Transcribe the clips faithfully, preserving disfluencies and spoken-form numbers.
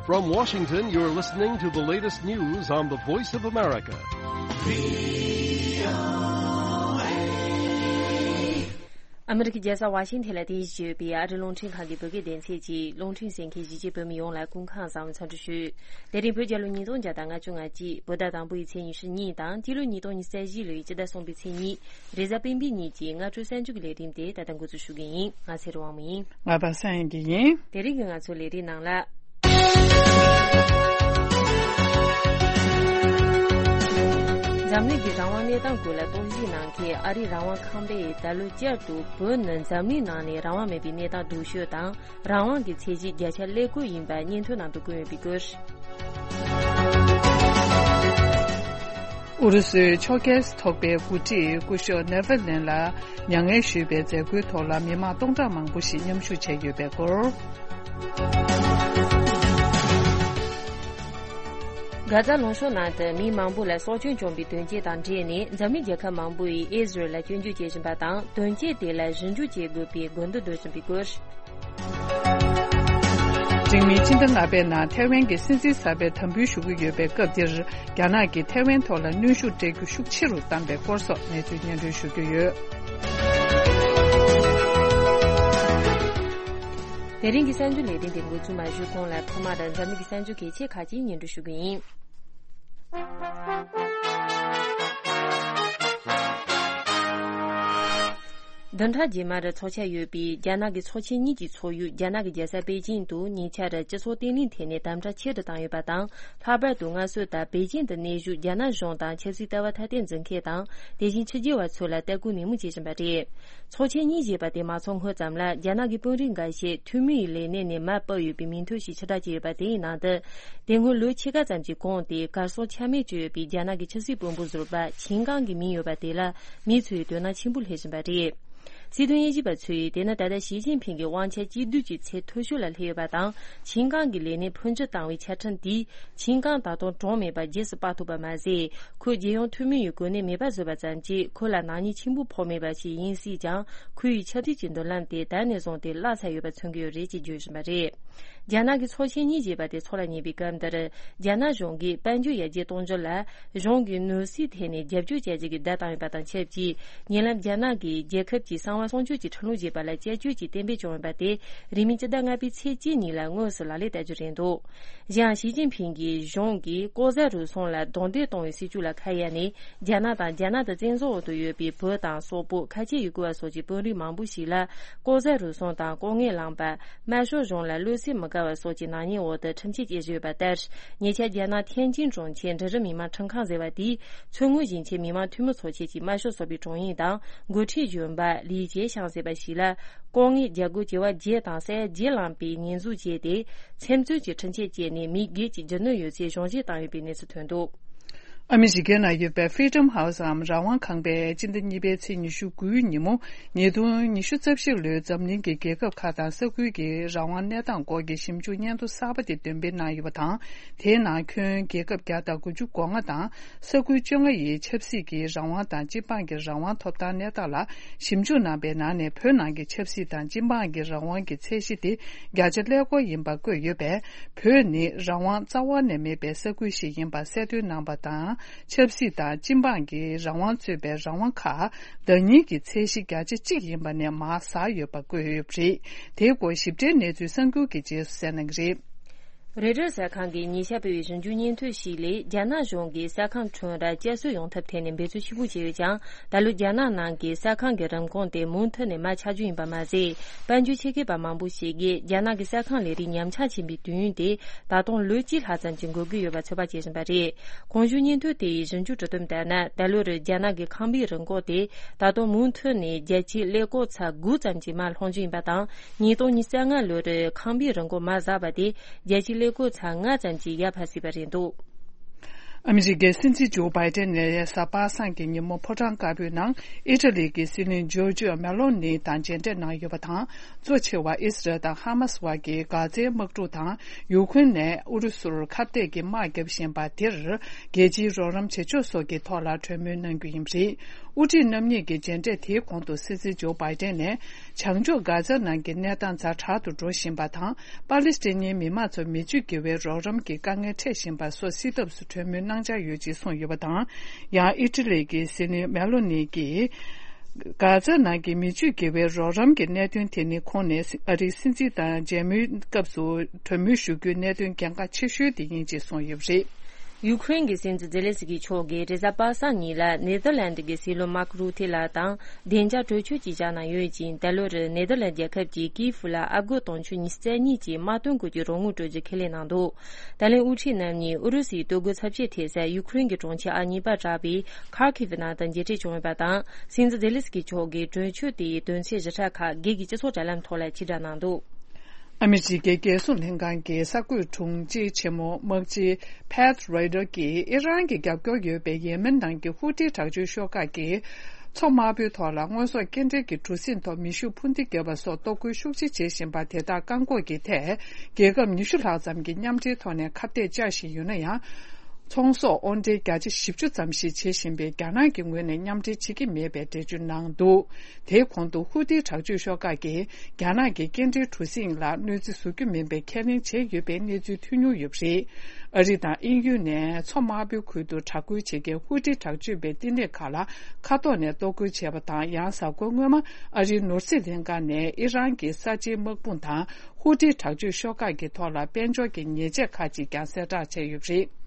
From Washington, you're listening to the latest news on the Voice of America. ཨ་མི་རི་ཀའི་རྒྱལ་ས་ཝ་ཤིང་ཐན་ལ་རྟེན་གཞི་བྱས་ཡོད་པའི་ཨ་རི་རླུང་འཕྲིན་ཁང་གི་བོད་སྐད་སྡེ་ཚན་གྱིས་རླུང་འཕྲིན་གསན་མཁན་གཞིས་བྱེས་བོད་མི་ཡོངས་ལ་སྐུ་ཁམས་བཟང་བའི་འཚམས་འདྲི་ཞུ། དེ་རིང་བོད་རྒྱལ་ལོ་ཉིས་སྟོང་བརྒྱ་དང་ལྔ་བཅུ་ང་གཅིག་བོད་ཟླ་དང་པོའི་ཚེས་ཉི་ཤུ་གཉིས་དང་སྤྱི་ལོ་ཉིས་སྟོང་ཉི་ཤུ་རྩ་བཞི་ལོའི་སྤྱི་ཟླ་གསུམ་པའི་ཚེས་གཉིས། རེས་གཟའ་སྤེན་པའི་ཉིན་གྱི་སྔ་དྲོ་གསར་འགྱུར་གྱི་ལས་རིམ་དེ་ད་ལྟ་འགོ་འཛུགས་ཞུ་གི་ཡིན། ང་ཚེ་རིང་དབང་མོ་ཡིན། ང་པ་སངས་ཡིན་གྱི་ཡིན། དེ་རིང་གི་ང་ཚོའི་ལས་རིམ་ནང་ལ། འཛམ་གླིང་གི་རང་དབང་གནས་སྟངས་སྐོར་ལ་རྟོག་ཞིབ་གནང་མཁན་ཨ་རིའི་རང་དབང་ཁང་པས་ད་ལོ་བསྐྱར་དུ་བོད་ནི་འཛམ་གླིང་ནང་ནས་རང་དབང་མེད་པའི་གནས་སྟངས་སྡུག་ཤོས་དང་། རང་དབང་གི་ཚད་གཞི་བརྒྱ་ཆ་ཀླད་ཀོར་ཡིན་པ་སྙན་ཐོའི་ནང་དུ་བཀོད་ཡོད་པའི་སྐོར། ཨུ་རུ་སུའི་ཕྱོགས་འགལ་ཚོགས་པའི་འགོ་ཁྲིད་སྐུ་ཞབས་ནེ་ཝར་ལེན་ལ་མྱ་ངན་ཞུས་པའི་མཛད་སྒོའི་ཐོག་ལ་མི་མང་སྟོང་ཕྲག་མང་པོ་ཞིག་མཉམ་ཞུགས་བྱས་ཡོད་པའི་སྐོར། གྷ་ཛ་ལུང་གཤོང་ནང་དུ་མི་མང་པོ་ལ་སྲོག་སྐྱོན་བྱུང་བའི་དོན་རྐྱེན་དང་འབྲེལ་ནས་འཛམ་གླིང་རྒྱལ་ཁབ་མང་པོ་ཡིས་ཨི་ཟི་རལ་ལ་སྐྱོན་བརྗོད་བྱེད་བཞིན་པ་དང་། དོན་རྐྱེན་དེ་ལ་ཞིབ་འཇུག་བྱེད་དགོས་པའི་དགོས་འདུན་འདོན་བཞིན་པའི་སྐོར། འབྲིང་མིན་སྤྱི་ཟླ་ལྔ་པའི་ནང་ཐའེ་ཝན་གྱི་སྲིད་འཛིན་གསར་པའི་དམ་འབུལ་ཞུ་གི་ཡོད་པའི་སྐབས་འདིར། རྒྱ་ནག་གིས་ཐའེ་ཝན་ཐོག་ལ་གནོན་ཤུགས་སྤྲད་རྒྱུ་ཤུགས་ཆེ་རུ་བཏང་པའི་སྐོར་སོགས་གནས་ཚུལ་སྙན་སྒྲོན་ཞུ་རྒྱུ་ཡོད། དེ་རིང་གི་གསར་འགྱུར་ལས་རིམ་དེ་འགོ་འཛུགས་མ་ཞུས་གོང་ལ་ཐོག་མར་འཛམ་གླིང་གི་གསར་འགྱུར་གལ་ཆེ་ཁག་ཅིག་སྙན་སྒྲོན་ཞུ་རྒྱུ་ཡིན། བདུན་ཕྲག་རྗེས་མར་འཚོགས་འཆར་ཡོད་པའི་རྒྱ་ནག་གི་ཚོགས་ཆེན་གཉིས་ཀྱི་ཚོགས་ཡུལ་རྒྱ་ནག་གི་རྒྱལ་ས་པེ་ཅིང་དུ་ཉེ་ཆར་སྤྱི་ཚོགས་བརྟན་ལྷིང་ཐད་ནས་དམ་དྲག་ཆེ་རུ་བཏང་ཡོད་པ་དང་། ལྷག་པར་དུ་སྔ་སྲོལ་ལྟར་པེ་ཅིང་དུ་གནས་བཞུགས་རྒྱ་ནག་གཞུང་དང་ཆབ་སྲིད་ལྟ་བ་ཐ་དད་འཛིན་མཁན་དང་། དེ་བཞིན་ཕྱི་རྒྱལ་བ་ཚོ་ལ་ལྟ་སྐུལ་ནན་མོ་བྱེད་བཞིན་པ་རེད། ཚོགས་ཆེན་གཉིས་བཞེས་པ་དེ་མ་ཚོགས་སྔོན་ཙམ་ལ་རྒྱ་ནག་གི་དཔོན་རིགས་འགའ་ཤས་འཐུས་མིའི་ལས་གནས་ནས་མར་བབས་ཡོད་པའི་མིང་ཐོ་ཞིག་ཕྱིར་བསྒྲགས་བྱས་ཡོད་པ་དེའི་ནང་དུ། དེ་སྔོན་ལོ་ཕྱེད་ཀ་ཙམ་གྱི་གོང་དེ་གར་སོང་ཆ་མེད་བཅུག་ཡོད་པའི་རྒྱ་ནག་གི་ཆབ་སྲིད་དཔོན་པོ་ཟུར་པ་ཆིན་ཀང་གི་མིང་ཡོད་པ་དེ་ལ་མི་ཚོས་དོ་སྣང་ཆེན་པོ་སླེབས་བཞིན་པ་རེད། སྲིད་དོན་དབྱེ་ཞིབ་པ་ཚོས་དེ་ནི་ད་ལྟ་ཞི་ཅིན་ཕིང་གི་དབང་ཆ་གཅིག་སྡུད་ཀྱི་ཚད་མཐོ་ཤོས་ལ་སླེབས་ཡོད་པ་དང་། ཆིན་ཀང་གི་ལས་གནས་འཕོ་འགྱུར་བཏང་བའི་ཆ་འཕྲིན་དེས། ཆིན་ཀང་ད་དུང་གྲངས་མེད་པ་རྗེས་སུ་སྤར་ཐུབ་པ་མ་ཟད། ཁོས་རྒྱལ་ཡོངས་འཐུས་མི་ཡི་གོ་གནས་མེད་པ་བཟོས་པ་ཙམ་གྱིས་ཁོ་ལ་ནག་ཉེས་ཆེན་པོ་ཕོག་མེད་པ་ཞིག་ཡིན་སྲིད་ཀྱང་། ཁོ་ཡི་ཆབ་སྲིད་ཀྱི་མདུན་ལམ་དེ་ད་ནས་བཟུང་སྟེ་བརླག་ཚར་ཡོད་པ་མཚོན་གྱི་ཡོད་རེད་ཅེས་བརྗོད་བཞིན་པ་རེད། རྒྱ་ནག་གི་ཚོགས་ཆེན་གཉིས་བཞེས་པ་དེ་འཚོགས་ལ་ཉེ་བའི་སྐབས་འདིར། རྒྱ་ནག་གཞུང་གིས་དཔལ་འབྱོར་ཡར་རྒྱས་གཏོང་རྒྱུ་ལ། གཞུང་གིས་ནོར་སྲིད་ཐད་ནས་རྒྱབ་སྐྱོར་བྱ་རྒྱུ་གི་བརྡ་བཏང་ཡོད་པ་དང་ཆབས་ཅིག་ཉེ་ལམ་རྒྱ་ནག་གིས་རྒྱལ་ཁབ་ཀྱི་གསང་བ་སྲུང་སྐྱོབ་ཀྱི་ཁྲིམས་ལུགས་ཞེས་པ་ལ་བསྐྱར་བཅོས་ཀྱིས་གཏན་འབེབས་བྱུང་ཡོད་པ་དེ། རིང་མིན་སྤྱི་ཟླ་ལྔ་པའི་ཚེས་གཅིག་ཉིན་ལ་དངོས་སུ་ལག་ལེན་བསྟར་རྒྱུ་རེད་འདུག་གཞན་ཡང་ཞི་ཅིན་ཕིང་གིས་གཞུང་གིས་ལྐོག་ཟ་རུལ་སུངས་ལ་རྡུང་རྡེག་གཏོང་བའི་སྲིད་ཇུས་ལ་ཁ་གཡར་ནས། རྒྱ་ནག་དང་རྒྱ་ནག་ཏུ་བཙན་བཟུང་འོག་ཏུ་ཡོད་པའི་བོད་དང་སོག་པོ། ཁ་ཆེ་ཡུ་གུར་བ་སོགས་ཀྱི་དཔོན་རིགས་མང་པོ་ཞིག་ལ། ལྐོག་ཟ་རུལ་སུངས་དང་ལྐོག་རྔན་བླངས་པ། དམར་ཤོག་གཞུང་ལ་བློ་སེམས་མི་དགའ་བ་སོགས་ཀྱི་ནག་ཉེས་འོག་ཏུ་ཁྲིམས་ཆད་བཅད་བཞག་ཡོད་པ་ལྟར། ཉེ་ཆར་རྒྱ་ནག་ཐེན་ཅིན་གྲོང་ཁྱེར་འབྲི་རུ་མི་མང་ཁྲིམས་ཁང་ཟེར་བ་དེས། མཚོ་སྔོན་ཞིང་ཆེན་མི་མང་འཐུས་མི་ཚོགས་ཆེན་གྱི་དམར་ཤོག་ཚོགས་པའི་དྲུང་ཡིག་དང་། འགོ་ཁྲིད་གཞོན་པ་ལི་ཅེ་ཤང་ཟེར་བ་ཞིག་ལ། ལྐོག་རྔན་རྒྱག་སྒོ་བྱེ་བ་བརྒྱད་དང་ས་ཡ་བརྒྱད་བླངས་པའི་ཉེས་འཛུགས་བྱས་ཏེ། ཚེམ་བཙོན་གྱི་ཁྲིམས་ཆད་བཅད་ནས་མི་བརྒྱད་ཀྱི་རྒྱུ་ནོར་ཡོད་ཚད་གཞུང་བཞེས་བཏང་ཡོད་པའི་གནས་ཚུལ་ཐོན་འདུག་ཨ་མི་རི་ཀའི་ནང་ཡོད་པའི་Freedom House འམ་རང་དབང་ཁང་པས་སྤྱི་ཟླ་གཉིས་པའི་ཚེས་ཉི་ཤུ་དགུའི་ཉིན་མོ། ཉིས་སྟོང་ཉི་ཤུ་རྩ་བཞི་ལོའི་འཛམ་གླིང་གི་རྒྱལ་ཁབ་ཁག་དང་ས་ཁུལ་གྱི་རང་དབང་གནས་སྟངས་སྐོར་གྱི་ཞིབ་འཇུག་སྙན་ཐོ་གསར་པ་དེ་འདོན་སྤེལ་གནང་ཡོད་པ་དང་། དེའི་ནང་ཁྱོན་རྒྱལ་ཁབ་བརྒྱ་དང་དགུ་བཅུ་གོ་ལྔ་དང་། ས་ཁུལ་བཅོ་ལྔ་ཡི་ཆབ་སྲིད་ཀྱི་རང་དབང་དང་སྤྱི་འབངས་ཀྱི་རང་དབང་ཐོབ་ཐང་གནས་སྟངས་ལ་ཞིབ་འཇུག་གནང་པའི་ནང་ནས། བོད་ནང་གི་ཆབ་སྲིད་དང་སྤྱི་འབངས་ཀྱི་རང་དབང་གི་ཚད་གཞི་དེ་བརྒྱ་ཆ་ཀླད་ཀོར་ཡིན་པ་བཀོད་ཡོད་པས། བོད་ནི་རང་དབང་རྩ་བ་ནས་མེད་པའི་ས་ཁུལ་ཞིག་ཡིན་པ་གསལ་སྟོན་གནང་པ་དང་། ཆབ་སྲིད་དང་སྤྱི་འབངས་ཀྱི་རང་དབང་གཙོས་པའི་རང་དབང་ཁག་བདག་གཉེར་གྱི་ཚད་གཞི་བརྒྱ་ཆ་གཅིག་ཡིན་པ་ནས་མར་ཟགས་ཡོད་པ་བཀོད་ཡོད་པ་རེད། དེའི་སྐོར་ཞིབ་ཕྲའི་གནས་ཚུལ་གསར་འགྱུར་གྱི་རྗེས་སུ་གསན་གནང་གི་རེད། རོའི་ཊར་གསར་ཁང་གིས་ཉེ་ཆར་སྤེལ་བའི་ཞིབ་འཇུག་སྙན་ཐོ་ཞིག་ལས། རྒྱ་ནག་གཞུང་གིས་ས་ཁམས་ཁྲོམ་ར་བསྐྱར་གསོ་ཡོང་ཐབས་ཐད་ནས་འབད་བརྩོན་ཆེན་པོ་བྱས་ཡོད་ཀྱང་། ད་ལོ་རྒྱ་ནག་ནང་གི་ས་ཁང་གི་རིན་གོང་དེ་མུ་མཐུད་ནས་མར་ཆག་རྒྱུ་ཡིན་པ་མ་ཟད། དཔལ་འབྱོར་ཆེད་མཁས་པ་མང་པོ་ཞིག་གིས། རྒྱ་ནག་གི་ས་ཁང་ལས་རིགས་ཉམས་ཆག་ཕྱིན་པའི་དུས་ཡུན་དེ་ད་དུང་ལོ་གཅིག་ལྷག་ཙམ་ཅིག་འགོར་གྱི་ཡོད་པ་ཚོད་དཔག་བྱེད་བཞིན་པ་རེད། གོང་ཞུས་སྙན་ཐོ་དེ་ཡི་ཞིབ་འཇུག་གྲུབ་དོན་ལྟར་ན། ད་ལོར་རྒྱ་ནག་གི་ཁང་པའི་རིན་གོང་དེ་ད་དུང་མུ་མཐུད་ནས་བརྒྱ་ཆའི་ཀླད་ཀོར་ཚེག་དགུ་ཙམ་གྱིས་མར་ལྷུང་རྒྱུ་ཡིན་པ་དང་། ཉིས་སྟོང་ཉི་ཤུ་རྩ་ལྔ་ལོར་ཁང་པའི་རིན་གོང་མར་ཟགས་པ་དེ་བརྒྱ་ཆའི་ཀླད་ཀོར་ཚེག་ལྔ་ཙམ་གྱིས་ཡར་འཕར་སྲིད་པ་རེད་འདུག་ཨ་མི་རི་ཀའི་སྲིད་འཛིན་ཇོ་བྷའི་ཏན་ནས་གཟའ་པ་སངས་ཀྱི་ཉིན་མོ་ཕོ་བྲང་དཀར་པོའི་ནང་ཨི་ཊ་ལི་གི་སྲིད་བློན་ཇོར་ཇིའོ་མེ་ལོ་ནི་དང་མཇལ་འཕྲད་གནང་ཡོད་པ་དང་། གཙོ་ཆེ་བ་ཨི་སི་རལ་དང་ཧ་མ་སི་བར་གྱི་འགག་རྩའི་དམག་འཁྲུག་དང་། ཡུ་ཁུན་ནས་ཨུ་རུ་སུར་ཁ་གཏད་ཀྱི་དམག་བརྒྱབ་བཞིན་པ་དེར། རྒྱལ་སྤྱིའི་རོགས་རམ་བྱེད་ཕྱོགས་སོགས་ཀྱི་ཐོག་ལ་གྲོས་མོལ་གནང་རྒྱུ་ཡིན་པ་རེད། དབུ་ཁྲིད་རྣམ་གཉིས་ཀྱི་མཇལ་འཕྲད་དེའི་གོང་དུ་སྲིད་འཛིན་ཇོ་བྷའི་ཏན་ནས་བྱང་ཕྱོགས་གྷ་ཛ་ནང་གི་གནས་སྟངས་ཛ་དྲག་ཏུ་འགྲོ་བཞིན་པ་དང་། པ་ལི་སི་ཐན་མི་མང་ཚོར་མི་ཆོས་དགེ་བའི་རོགས་རམ་གྱི་དཀའ་ངལ་འཕྲད་བཞིན་པ་སོགས་སེལ་ཐབས་སུ་གྲོས་མོལ་གནང་འཆར་ཡོད་ཅེས་གསུངས་ཡོད་པ་དང་། ཡང་ཨི་ཊ་ལི་གི་སྲིད་བློན་མེ་ལོ་ནི་གིས། གྷ་ཛ་ནང་གི་མི་ཆོས་དགེ་བའི་རོགས་རམ་གྱི་གནད་དོན་དེ་ནི་ཁོང་ནས་ཨ་རིའི་སྲིད་འཛིན་དང་མཇལ་མོལ་སྐབས་སུ་གྲོས་མོལ་ཞུ་རྒྱུའི་གནད་དོན་གལ་འགངས་ཆེ་ཤོས་དེ་ཡིན་ཅེས་གསུངས་ཡོད་པ་རེད། ཡུ་ཁུ་རེན་གྱི་སྲིད་འཛིན་ཛེ་ལན་སི་ཀི་མཆོག་གིས་རེས་གཟའ་པ་སངས་ཉིན་ལ་ནེ་ཐར་ལན་ཌི་གི་སྲིད་བློན་མཱག་རུ་ཐེ་ལགས་དང་བདེ་འཇགས་གྲོས་ཆོད་ཅིག་བཞག་གནང་ཡོད་ཅིང་། ད་ལོར་ནེ་ཐར་ལན་ཌི་རྒྱལ་ཁབ་ཀྱི་ཀིའེ་ཧྥུ་ལ་ཨ་སྒོར་དུང་ཕྱུར་ཉི་ཤུ་རྩ་གཉིས་ཀྱི་དམག་དོན་སྐོར་གྱི་རོགས་དངུལ་སྤྲོད་རྒྱུ་ཁས་ལེན་གནང་འདུག་ད་ལན་དབུ་ཁྲིད་རྣམ་གཉིས་ཨུ་རུ་སུའི་གཏོར་རྒོལ་ཚབས་ཆེ་ཐེབས་ས་ཡུ་ཁུ་རེན་གྱི་གྲོང་ཁྱེར་ཨ་གཉིས་པ་གྲགས་པའི་ཁར་ཁིབ་ནང་དུ་མཇལ་འཕྲད་བྱུང་ཡོད་པ་དང་། སྲིད་འཛིན་ཛེ་ལན་སི་ཀི་མཆོག་གིས་གྲོས་ཆོད་དེའི་དོན་ཚན་བཞི་ཕྲ་ཁག་སྒེར་གྱི་སྤྱི་ཚོགས་དྲ་ལམ་ཐོག་ལ་ཕྱིར་བསྒྲགས་གནང་འདུག་ཨ་མི་རི་ཀའི་རྒྱལ་སྲུང་ལྷན་ཁང་གི་གསར་འགོད་དྲུང་ཆེ་ཆེན་མོ་དམག་སྤྱི་Pat Ryder་གྱིས་ཨི་རན་གྱི་རྒྱབ་སྐྱོར་ཡོད་པའི་ཡེ་མེན་ནང་གི་ཧུ་ཏི་དྲག་སྤྱོད་ཤོག་ཁག་གིས། མཚོ་དམར་པོའི་ཐོག་ལ་དངོས་ཟོག་སྐྱེལ་འདྲེན་གྱི་གྲུ་གཟིངས་ཐོག་མེ་ཤུགས་འཕུར་མདེལ་བརྒྱབ་པ་སོགས་གཏོར་རྒོལ་ཤུགས་ཆེ་བྱེད་བཞིན་པ་དེ་དག་བཀག་འགོག་གི་ཐད། རྒྱལ་ཁབ་ཉི་ཤུ་ལྷག་ཙམ་གྱིས་མཉམ་འབྲེལ་ཐོག་ནས་ཁ་གཏད་བཅག་བཞིན་ཡོད་ན་ཡང་། ཚོང་ཟོག་དབོར་འདྲེན་བརྒྱ་ཆ་བཞི་བཅུ་ཙམ་ཞིག་བྱེད་བཞིན་པའི་རྒྱ་ནག་གི་ངོས་ནས་མཉམ་འབྲེལ་བྱེད་ཀྱི་མེད་པའི་འགྲེལ་བརྗོད་གནང་འདུག་དེའི་གོང་དུ་ཧུ་ཏི་དྲག་སྤྱོད་ཤོག་ཁག་གིས་རྒྱ་ནག་གི་སྐྱེལ་འདྲེན་གྲུ་གཟིངས་ལ་གནོད་འཚེ་བཟོ་རྒྱུ་མིན་པའི་ཁས་ལེན་བྱས་ཡོད་པའི་གནས་ཚུལ་ཐོན་མྱོང་ཡོད་པ་རེད། ཨ་རི་དང་དབྱིན་ཡུལ་ནས་མཚོ་དམར་པོའི་ཁུལ་དུ་དྲག་རྒོལ་བྱེད་མཁན་ཧུ་ཏི་དྲག་སྤྱོད་པའི་བསྟི་གནས་ཁག་ལ་མཁའ་ཐོག་ནས་གཏོར་རྒོལ་བྱས་པ་དང་། ཡང་གཟའ་འཁོར་སྔོན་མ་ཨ་རིའི་ནོར་སྲིད་ལྷན་ཁང་ནས་ཨི་རན་གྱི་གསར་བརྗེའི་དམག་དཔུང་དང་ཧུ་ཏི་དྲག་སྤྱོད་ཤོག་ཁག་གི་ཐོག་ལ་དཔལ་འབྱོར་གྱི་ཉེས་ཆད་ཁག་ཅིག་ཀྱང་གསལ་བསྒྲགས་བྱས་ཡོད་པ་རེད།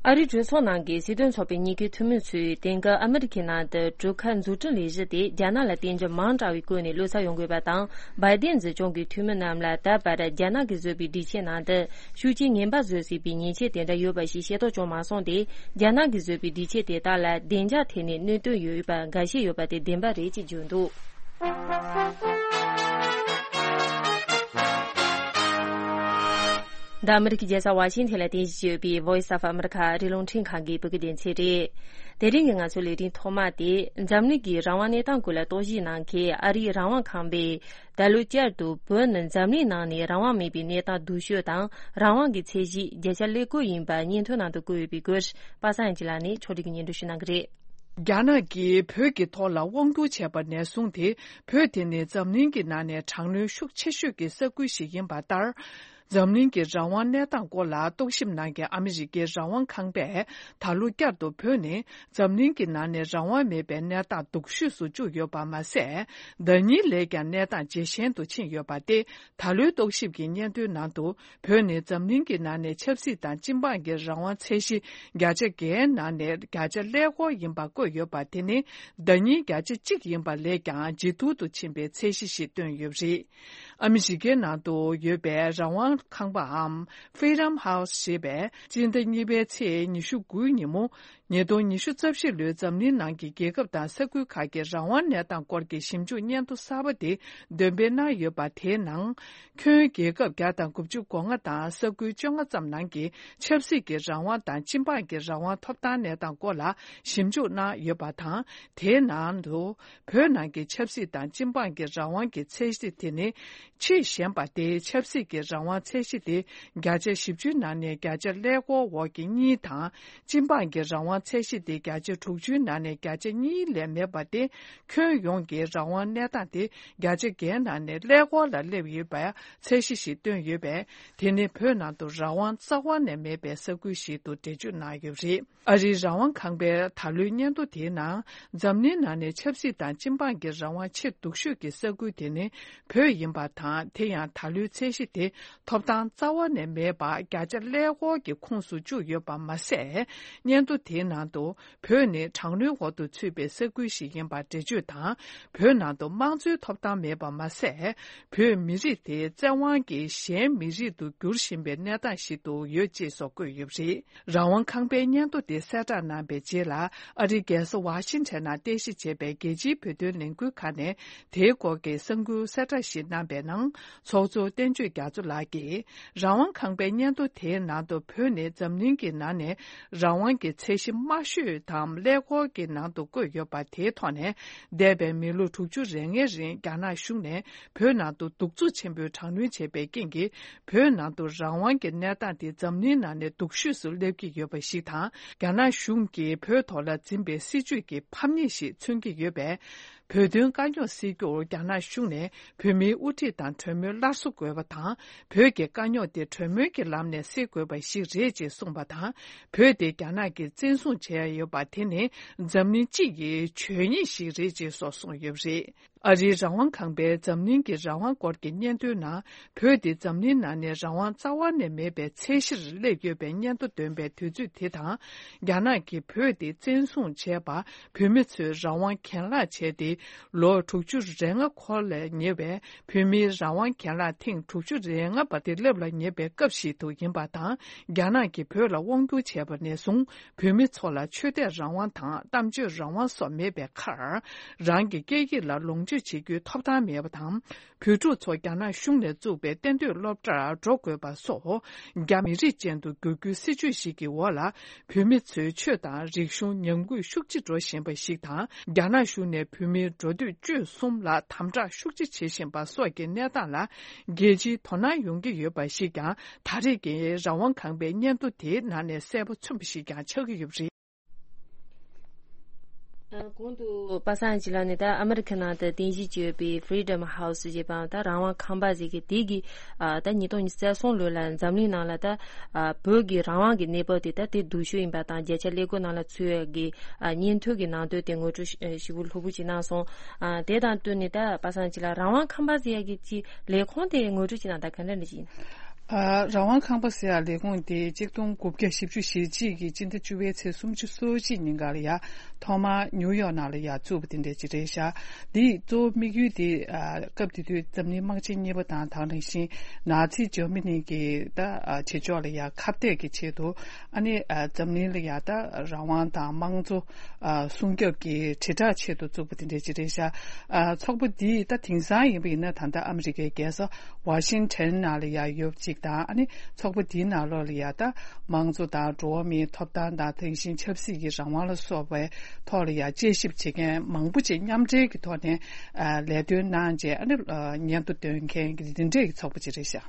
ཨ་རིའི་གྲོས་ཚོགས་ནང་གི་སྲིད་དོན་ཚོགས་པའི་གཉིས་ཀའི་འཐུས་མི་ཚོས་དེང་སྐབས་ཨ་མི་རི་ཁའི་ནང་དུ་གྲུ་ཁ་འཛུགས་སྐྲུན་ལས་གཞི་དེ་རྒྱ་ནག་ལ་བརྟེན་རྒྱུ་མང་དྲགས་པའི་སྒོ་ནས་བློ་འཚབ་ཡོང་དགོས་པ་དང་། བྷའི་ཏན་འཛིན་སྐྱོང་གི་འཐུས་མི་རྣམས་ལ་ད་བར་རྒྱ་ནག་གིས་བཟོས་པའི་སྒྲིག་ཆས་ནང་དུ་ཤུགས་རྐྱེན་ངན་པ་བཟོ་སྲིད་པའི་ཉེས་ཆད་དེ་འདྲ་ཡོད་པ་ཞིག་ཤེས་རྟོགས་བྱུང་མ་སོང་སྟེ། རྒྱ་ནག་གིས་བཟོས་པའི་སྒྲིག་ཆས་དེ་དག་ལ་བདེ་འཇགས་ཐད་ནས་གནོད་དོན་ཡོད་པ་འགའ་ཤས་ཡོད་པ་དེ་བདེན་པ་རེད་ཅེས་བརྗོད་འདུག་འདི་ཨ་མི་རི་ཀའི་རྒྱལ་ས་ཝ་ཤིང་ཐན་ལ་རྟེན་གཞི་བྱས་ཡོད་པའི་Voice of America ཨ་རིའི་རླུང་འཕྲིན་ཁང་གི་བོད་སྐད་སྡེ་ཚན་རེད། དེ་རིང་གི་ང་ཚོའི་ལས་རིམ་ཐོག་མ་དེ། འཛམ་གླིང་གི་རང་དབང་གནས་སྟངས་སྐོར་ལ་རྟོག་ཞིབ་གནང་མཁན་ཨ་རིའི་རང་དབང་ཁང་པས། ད་ལོ་བསྐྱར་དུ་བོད་ནི་འཛམ་གླིང་ནང་ནས་རང་དབང་མེད་པའི་གནས་སྟངས་སྡུག་ཤོས་དང་། རང་དབང་གི་ཚད་གཞི་བརྒྱ་ཆ་ཀླད་ཀོར་ཡིན་པ་སྙན་ཐོའི་ནང་དུ་བཀོད་ཡོད་པའི་སྐོར། པ་སངས་ཡང་སྐྱིད་ལགས་ནས་ཕྱོགས་སྒྲིག་གིས་སྙན་སྒྲོན་ཞུ་གནང་གི་རེད། རྒྱ་ནག་གིས་བོད་ཀྱི་ཐོག་ལ་དབང་བསྒྱུར་བྱས་པ་ནས་བཟུང་སྟེ། བོད་དེ་ནི་འཛམ་གླིང་གི་ནང་ནས་གྲངས་ལོན་ཤུགས་ཆེ་ཤོས་ཀྱི་ས་ཁུལ་ཞིག་ཡིན་པ་ལྟར། འཛམ་གླིང་གི་རང་དབང་གནས་སྟངས་སྐོར་ལ་རྟོག་ཞིབ་གནང་མཁན་ཨ་མི་རི་ཀའི་རང་དབང་ཁང་པས། ད་ལོ་བསྐྱར་དུ་བོད་ནི་འཛམ་གླིང་གི་ནང་ནས་རང་དབང་མེད་པའི་གནས་སྟངས་སྡུག་ཤོས་སུ་བཅུག་ཡོད་པ་མ་ཟད། ཟླ་ཉིན་ལས་ཀྱང་གནས་སྟངས་ཇེ་ཞན་དུ་ཕྱིན་ཡོད་པ་སྟེ། ད་ལོའི་རྟོག་ཞིབ་ཀྱི་སྙན་ཐོའི་ནང་དུ། བོད་ནི་འཛམ་གླིང་གི་ནང་ནས་ཆབ་སྲིད་དང་སྤྱི་འབངས་ཀྱི་རང་དབང་ཚད་གཞི་བརྒྱ་ཆ་བརྒྱའི་ནང་ནས་བརྒྱ་ཆ་ཀླད་ཀོར་ཡིན་པ་བཀོད་ཡོད་པ་དེ་ནི་ཟླ་ཉིན་བརྒྱ་ཆ་གཅིག་ཡིན་པ་ལས་ཀྱང་ཇེ་སྡུག་ཏུ་ཕྱིན་པའི་ཚད་གཞི་ཞིག་བཏོན་ཡོད་པ་རེད། ཨ་མི་རི་ཀའི་ནང་དུ་ཡོད་པའི་རང་དབང་ཁང་པའམ་Freedom House ཞེས་པས་སྤྱི་ཟླ་གཉིས་པའི་ཚེས་ཉི་ཤུ་དགུའི་ཉིན་མོ། ཉིས་སྟོང་ཉི་ཤུ་རྩ་བཞི་ལོའི་འཛམ་གླིང་ནང་གི་རྒྱལ་ཁབ་དང་ས་ཁུལ་ཁག་གི་རང་དབང་གནས་སྟངས་སྐོར་གྱི་ཞིབ་འཇུག་སྙན་ཐོ་གསར་པ་དེ་འདོན་སྤེལ་གནང་ཡོད་པ་དེའི་ནང་། ཁྱོན་རྒྱལ་ཁབ་བརྒྱ་དང་དགུ་བཅུ་གོ་ལྔ་དང་ས་ཁུལ་བཅོ་ལྔ་ཙམ་ནང་གི་ཆབ་སྲིད་ཀྱི་རང་དབང་དང་སྤྱི་འབངས་ཀྱི་རང་དབང་ཐོབ་ཐང་གནས་སྟངས་སྐོར་ལ་ཞིབ་འཇུག་གནང་ཡོད་པ་དང་། དེའི་ནང་དུ་བོད་ནང་གི་ཆབ་སྲིད་དང་སྤྱི་འབངས་ཀྱི་རང་དབང་གི་ཚད་གཞི་དེ་ནི། ཆེས་ཞན་པ་སྟེ། ཆབ་སྲིད་ཀྱི་རང་དབང་ཚད་གཞི་དེ་བརྒྱ་ཆ་བཞི་བཅུའི་ནང་ནས་བརྒྱ་ཆ་ཀླད་ཀོར་འོག་གི་གཉིས་དང་། སྤྱི་འབངས་ཀྱི་རང་དབང་ཚད་གཞི་དེ་བརྒྱ་ཆ་དྲུག་ཅུའི་ནང་ནས་བརྒྱ་ཆ་གཉིས་ལས་མེད་པ་སྟེ། ཁྱོན་ཡོངས་ཀྱི་རང་དབང་གནས་སྟངས་དེ་བརྒྱ་ཆ་བརྒྱའི་ནང་ནས་ཀླད་ཀོར་ལ་སླེབས་ཡོད་པའི་ཚད་གཞི་ཞིག་བཏོན་ཡོད་པས། དེ་ནི་བོད་ནང་དུ་རང་དབང་རྩ་བ་ནས་མེད་པའི་ས་ཁུལ་ཞིག་ཏུ་འགྲེལ་བརྗོད་གནང་ཡོད་པ་རེད། ཨ་རིའི་རང་དབང་ཁང་པའི་ད་ལོའི་སྙན་ཐོ་དེའི་ནང་། འཛམ་གླིང་ནང་ནས་ཆབ་སྲིད་དང་སྤྱི་འབངས་ཀྱི་རང་དབང་ཆེས་སྡུག་ཤོས་ཀྱི་ས་ཁུལ་དེ་ནི་བོད་ཡིན་པ་དང་། དེ་ཡང་ད་ལོའི་ཚད་གཞི་དེ་ཐོབ་ཐང་རྩ་བ་ནས་མེད་པ་བརྒྱ་ཆ་ཀླད་ཀོར་གྱི་ཁོངས་སུ་བཅུག་ཡོད་པ་མ་ཟད། སྙན་ཐོ་དེའི་ནང་དུ། བོད་ནི་གྲངས་ལྷུང་འོག་ཏུ་ཚུད་པའི་ས་ཁུལ་ཞིག་ཡིན་པར་འགྲེལ་བརྗོད་དང་། བོད་ནང་དུ་དམངས་གཙོའི་ཐོབ་ཐང་མེད་པ་མ་ཟད། བོད་མི་རིགས་དེ་བཙན་དབང་གིས་གཞན་མི་རིགས་དུ་འགྱུར་བཞིན་པའི་གནས་སྟངས་ཤིག་ཏུ་ཡོད་ཅེས་སོགས་བཀོད་ཡོད་པ་རེད། རང་དབང་ཁང་པའི་སྙན་ཐོ་དེ་གསལ་བསྒྲགས་གནང་པའི་རྗེས་ལ། ཨ་རིའི་རྒྱལ་ས་ཝ་ཤིང་ཊོན་ནང་རྟེན་གཞི་བྱས་པའི་རྒྱལ་སྤྱིའི་བོད་དོན་ལས་འགུལ་ཁང་ནས་དེའི་སྐོར་གྱི་གསར་འགྱུར་གསལ་བསྒྲགས་ཤིག་གནང་པའི་ནང་། ཚོགས་གཙོ་བསྟན་ཆོས་རྒྱ་མཚོ་ལགས་ཀྱིས། རང་དབང་ཁང་པའི་སྙན་ཐོ་དེའི་ནང་དུ་བོད་ནི་འཛམ་གླིང་གི་ནང་ནས་རང་དབང་གི་ཚད་གཞི་དམའ་ཤོས་དང་ཀླད་ཀོར་གྱི་ནང་དུ་བཀོད་ཡོད་པ་དེའི་ཐོག་ནས། འདས་པའི་མི་ལོ་དྲུག་ཅུ་རེ་ལྔའི་རིང་རྒྱ་ནག་གཞུང་ནས་བོད་ནང་དུ་གདུག་རྩུབ་ཆེན་པོས་དྲག་གནོན་བྱས་པའི་རྐྱེན་གྱིས། བོད་ནང་དུ་རང་དབང་གི་གནས་སྟངས་དེ་འཛམ་གླིང་ནང་ནས་སྡུག་ཤོས་སུ་སླེབས་ཀྱི་ཡོད་པ་ཞིག་དང་། རྒྱ་ནག་གཞུང་གིས་བོད་ཐོག་ལ་འཛིན་པའི་སྲིད་བྱུས་ཀྱི་ཕམ་ཉེས་ཤིག་མཚོན་གྱི་ཡོད་པས། བོད་དོན་དཀའ་རྙོག་སེལ་རྒྱུར་རྒྱ་ནག་གཞུང་ནས་བོད་མིའི་དབུ་ཁྲིད་དང་གྲོས་མོལ་སླར་གསོ་དགོས་པ་དང་། བོད་ཀྱི་དཀའ་རྙོག་དེ་གྲོས་མོལ་གྱི་ལམ་ནས་སེལ་དགོས་པ་ཞིག་རེད་ཅེས་གསུངས་པ་དང་། བོད་དེ་རྒྱ་ནག་གིས་བཙན་བཟུང་བྱས་ཡོད་པ་དེ་ནི་འཛམ་གླིང་སྤྱི་ཡི་བྱས་ཉེས་ཤིག་རེད་ཅེས་སོགས་གསུངས་ཡོད་པ་རེད། ཨ་རིའི་རང་དབང་ཁང་པའི་འཛམ་གླིང་གི་རང་དབང་སྐོར་གྱི་སྙན་ཐོའི་ནང་། བོད་དེ་འཛམ་གླིང་ནང་ནས་རང་དབང་རྩ་བ་ནས་མེད་པའི་ཚད་གཞིར་སླེབས་ཡོད་པའི་སྙན་ཐོ་འདོན་པའི་དུས་ཚོད་དེ་དང་། རྒྱ་ནག་གིས་བོད་དེ་བཙན་བཟུང་བྱས་པ། བོད་མི་ཚོས་རང་དབང་གྱེན་ལངས་བྱས་ཏེ། ལོ་དྲུག་ཅུ་རེ་ལྔ་འཁོར་ལ་ཉེ་བའི་བོད་མིའི་རང་དབང་གྱེན་ལངས་ཐེངས་དྲུག་ཅུ་རེ་ལྔ་པ་དེ་སླེབས་ལ་ཉེ་བའི་སྐབས་ཤིག་ཏུ་ཡིན་པ་དང་། རྒྱ་ནག་གིས་བོད་ལ་དབང་བསྒྱུར་བྱས་པ་ནས་བཟུང་། བོད་མི་ཚོ་ལ་ཆོས་དད་རང་དབང་དང་གཏམ་བརྗོད་རང་དབང་སོགས་མེད་པའི་ཁར། རང་གི་སྐད་ཡིག་ལ་ལོངས་སྤྱོད་བྱེད་རྒྱུའི་ཐོབ་ཐང་མེད་པ་དང་། བོད་ཕྲུག་ཚོ་རྒྱ་ནག་གཞུང་ནས་བཙུགས་པའི་གཏན་སྡོད་སློབ་གྲྭར་འགྲོ་དགོས་པ་སོགས། རྒྱ་མི་རིགས་ཅན་དུ་བསྒྱུར་རྒྱུའི་སྲིད་བྱུས་ཤིག་གི་འོག་ལ། བོད་མི་ཚོའི་ཆོས་དང་རིག་གཞུང་ཉམས་རྒུད་ཤུགས་ཆེ་འགྲོ་བཞིན་པ་ཞིག་དང་། རྒྱ་ནག་གཞུང་ནས་བོད་མིའི་འགྲོ་སྡོད་སྤྱོད་གསུམ་ལ་དམ་དྲག་ཤུགས་ཆེ་བྱེད་བཞིན་པ་སོགས་ཀྱི་གནས་སྟངས་ལ། རྒྱལ་སྤྱིའི་དོ་སྣང་ཡོང་གི་ཡོད་པ་ཞིག་ཀྱང་། ད་རེས་ཀྱི་རང་དབང་ཁང་པའི་སྙན་ཐོ་དེའི་ནང་ནས་གསལ་པོ་མཚོན་པ་ཞིག་ཀྱང་ཆགས་ཀྱི་ཡོད་པ་རེད། ཨ། གོང་དུ་པ་སངས་སྐྱིད་ལགས་ནས་ད་ཨ་མི་རི་ཁ་ནང་དུ་རྟེན་གཞི་བྱས་ཡོད་པའི་Freedom House་ཞེས་པའམ་ད་རང་དབང་ཁང་པ་ཞིག་གི་དེ་གི། ཨ། ད་ཉིས་སྟོང་ཉི་ཤུ་རྩ་གསུམ་ལོ་ལ་འཛམ་གླིང་ནང་ལ་ད། ཨ། བོད་ཀྱི་རང་དབང་གི་གནས་བབ་དེ་ད་དེ་སྡུག་ཤོས་ཡིན་པ་དང་། བརྒྱ་ཆ་ཀླད་ཀོར་ནང་ལ་ཚུད་ཡོད་ཀྱི། ཨ། སྙན་ཐོ་གི་ནང་དོན་དེ་ངོ་སྤྲོད་ཞིབ་པོ་ལྷུག་པོ་ཅིག་གནང་སོང་། ཨ། དེ་དང་བསྟུན་ནས་ད་པ་སངས་སྐྱིད་ལགས་རང་དབང་ཁང་པ་ཟེར་ཡ་གི་ཅིག་ལས་ཁུངས་དེ་ངོ་སྤྲོད་ཅིག་གནང་དང་། ག་འདྲ་འདྲ་ཅིག་ཡིན། ཨ། རང་དབང་ཁང་པ་ཟེར་ཡ་ལས་ཁུངས་དེ་གཅིག་སྟོང་དགུ་བརྒྱ་བཞི་བཅུ་ཞེ་གཅིག་གི་སྤྱི་ཟླ་བཅུ་པའི་ཚེས་སུམ་ཅུ་སོ་གཅིག་ཉིན་ག་ལ་ཡ་ཐོག་མར་ནིའུ་ཡོག་ནང་ལ་ཡ་བཙུགས་པ་དེ་འདྲ་ཅིག་རེད་ཤག་འདིའི་གཙོ་བོ་དམིགས་ཡུལ་དེ། ཨ། སྐབས་དེ་དུས་འཛམ་གླིང་དམག་ཆེན་གཉིས་པ་དང་། དེ་ནང་བཞིན་ནཱ་ཚི་འཇར་མ་ནི་གི་ད། ཨ། བྱེད་ཕྱོགས་ལ་ཡ་ཁ་གཏད་ཀྱི་ཆེད་དུ། ཨ་ནི། ཨ། འཛམ་གླིང་ལ་ཡ་ད་རང་དབང་དང་དམངས་གཙོ། ཨ། སྲུང་སྐྱོབ་ཀྱི་དྲིལ་བསྒྲགས་ཆེད་དུ་བཙུགས་པ་དེ་འདྲ་ཅིག་རེད་ཤག་ཨ། ཚོགས་པ་འདི་ད་དེང་སང་ཡིན་པ་ཡིན་ན་ད་ལྟ་ཨ་མི་རི་ཀའི་རྒྱལ་ས་ཝ་ཤིང་ཊོན་ནང་ལ་ཡ་ཡོད་ཅིག་དང་། ཨ་ནི་ཚོགས་པ་འདིའི་ནང་ལོགས་ལ་ཡ་ད་དམངས་གཙོ་དང་འགྲོ་བ་མིའི་ཐོབ་ཐང་དང་། དེ་བཞིན་ཆབ་སྲིད་ཀྱི་རང་དབང་ལ་སོགས་པའི་ཐོག་ལ་ཡ་དཔྱད་ཞིབ་བྱེད་མཁན་མང་པོ་ཅིག་མཉམ་འབྲེལ་གྱི་ཐོག་ནས། ཨ། ལས་དོན་གནང་རྗེས། ཨ་ནི། ཨ། སྙན་ཐོ་འདོན་མཁན་གྱི་འདི་འདྲའི་ཚོགས་པ་ཅིག་རེད་ཤག་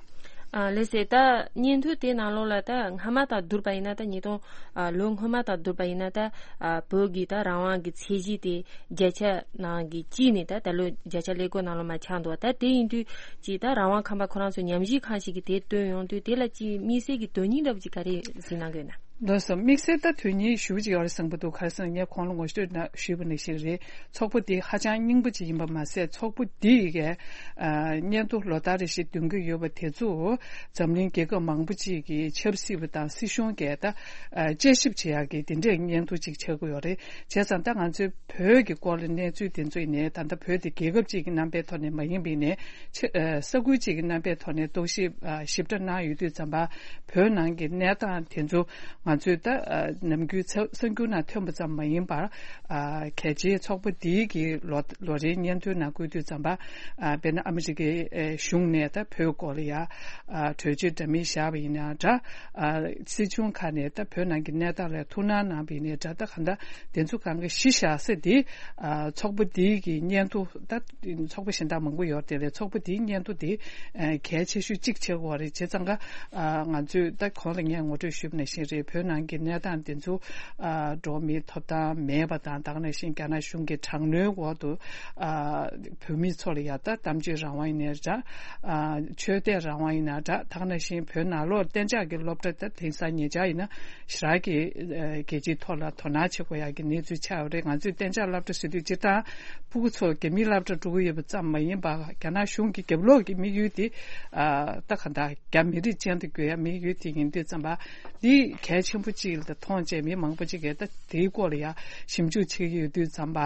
ཨ། ལགས་སེ། ད་སྙན་ཐོ་དེའི་ནང་ལོགས་ལ་ད་སྔ་མ་དང་བསྡུར་བ་ཡིན་ན། ད་ཉིས་སྟོང་། ཨ། ལོ་སྔོན་མ་དང་བསྡུར་བ་ཡིན་ན། ད། ཨ། བོད་ཀྱི་ད་རང་དབང་གི་ཚད་གཞི་དེ་བརྒྱ་ཆ་ནང་གི་གཅིག་ནས་ད་ད་ལོ་བརྒྱ་ཆ་ཀླད་ཀོར་ནང་ལོགས་མར་ཆག་འདུག་ད་དེ་ཡིན་དུས་ཀྱི་ད་རང་དབང་ཁང་པ་ཁོ་རང་ཚོ་ཉམས་ཞིབ་ཁང་ཞིག་གིས་དེ་བཏོན་ཡོང་དུས། དེ་ལ་ཅིག་དམིགས་བསལ་གྱི་དོན་སྙིང་འདྲ་པོ་ཅིག་ག་རེ་གཟིགས་གནང་གི་ཡོད་ན། ལགས་སོ། དམིགས་བསལ་ད་དོན་སྙིང་ཞེ་པོ་ཅིག་ཡོད་རེད་བསམ་གྱི་འདུག་ག་རེ་ཟེར་ན། ངས་གོང་ལ་ངོ་སྤྲོད་ཞུས་པ་ནང་བཞིན་རེད། ཚོགས་པ་འདི་ཧ་ཅང་རྙིང་པ་ཅིག་ཡིན་པ་མ་ཟད། ཚོགས་པ་འདི་གིས། ཨ། སྙན་ཐོ་ལོ་ལྟར་རེ་བཞིན་འདོན་གྱི་ཡོད་པ་དེ་ཚོ་འཛམ་གླིང་རྒྱལ་ཁབ་མང་པོ་ཅིག་གི་ཆབ་སྲིད་པ་དང་སྲིད་གཞུང་གིས་ད། ཨ། དཔྱད་ཞིབ་བྱེད་ཡག་གི་དེ་འདྲའི་སྙན་ཐོ་ཅིག་ཆགས་ཀྱི་ཡོད་རེད། བྱས་ཙང་ད་ང་ཚོའི་བོད་ཀྱི་སྐོར་ལ་གནས་ཚུལ་དེ་ཚོ་ཡིན་ནའི། ད་ལྟ་བོད་དེ་རྒྱལ་ཁབ་ཅིག་གི་རྣམ་པའི་ཐོག་ནས་མ་ཡིན་པ་ཡིན་ནའི། ཆེ། ཨ། ས་ཁུལ་ཅིག་གི་རྣམ་པའི་ཐོག་ནས་རྟོག་ཞིབ། ཨ། ཞིབ་ཕྲ་གནང་ཡོད་དུས་ཙམ་པ། བོད་ནང་གི་གནས་སྟངས་དེ་ཚོ་ང་ཚོས་ད། ཨ། ནམ་རྒྱུན་ཚ། གསར་འགྱུར་ནང་ཐོན་པ་ཙམ་མ་ཡིན་པར། ཨ། གལ་ཆེའི་ཚོགས་པ་འདིའི་གི་ལོ། ལོ་རེའི་སྙན་ཐོའི་ནང་བཀོད་དུས་ཙམ་པ། ཨ། དཔེར་ན་ཨ་མི་རི་ཀའི། ཨེ། གཞུང་ནས་ད་བོད་སྐོར་ལ་ཡ། ཨ། གྲོས་ཆོད་འདྲ་མིན་བཞག་པ་ཡིན་ན་འདྲ། ཨ། སྲིད་གཞུང་ཁག་ནས་ད་བོད་ནང་གི་གནས་སྟངས་ལ་ཐུགས་སྣང་གནང་བ་ཡིན་ནའི་འདྲ། ད་གང་ལྟར་དེ་ཚོ་གང་ག་གཞི་བཞག་ས་དེ། ཨ། ཚོགས་པ་འདིའི་གི་སྙན་ཐོ། ད་ཚོགས་པ་གཞན་དག་མང་པོ་ཡོད་རེད་དེ། ཚོགས་པ་འདིའི་སྙན་ཐོ་དེ། ཨ། གལ་ཆེ་ཤོས་གཅིག་ཆགས་ཀྱི་ཡོད་རེད། བྱས་ཙང་ཀ། ཨ། ང་ཚོས་ད་གོང་ལ་ངས་ངོ་སྤྲོད་ཞུས་པ་ནང་བཞིན་རེད། བོད་ནང་གི་གནས་སྟངས་དེ་ཚོ། ཨ། འགྲོ་བ་མིའི་ཐོབ་ཐང་མེད་པ་དང་། དེ་ནང་བཞིན་རྒྱ་ནག་གཞུང་གི་དྲག་གནོན་འོག་ཏུ། ཨ། བོད་མི་ཚོ་ལ་ཡ་ད་གཏམ་བརྗོད་རང་དབང་ཡིན་ནའི་འདྲ། ཨ། ཆོས་དད་རང་དབང་ཡིན་ན་འདྲ། དེ་ནང་བཞིན་བོད་ནང་ལོགས་གཏན་འཇགས་ཀྱི་སློབ་གྲྭ་ད་དེང་སང་ཉེ་ཆར་ཡིན་ན་ཞེ་དྲག་གི། ཨ། རྒྱལ་སྤྱིའི་ཐོག་ལ་དོ་སྣང་བྱེད་དགོས་ཡག་གི་གནས་ཚུལ་ཆགས་ཡོད་རེད། ང་ཚོས་གཏན་འཇགས་སློབ་གྲྭ་ཟེར་དུས་སྤྱིར་བཏང་ཕྲུ་གུ་ཚོ་རྒྱ་མིའི་སློབ་གྲྭ་འགྲོ་གི་ཡོད་པ་ཙམ་མ་ཡིན་པར། རྒྱ་ནག་གཞུང་གི་རྒྱབ་ལོགས་ཀྱི་དམིགས་ཡུལ་དེ། ཨ། ད་གང་ལྟར་རྒྱ་མི་རིགས་ཅན་དུ་འགྱུར་ཡ་དམིགས་ཡུལ་དེ་ཡིན་དུས་ཙམ་པ། འདི་གལ་ ཆེན་པོ་གཅིག་ལ་མཐོང་བྱས། མི་མང་པོ་གཅིག་གིས་ད་དེའི་སྐོར་ལ་ཡ་ཞིབ་འཇུག་བྱེད་ཀྱི་ཡོད་དུས་ཙམ་པ།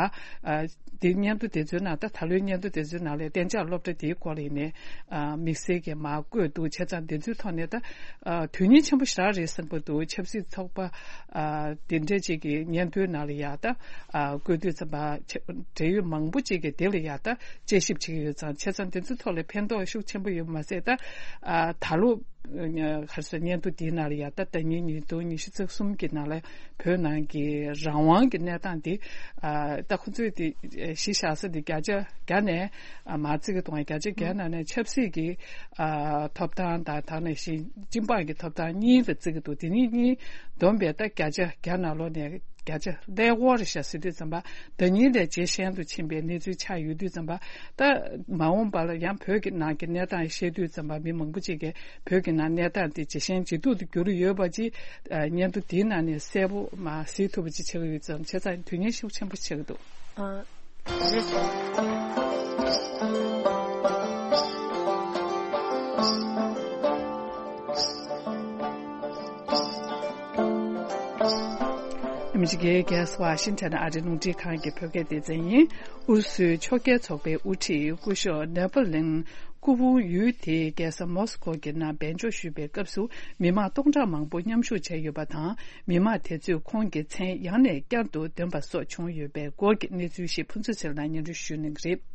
ཨ། དེ་སྙན་ཐོ་དེ་ཚོའི་ནང་། ད་ད་ལོའི་སྙན་ཐོ་དེ་ཚོའི་ནང་ལ་གཏན་འཇགས་སློབ་གྲྭ་དེའི་སྐོར་ལ་ཡིན་ནའི་ཨ། དམིགས་བསལ་གྱིས་མར་བཀོད་འདུག་བྱས་ཙང་དེ་ཚོའི་ཐོག་ནས་ད། ཨ། དོན་སྙིང་ཆེན་པོ་ཞེ་དྲག་རེད་བསམ་གྱི་འདུག་ཆབ་སྲིད་ཚོགས་པ། ཨ། དེ་འདྲ་ཅིག་གི་སྙན་ཐོའི་ནང་ལ་ཡ་ད། ཨ། བཀོད་དུས་ཙམ་པ་ཆ་འབྲེལ་ཡོད་མང་པོ་ཅིག་གིས་དེ་ལ་ཡ་ད་དཔྱད་ཞིབ་བྱེད་ཀྱི་ཡོད་ཙང་། བྱས་ཙང་དེ་ཚོའི་ཐོག་ལ་ཕན་ཐོགས་ཤུགས་ཆེན་པོ་ཡོད་མ་ཟད། ད། ཨ། ད་ལོ། ག་རེ་ཟེར། སྙན་ཐོ་འདིའི་ནང་ལ་ཡ་ད་ཟླ་ཉིན་ཉིས་སྟོང་ཉི་ཤུ་རྩ་གསུམ་གྱི་ནང་ལ་བོད་ནང་གི་རང་དབང་གི་གནས་སྟངས་འདི། ཨ། ད་ཁོ་ཚོས་དེ་གཞི་བཞག་ས་དེ་བརྒྱ་ཆ་བརྒྱ་ནས། ཨ། མར་བརྩི་གི་འདུག་བརྒྱ་ཆ་བརྒྱ་ནང་ནས་ཆབ་སྲིད་ཀྱི། ཨ། ཐོབ་ཐང་དང་། ད་ག་ནང་བཞིན་སྤྱི་འབངས་ཀྱི་ཐོབ་ཐང་གཉིས་ལ་བརྩི་གི་འདུག་དེ་གཉིས་གཉིས་བསྡོམས་པས་ད་བརྒྱ་ཆ་བརྒྱ་ནང་ལོགས་ནས་བརྒྱ་ཆ་ཀླད་ཀོར་རེ་བཞག་ཟེར་དུས་ཙམ་པ། ཟླ་ཉིན་ལས་ཇེ་ཞན་དུ་ཕྱིན་པའི་གནས་ཚུལ་ཆགས་ཡོད་དུས་ཙམ་པ། ད་མ་འོངས་པ་ལ་ཡང་བོད་ཀྱི་ནང་གི་གནས་སྟངས་བཤད་དུས་ཙམ་པ། མི་མང་པོ་ཅིག་གིས་བོད་ཀྱི་ནང་གནས་སྟངས་དེ་ཇེ་ཞན་ཇེ་སྡུག་ཏུ་གྱུར་ཡོད་པ་ཅིག་ཨ། སྙན་ཐོ་དེའི་ནང་ནས་གསལ་པོ་མར་གཟིགས་ཐུབ་པ་ཅིག་ཆགས་ཀྱི་ཡོད་ཙང་། བྱས་ཙང་དོན་སྙིང་ཤུགས་ཆེན་པོ་ཆགས་ཀྱི་འདུག་ཨ། རེད། ཨ་མི་རི་ཀའི་རྒྱལ་ས་ཝ་ཤིང་ཊོན་ཨ་རིའི་རླུང་འཕྲིན་ཁང་གི་བོད་སྐད་སྡེ་ཚན་ཡིན། ཨུ་རུ་སུའི་ཕྱོགས་འགལ་ཚོགས་པའི་དབུ་ཁྲིད་སྐུ་ཞབས་ནེ་པོ་ལིན་སྐུ་ཕུང་ཡུལ་དེའི་རྒྱལ་ས་མོ་སི་ཀོ་གི་ནང་སྦས་འཇོག་ཞུས་པའི་སྐབས་སུ། མི་མང་སྟོང་ཕྲག་མང་པོ་མཉམ་ཞུགས་བྱས་ཡོད་པ་དང་། མི་མང་དེ་ཚོས་ཁོང་གི་མཚན་ཡང་ནས་བསྐྱར་དུ་འདོན་པ་སོགས་བྱུང་ཡོད་པའི་སྐོར་གྱི་གནས་ཚུལ་ཞིག་ཕུན་ཚོགས་ཚེ་རིང་ལགས་སྙན་སྒྲོན་ཞུ་གནང་གི་རེད།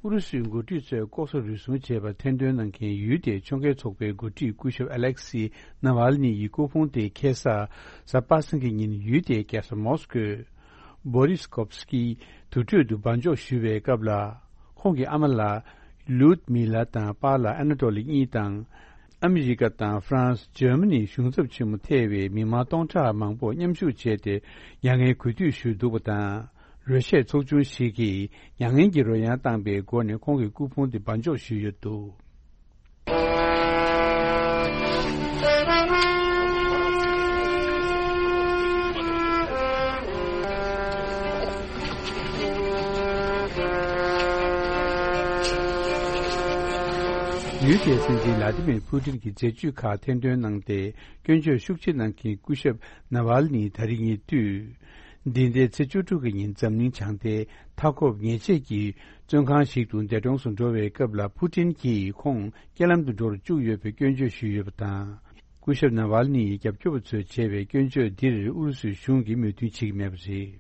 ཨུ་རུ་སུའི་འགོ་ཁྲིད་ཚོས་ལྐོག་ཟ་རུལ་སུངས་བྱས་པར་ཐེར་འདོན་གནང་མཁན་ཡུལ་དེའི་ཕྱོགས་འགལ་ཚོགས་པའི་འགོ་ཁྲིད་སྐུ་ཞབས་ཨ་ལེག་སི་ནཱ་ཝལ་ནི་ཡི་སྐུ་ཕུང་དེ་ཁ་སང་གཟའ་པ་སངས་ཀྱི་ཉིན་ཡུལ་དེའི་རྒྱལ་ས་མོ་སི་ཀོའི་བྷོ་རིས་ཀོབ་སི་ཀི་དུར་ཁྲོད་དུ་སྦ་འཇོག་ཞུ་བའི་སྐབས་ལ། ཁོང་གི་ཨ་མ་ལགས་ལུད་མི་ལ་དང་པཱ་ལགས་ཨ་ན་ཏོ་ལི་གཉིས་དང་། ཨ་མི་རི་ཀ་དང་ཧྥ་རན་སི། འཇར་མ་ནི་གཞུང་ཚབ་ཆེན་མོ་ཐེ་བའི་མི་མང་སྟོང་ཕྲག་མང་པོ་མཉམ་ཞུགས་བྱས་ཏེ། མྱ་ངན་གུས་འདུད་ཞུས་འདུག་པ་དང་། རོལ་ཆས་ཚོགས་ཆུང་ཞིག་གིས་མྱ་ངན་གྱི་རོལ་དབྱངས་བཏང་པའི་སྒོ་ནས་ཁོང་གི་སྐུ་ཕུང་དེ་སྦ་འཇོག་ཞུས་ཡོད་འདུག་ཡུལ་དེའི་སྲིད་འཛིན་ལ་ཏི་མིར་ཕུ་ཏིན་གྱི་མཛད་ཇུས་ཁག་ཐེར་འདོན་གནང་སྟེ། སྐྱོན་བརྗོད་ཤུགས་ཆེ་གནང་མཁན་སྐུ་ཞབས་ནཱ་ཝལ་ནི་ད་རིང་ཉེ་དུས། འདི་ཟླའི་ཚེས་བཅུ་དྲུག་གི་ཉིན་འཛམ་གླིང་བྱང་མཐའི་མཐའ་འཁོབ་ཉེས་ཆད་ཀྱི་བཙོན་ཁང་ཞིག་ཏུ་འདས་གྲོངས་སུ་འགྲོ་བའི་སྐབས་ལ། ཕུ་ཏིན་གྱིས་ཁོང་རྐྱེན་ལམ་དུ་འགྲོ་རུ་བཅུག་ཡོད་པའི་སྐྱོན་བརྗོད་ཞུས་ཡོད་པ་དང་། སྐུ་ཞབས་ནཱ་ཝལ་ནི་ཡི་རྒྱབ་སྐྱོར་བ་ཚོས་བྱས་པའི་སྐྱོན་བརྗོད་འདིར་ཨུ་རུ་སུའི་གཞུང་གིས་མོས་མཐུན་བྱེད་ཀྱི་མེད་པ་རེད།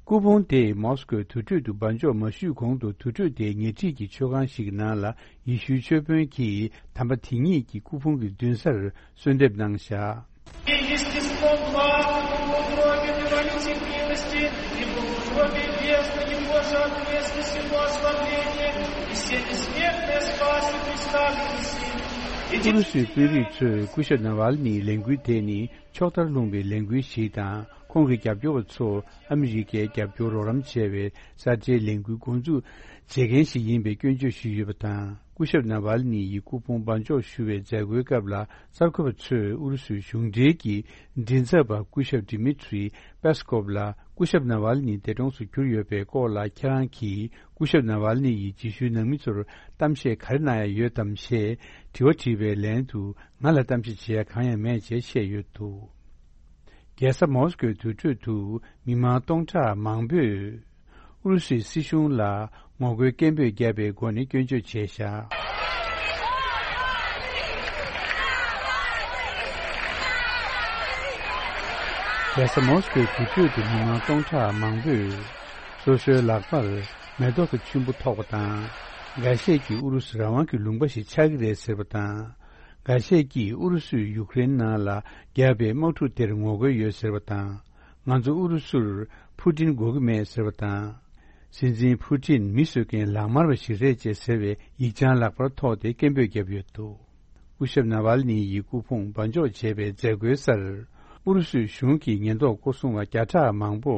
སྐུ་ཕུང་དེ་མོ་སི་ཀོའི་དུར་ཁྲོད་དུ་སྦ་འཇོག་མ་ཞུས་གོང་དུ། དུར་ཁྲོད་དེའི་ཉེ་འཁྲིས་ཀྱི་མཆོད་ཁང་ཞིག་གི་ནང་ལ་ཡེ་ཤུའི་མཆོད་དཔོན་གྱིས་དམ་པ་དེ་ཉིད་ཀྱི་སྐུ་ཕུང་གི་མདུན་སར་གསོལ་འདེབས་གནང་བཞག И естеством благо в угробе ты валюте милости, ибо в утробе бездны не может место сего ослабления, и все бессмертные спасут представленный сим. ཨུ་རུ་སུའི་དཔོན་རིགས་ཚོས་སྐུ་ཞབས་ནཱ་ཝལ་ནིའི་ལས་འགུལ་དེ་ནི་ཕྱོགས་མཐར་ལྷུང་བའི་ལས་འགུལ་ཞིག་དང་། ཁོང་གི་རྒྱབ་སྐྱོར་བ་ཚོ་ཨ་མི་རི་ཀའི་རྒྱབ་སྐྱོར་རོགས་རམ་བྱས་པའི་གསར་བརྗེའི་ལས་འགུལ་འགོ་འཛུགས་བྱེད་མཁན་ཞིག་ཡིན་པའི་སྐྱོན་བརྗོད་ཞུས་ཡོད་པ་དང་། སྐུ་ཞབས་ནཱ་ཝལ་ནི་ཡི་སྐུ་ཕུང་སྦ་འཇོག་ཞུ་བའི་མཛད་སྒོའི་སྐབས་ལ། གསར་འགོད་པ་ཚོས་ཨུ་རུ་སུའི་གཞུང་འབྲེལ་གྱི་མགྲིན་ཚབ་པ་སྐུ་ཞབས་ཌི་མི་ཐྲི་པེ་སི་ཀོབ་ལ། སྐུ་ཞབས་ནཱ་ཝལ་ནི་འདས་གྲོངས་སུ་གྱུར་ཡོད་པའི་སྐོར་ལ། ཁྱེད་རང་གིས་སྐུ་ཞབས་ནཱ་ཝལ་ནི་ཡི་རྗེས་ཤུལ་ནང་མི་ཚོར་གཏམ་བཤད་ག་རེ་གནང་ཡ་ཡོད་དམ་ཞེས་དྲི་བ་དྲིས་པའི་ལན་དུ། ང་ལ་གཏམ་བཤད་བྱེད་ཡ་གང་ཡང་མེད་ཅེས་བཤད་ཡོད་འདུག་རྒྱལ་ས་མོ་སི་ཀོའི་དུར་ཁྲོད་དུ་མི་མང་སྟོང་ཕྲག་མང་པོས་ཨུ་རུ་སུའི་སྲིད་གཞུང་ལ་ངོ་རྒོལ་སྐད་འབོད་བརྒྱབ་པའི་སྒོ་ནས་སྐྱོན་བརྗོད་བྱས་བཞག་རྒྱལ་ས་མོ་སི་ཀོའི་དུར་ཁྲོད་དུ་མི་མང་སྟོང་ཕྲག་མང་པོས་སོ་སོའི་ལག་པར་མེ་ཏོག་དང་ཆུན་པོ་ཐོགས་པ་དང་། འགའ་ཤས་ཀྱིས་ཨུ་རུ་སུ་རང་དབང་གི་ལུང་པ་ཞིག་ཆགས་ཀྱི་རེད་ཟེར་བ་དང་། འགའ་ཤས་ཀྱིས་ཨུ་རུ་སུས་ཡུཀ་རེན་ནང་ལ་བརྒྱབ་པའི་དམག་འཁྲུག་དེར་ངོ་རྒོལ་ཡོད་ཟེར་བ་དང་། ང་ཚོ་ཨུ་རུ་སུར་ཕུ་ཏིན་དགོས་ཀྱི་མེད་ཟེར་བ་དང་། སྲིད་འཛིན་ཕུ་ཏིན་མི་གསོད་མཁན་ལག་དམར་བ་ཞིག་རེད་ཅེས་ཟེར་བའི་ཡིག་བྱང་ལག་པར་ཐོགས་ཏེ་སྐད་འབོད་བརྒྱབ་ཡོད་འདུག་སྐུ་ཞབས་ནཱ་ཝལ་ནི་ཡི་སྐུ་ཕུང་སྦ་འཇོག་བྱས་པའི་མཛད་སྒོའི་སར། ཨུ་རུ་སུའི་གཞུང་གི་ཉེན་རྟོག་སྐོར་སྲུང་བ་བརྒྱ་ཕྲག་མང་པོ་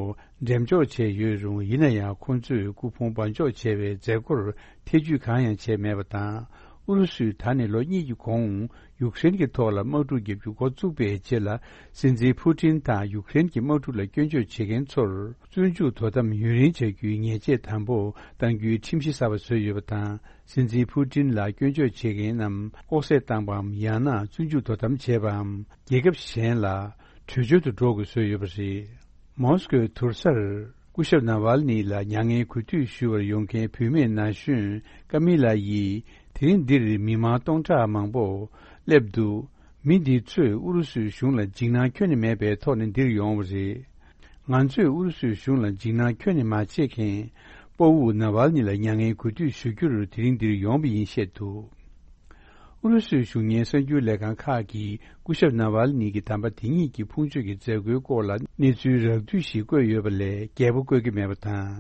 འགྲེམས་འཇོག་བྱས་ཡོད་རུང་། ཡིན་ན་ཡང་ཁོང་ཚོས་སྐུ་ཕུང་སྦ་འཇོག་བྱས་པའི་མཛད་སྒོར་ཐེ་ཇུས་གང་ཡང་བྱས་མེད་པ་དང་། ཨུ་རུ་སུས་ད་ནས་ལོ་གཉིས་ཀྱི་གོང་ཡུཀ་རེན་གྱི་ཐོག་ལ་དམག་འཁྲུག་བརྒྱབ་རྒྱུ་འགོ་བཙུགས་པའི་རྗེས་ལ། སྲིད་འཛིན་ཕུ་ཏིན་དང་ཡུཀ་རེན་གྱི་དམག་འཁྲུག་ལ་སྐྱོན་བརྗོད་བྱེད་མཁན་ཚོར་བཙོན་འཇུག་དོ་དམ་ཡུན་རིང་བྱ་རྒྱུའི་ཉེས་ཆད་དམ་པོ་གཏང་རྒྱུའི་ཁྲིམས་གཞི་གསར་པ་བཟོས་ཡོད་པ་དང་། སྲིད་འཛིན་ཕུ་ཏིན་ལ་སྐྱོན་བརྗོད་བྱེད་མཁན་རྣམས་ལྐོག་བསད་བཏང་པའམ། ཡང་ན་བཙོན་འཇུག་དོ་དམ་བྱས་པའམ། རྒྱལ་ཁབ་གཞན་ལ་ བྲོས་བྱོལ་དུ་འགྲོ་དགོས་བཟོས་ཡོད་པ་རེད། མོ་སི་ཀོའི་དུར་སར་སྐུ་ཞབས་ནཱ་ཝལ་ནི་ལ་མྱ་ངན་གུས་འདུད་ཞུ་བར་ཡོང་མཁན་བུད་མེད་ན་གཞོན་ཀ་མི་ལ་ཡིས་དེ་རིང་འདིར་མི་མང་སྟོང་ཕྲག་མང་པོ་སླེབས་འདུག། མི་འདི་ཚོས་ཨུ་རུ་སུའི་གཞུང་ལ་འཇིགས་སྣང་ཁྱོན་ནས་མེད་པའི་ཐོག་ནས་འདིར་ཡོང་བ་རེད། ང་ཚོས་ཨུ་རུ་སུའི་གཞུང་ལ་འཇིགས་སྣང་ཁྱོན་ནས་མ་བྱེད་མཁན་སྤོ་བོ་ནཱ་ཝལ་ནི་ལ་མྱ་ངན་གུས་འདུད་ཞུ་རྒྱུར་དེ་རིང་འདིར་ཡོང་བ་ཡིན་བཤད་འདུག། ཨུ་རུ་སུའི་གཞུང་གཉེར་གསར་འགྱུར་ལས་ཁང་ཁག་གིས་སྐུ་ཞབས་ནཱ་ཝལ་ནི་གི་དམ་པ་དེ་ཉིད་ཀྱི་ཕུང་མཆོད་ཀྱི་མཛད་སྒོའི་སྐོར་ལ་གནས་ཚུལ་རགས་བསྡུས་ཤིག་བཀོད་ཡོད་པ་ལས་རྒྱས་པོ་བཀོད་ཀྱི་མེད་པ་དང་།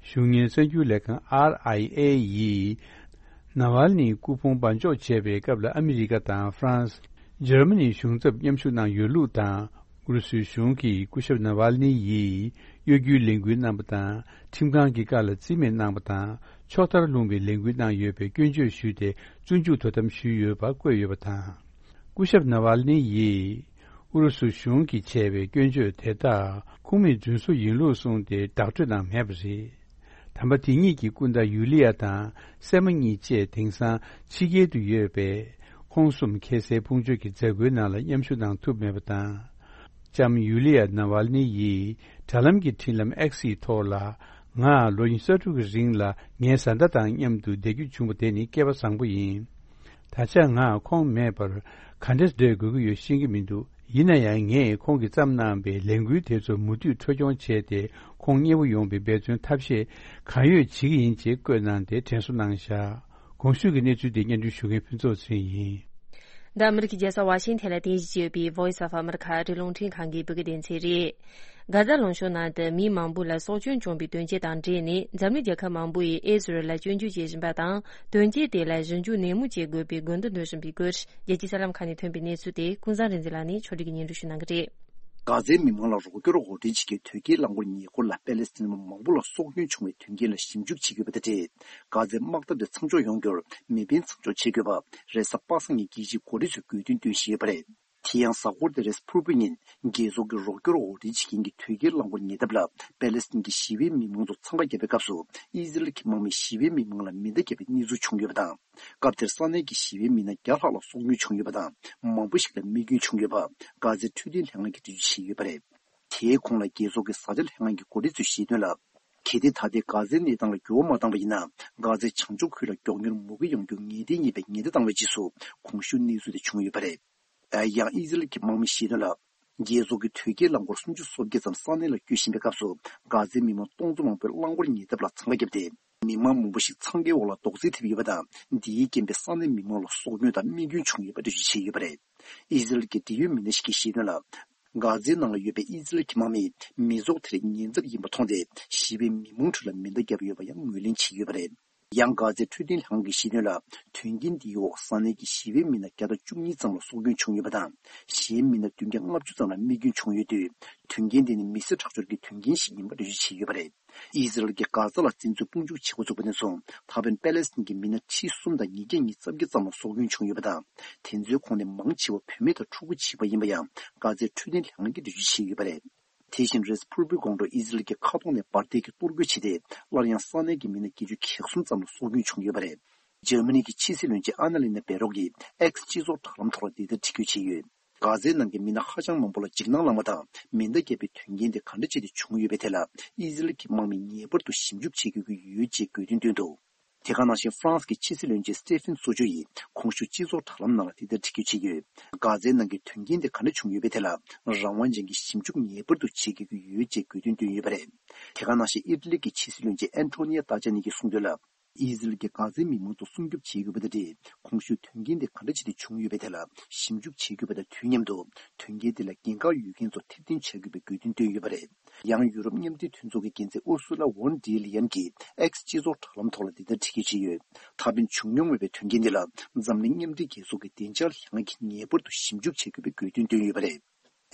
གཞུང་གཉེར་གསར་འགྱུར་ལས་ཁང་ཨར་ཨའི་ཨེ་ཡིས་ནཱ་ཝལ་ནིའི་སྐུ་ཕུང་སྦ་འཇོག་བྱས་པའི་སྐབས་ལ་ཨ་མི་རི་ཀ་དང་ཧྥ་རན་སི། འཇར་མ་ནིའི་གཞུང་ཚབ་མཉམ་ཞུགས་གནང་ཡོད་ལུགས་དང་། ཨུ་རུ་སུའི་གཞུང་གིས་སྐུ་ཞབས་ནཱ་ཝལ་ནི་ཡིས་གཡོ་སྒྱུའི་ལས་འགུལ་གནང་པ་དང་། ཁྲིམས་ཁང་གི་བཀའ་ལ་རྩིས་མེད་གནང་པ་དང་། ཕྱོགས་མཐར་ལྷུང་བའི་ལས་འགུལ་གནང་ཡོད་པའི་སྐྱོན་བརྗོད་ཞུས་ཏེ། བཙོན་འཇུག་དོ་དམ་ཞུས་ཡོད་པ་བཀོད་ཡོད་པ་དང་། སྐུ་ཞབས་ནཱ་ཝལ་ནི་ཡིས་ཨུ་རུ་སུ་གཞུང་གིས་བྱས་པའི་སྐྱོན་བརྗོད་དེ་དག་ཁུངས་མེད་རྫུན་བཟོ་ཡིན་ལུགས་གསུངས་ཏེ། བདག་སྤྲོད་གནང་མེད་པ་རེད། དམ་པ་དེ་ཉིད་ཀྱི་སྐུ་ཟླ་ཡུ་ལི་ཡ་དང་སྲས་མོ་གཉིས་བཅས་དེང་སང་ཕྱི་རྒྱལ་དུ་ཡོད་པས། ཁོང་གསུམ་ཁ་སའི་ཕུང་མཆོད་ཀྱི་མཛད་སྒོའི་ནང་ལ་མཉམ་ཞུགས་གནང་ཐུབ་མེད་པ་དང་། ལྕམ་ཡུ་ལི་ཡ་ནཱ་ཝལ་ནི་ཡིས་དྲ་ལམ་གྱི་འཕྲིན་ལམ་ཨེག་སི་ཡི་ཐོག་ལ། ང་ལོ་ཉི་ཤུ་རྩ་དྲུག་གི་རིང་ལ་ངའི་བཟའ་ཟླ་དང་མཉམ་དུ་བསྡད་རྒྱུ་བྱུང་བ་དེ་ནི་སྐལ་བ་བཟང་པོ་ཡིན། ད་ཆ་ང་ཁོང་མེད་པར་ག་འདྲས་བསྡད་དགོས་ཀྱི་ཡོད་ཤེས་ཀྱི་མི་འདུག། ཡིན་ན་ཡང་ངས་ཁོང་གིས་བརྩམས་གནང་བའི་ལས་འགུལ་དེ་ཚོ་མུ་མཐུད་འཕྲོ་སྐྱོང་བྱས་ཏེ། ཁོང་མཉེས་པོ་ཡོང་བའི་འབད་བརྩོན་ཐབས་ཤེས་གང་ཡོད་བྱེད་ཀྱི་ཡིན་ཅེས་བཀོད་གནང་སྟེ་དྲན་གསོ་གནང་བཞག། གོང་ཞུས་ཀྱི་གནས་ཚུལ་དེ་སྙན་སྒྲོན་ཞུ་མཁན་ཕུན་ཚོགས་ཚེ་རིང་ཡིན། འདི་ཨ་མི་རི་ཀའི་རྒྱལ་ས་ཝ་ཤིང་ཐན་ལ་རྟེན་གཞི་བྱས་ཡོད་པའི་Voice of America ཨ་རིའི་རླུང་འཕྲིན་ཁང་གི་བོད་སྐད་སྡེ་ཚན་རེད། གྷ་ཛ་ལུང་གཤོང་ནང་དུ་མི་མང་པོ་ལ་སྲོག་སྐྱོན་བྱུང་བའི་དོན་རྐྱེན་དང་འབྲེལ་ནས། འཛམ་གླིང་རྒྱལ་ཁབ་མང་པོ་ཡིས་ཨི་ཟི་རལ་ལ་སྐྱོན་བརྗོད་བྱེད་བཞིན་པ་དང་། དོན་རྐྱེན་དེ་ལ་ཞིབ་འཇུག་ནན་མོ་བྱེད་དགོས་པའི་དགོས་འདུན་འདོན་བཞིན་པའི་སྐོར། རྒྱལ་སྤྱིའི་གསར་ལམ་ཁག་ནས་ཐོན་པའི་གནས་ཚུལ་དེ་ཀུན་བཟང་རིག་འཛིན་ལགས་ནས་ཕྱོགས་སྒྲིག་གིས་སྙན་སྒྲོན་ཞུ་གནང་གི་རེད། གྷ་ཛའི་མི་མང་ལ་རོགས་སྐྱོར་འོར་འདྲེན་བྱེད་མཁན་དོས་སྐྱེལ་རླངས་འཁོར་ཉེ་འཁོར་ལ་པེ་ལེ་སི་ཐན་མི་མང་པོ་ལ་སྲོག་སྐྱོན་བྱུང་བའི་དོན་རྐྱེན་ལ་ཞིབ་འཇུག་བྱེད་དགོས་པ་དེ་རེད། གྷ་ཛའི་དམག་འཐབ་དེ་མཚམས་འཇོག་ཡོང་རྒྱུར་མེ་འཕེན་མཚམས་འཇོག་བྱེད་དགོས་པ་རེས་གཟའ་པ་སངས་ཉིན་རྒྱལ་སྤྱིའི་འགོ་ཁྲིད་ཚོས་དགོས་འདུན་བཏོན་བཞིན་ཡོད་པ་རེད། དེ་ཡང་གཟའ་འཁོར་འདིར་རེས་ཕུར་བུ་ཉིན་རྒྱལ་ཚོགས་ཀྱི་རོགས་སྐྱོར་འོར་འདྲེན་བྱེད་མཁན་གྱི་དོས་སྐྱེལ་རླངས་འཁོར་ཉེ་འདབས་ལ་པེ་ལེ་སི་ཐན་གྱི་ཞི་བའི་མི་མང་ཚོ་འཚང་ཁ་བརྒྱབ་པའི་སྐབས་སུ། ཨི་ཟི་རལ་གྱི་དམག་མིས་ཞི་བའི་མི་མང་ལ་མེ་མདའ་བརྒྱབ་པའི་གནས་ཚུལ་བྱུང་ཡོད་པ་དང་། སྐབས་དེར་ས་གནས་ཀྱི་ཞི་བའི་མི་སྣ་བརྒྱ་ལྷག་ལ་སྲོག་སྐྱོན་བྱུང་ཡོད་པ་དང་། མང་པོ་ཞིག་ལ་རྨས་སྐྱོན་བྱུང་ཡོད་པ། གྷ་ཛའི་འཕྲོད་བསྟེན་ལྷན་ཁང་གིས་འགྲེལ་བརྗོད་བྱས་ཡོད་པ་རེད། དེའི་གོང་ལ་རྒྱལ་ཚོགས་ཀྱི་བཟའ་བཅའ་ལྷན་ཁང་གི་འགོ་ཁྲིད་ཚོས་བཤད་དོན་ལ། གལ་ཏེ་ད་ལྟའི་གྷ་ཛའི་གནས་སྟངས་ལ་འགྱུར་བ་མ་བཏང་པ་ཡིན་ན། གྷ་ཛའི་བྱང་ཕྱོགས་ཁུལ་ལ་མགྱོགས་མྱུར་མུ་གེ་ཡོང་རྒྱུ་ངེས་གཏན་ཡིན་པའི་ཉེན་བརྡ་བཏང་བའི་རྗེས་སུ། གོང་ཞུས་གནས་ཚུལ་དེ་བྱུང་ཡོད་པ་རེད། ཡང་ཨི་ཟི་རལ་གྱི་དམག་མིས་བཤད་དོན་ལ། རྒྱལ་ཚོགས་ཀྱི་དོས་སྐྱེལ་རླངས་འཁོར་སུམ་ཅུ་སོ་བརྒྱད་ཙམ་ས་གནས་ལ་སྐྱོད་བཞིན་པའི་སྐབས་སུ། གྷ་ཛའི་མི་མང་སྟོང་ཚོ་མང་པོས་རླངས་འཁོར་ཉེ་འདབས་ལ་འཚང་ཁ་བརྒྱབ་སྟེ། མི་མང་མང་པོ་ཞིག་འཚང་ཁའི་འོག་ལ་རྡོག་རྫིས་ཐེབས་ཡོད་པ་དང་། འདིའི་རྐྱེན་པས་ས་གནས་མི་མང་ལ་སྲོག་སྐྱོན་དང་རྨས་སྐྱོན་བྱུང་ཡོད་པ་འགྲེལ་བརྗོད་བྱས་ཡོད་པ་རེད། ཨི་ཟི་རལ་གྱི་འབྲེལ་ཡོད་མི་སྣ་ཞིག་གིས་བཤད་དོན་ལ། གྷ་ཛའི་ནང་ལ་ཡོད་པའི་ཨི་ཟི་རལ་གྱི་དམག་མིས་མི་ཚོགས་དེར་ཉེན་ཚབས་ཡིན་པ་མཐོང་སྟེ། ཞི་བའི་མི་མང་ཁྲོད་ལ་མེ་མདའ་བརྒྱབ་ཡོད་པ་ཡང་ངོས་ལེན་བྱས་ཡོད་པ་རེད། ཡང་། གྷ་ཛའི་འཕྲོད་བསྟེན་ལྷན་ཁང་གིས་བཤད་དོན་ལ། དོན་རྐྱེན་འདིའི་འོག་ས་གནས་ཀྱི་ཞི་བའི་མི་སྣ་བརྒྱ་དང་བཅུ་གཉིས་ཙམ་ལ་སྲོག་སྐྱོན་བྱུང་ཡོད་པ་དང་། གཞན་མི་སྣ་བདུན་བརྒྱ་ལྔ་བཅུ་ཙམ་ལ་རྨས་སྐྱོན་བྱུང་ཡོད་དུས། དོན་རྐྱེན་དེ་ནི་མི་སེར་ཁྲག་སྦྱོར་གྱི་དོན་རྐྱེན་ཞིག་ཡིན་པ་འགྲེལ་བརྗོད་བྱས་ཡོད་པ་རེད། ཨི་ཟི་རལ་གྱིས་གྷ་ཛ་ལ་བཙན་འཛུལ་དཔུང་འཇུག་བྱེད་འགོ་བཙུགས་པ་ནས་བཟུང་། ད་ཕན་པེ་ལེ་སི་ཐན་གྱི་མི་སྣ་ཁྲི་གསུམ་དང་ཉིས་བརྒྱ་ཉི་ཤུ་རྩ་བརྒྱད་ཙམ་ལ་སྲོག་སྐྱོན་བྱུང་ཡོད་པ་དང་། དེ་ཚོའི་ཁོངས་ནས་མང་ཆེ་བ་བུད་མེད་དང་ཕྲུ་གུ་བྱིས་པ་ཡིན་པ་ཡང་། གྷ་ཛའི་འཕྲོད་བསྟེན་ལྷན་ཁང་གིས་འགྲེལ་བརྗོད་བྱས་ཡོད་པ་རེད། དེ་བཞིན་རེས་ཕུར་བུའི་དགོང་དྲོ་ཨི་ཟི་རལ་གྱི་མཁའ་ཐོག་ནས་འབར་མདེལ་གྱིས་གཏོར་རྒོལ་བྱས་ཏེ། སླར་ཡང་ས་གནས་ཀྱི་མི་སྣ་བརྒྱད་ཅུ་གྱ་གསུམ་ཙམ་ལ་སྲོག་སྐྱོན་བྱུང་ཡོད་པ་རེད། འཇར་མ་ནི་གི་ཕྱི་སྲིད་བློན་ཆེན་ཨ་ན་ལི་ན་བེ་རོག་གིས་ཨེག་སི་སྤྱི་ཚོགས་དྲ་ལམ་ཐོག་ལ་འདི་ལྟར་འབྲི་འགོད་བྱས་ཡོད། གྷ་ཛའི་ནང་གི་མི་སྣ་ཧ་ཅང་མང་པོ་ལ་འཇིགས་སྣང་ལངས་པ་དང་། མེ་མདའ་བརྒྱབ་པའི་དོན་རྐྱེན་དེ་ག་འདྲ་བྱས་ཏེ་བྱུང་ཡོད་པའི་ཐད་ལ། ཨི་ཟི་རལ་གྱི་དམག་མིས་ངེས་པར་དུ་ཞིབ་འཇུག་བྱེད་དགོས་ཀྱི་ཡོད་ཅེས་དགོས་འདུན་བཏོན་འདུག། དེ་ག་ནང་བཞིན། ཧྥ་རན་སི་གི་ཕྱི་སྲིད་བློན་ཆེན་སྟེ་ཕིན་སོ་ཇོ་ཡིས་གོང་ཞུས་སྤྱི་ཚོགས་དྲ་ལམ་ནང་ལ་དེ་ལྟར་འབྲི་འགོད་བྱས་ཡོད། གྷ་ཛའི་ནང་གི་དོན་རྐྱེན་དེ་ག་འདྲ་བྱུང་ཡོད་པའི་ཐད་ལ། རང་དབང་ཅན་གྱི་ཞིབ་འཇུག་ངེས་པར་དུ་བྱེད་དགོས་ཀྱི་ཡོད་ཅེས་དགོས་འདུན་བཏོན་ཡོད་པ་རེད། དེ་ག་ནང་བཞིན། ཨི་ཊ་ལི་གི་ཕྱི་སྲིད་བློན་ཆེན་ཨན་ཊོ་ནི་ཡ་ཏཱ་ཅཱ་ནི་གིས་གསུངས་དོན་ལ། ཨི་ཟི་རལ་གྱིས་གྷ་ཛའི་མི་མང་ཚོ་སྲུང་སྐྱོབ་བྱེད་དགོས་པ་དང་འབྲེལ། གོང་ཞུས་དོན་རྐྱེན་དེ་ག་འདྲ་བྱས་ཏེ་བྱུང་ཡོད་པའི་ཐད་ལ་ཞིབ་འཇུག་བྱེད་དགོས་པ་དང་དུས་མཉམ་དུ། དོན་རྐྱེན་དེ་ལ་འགན་ཁག་ཡོད་མཁན་ཚོ་ཐེར་འདོན་བྱ་དགོས་པའི་དགོས་འདུན་བཏོན་ཡོད་པ་རེད། ཡང་། ཡུ་རོབ་མཉམ་འབྲེལ་མཐུན་ཚོགས་ཀྱི་འགན་འཛིན་ཨུར་སུ་ལ་ཝོན་ཌེར་ལི་ཡན་གྱིས་ཨེག་སི་སྤྱི་ཚོགས་དྲ་ལམ་ཐོག་ལ་འདི་ལྟར་འབྲི་འགོད་བྱས་ཡོད། ད་ཕན་བྱུང་མྱོང་མེད་པའི་དོན་རྐྱེན་འདི་ལ། འཛམ་གླིང་མཉམ་འབྲེལ་རྒྱལ་ཚོགས་ཀྱི་བདེ་འཇགས་ལྷན་ཁང་གིས་ངེས་པར་དུ་ཞིབ་འཇུག་བྱེད་དགོས་པའི་དགོས་འདུན་བཏོན་ཡོད་པ་རེད།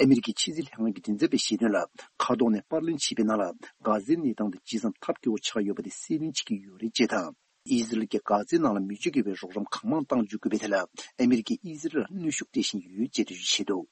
ཨ་མི་རི་ཀའི་ཕྱི་སྲིད་ལྷན་ཁང་གི་མགྲིན་ཚབ་པས་བཤད་དོན་ལ། མཁའ་ཐོག་ནས་པར་ལེན་བྱས་པའི་ནང་ལ། གྷ་ཛའི་གནས་སྟངས་དེ་ཇི་ཙམ་ཐབས་སྐྱོ་བོ་ཆགས་ཡོད་པ་དེ་གསལ་སྟོན་བྱེད་ཀྱི་ཡོད་རེད་ཅེས་དང་། ཨི་ཟི་རལ་གྱིས་གྷ་ཛའི་ནང་ལ་མི་སྤྱོད་ཀྱི་བའི་རོགས་རམ་གང་མང་གཏང་འཇུག་དགོས་པའི་ཐད་ལ། ཨ་མི་རི་ཀས་ཨི་ཟི་རལ་ལ་གནོན་ཤུགས་སྤྲད་བཞིན་ཡོད་ཅེས་འགྲེལ་བརྗོད་བྱས་འདུག།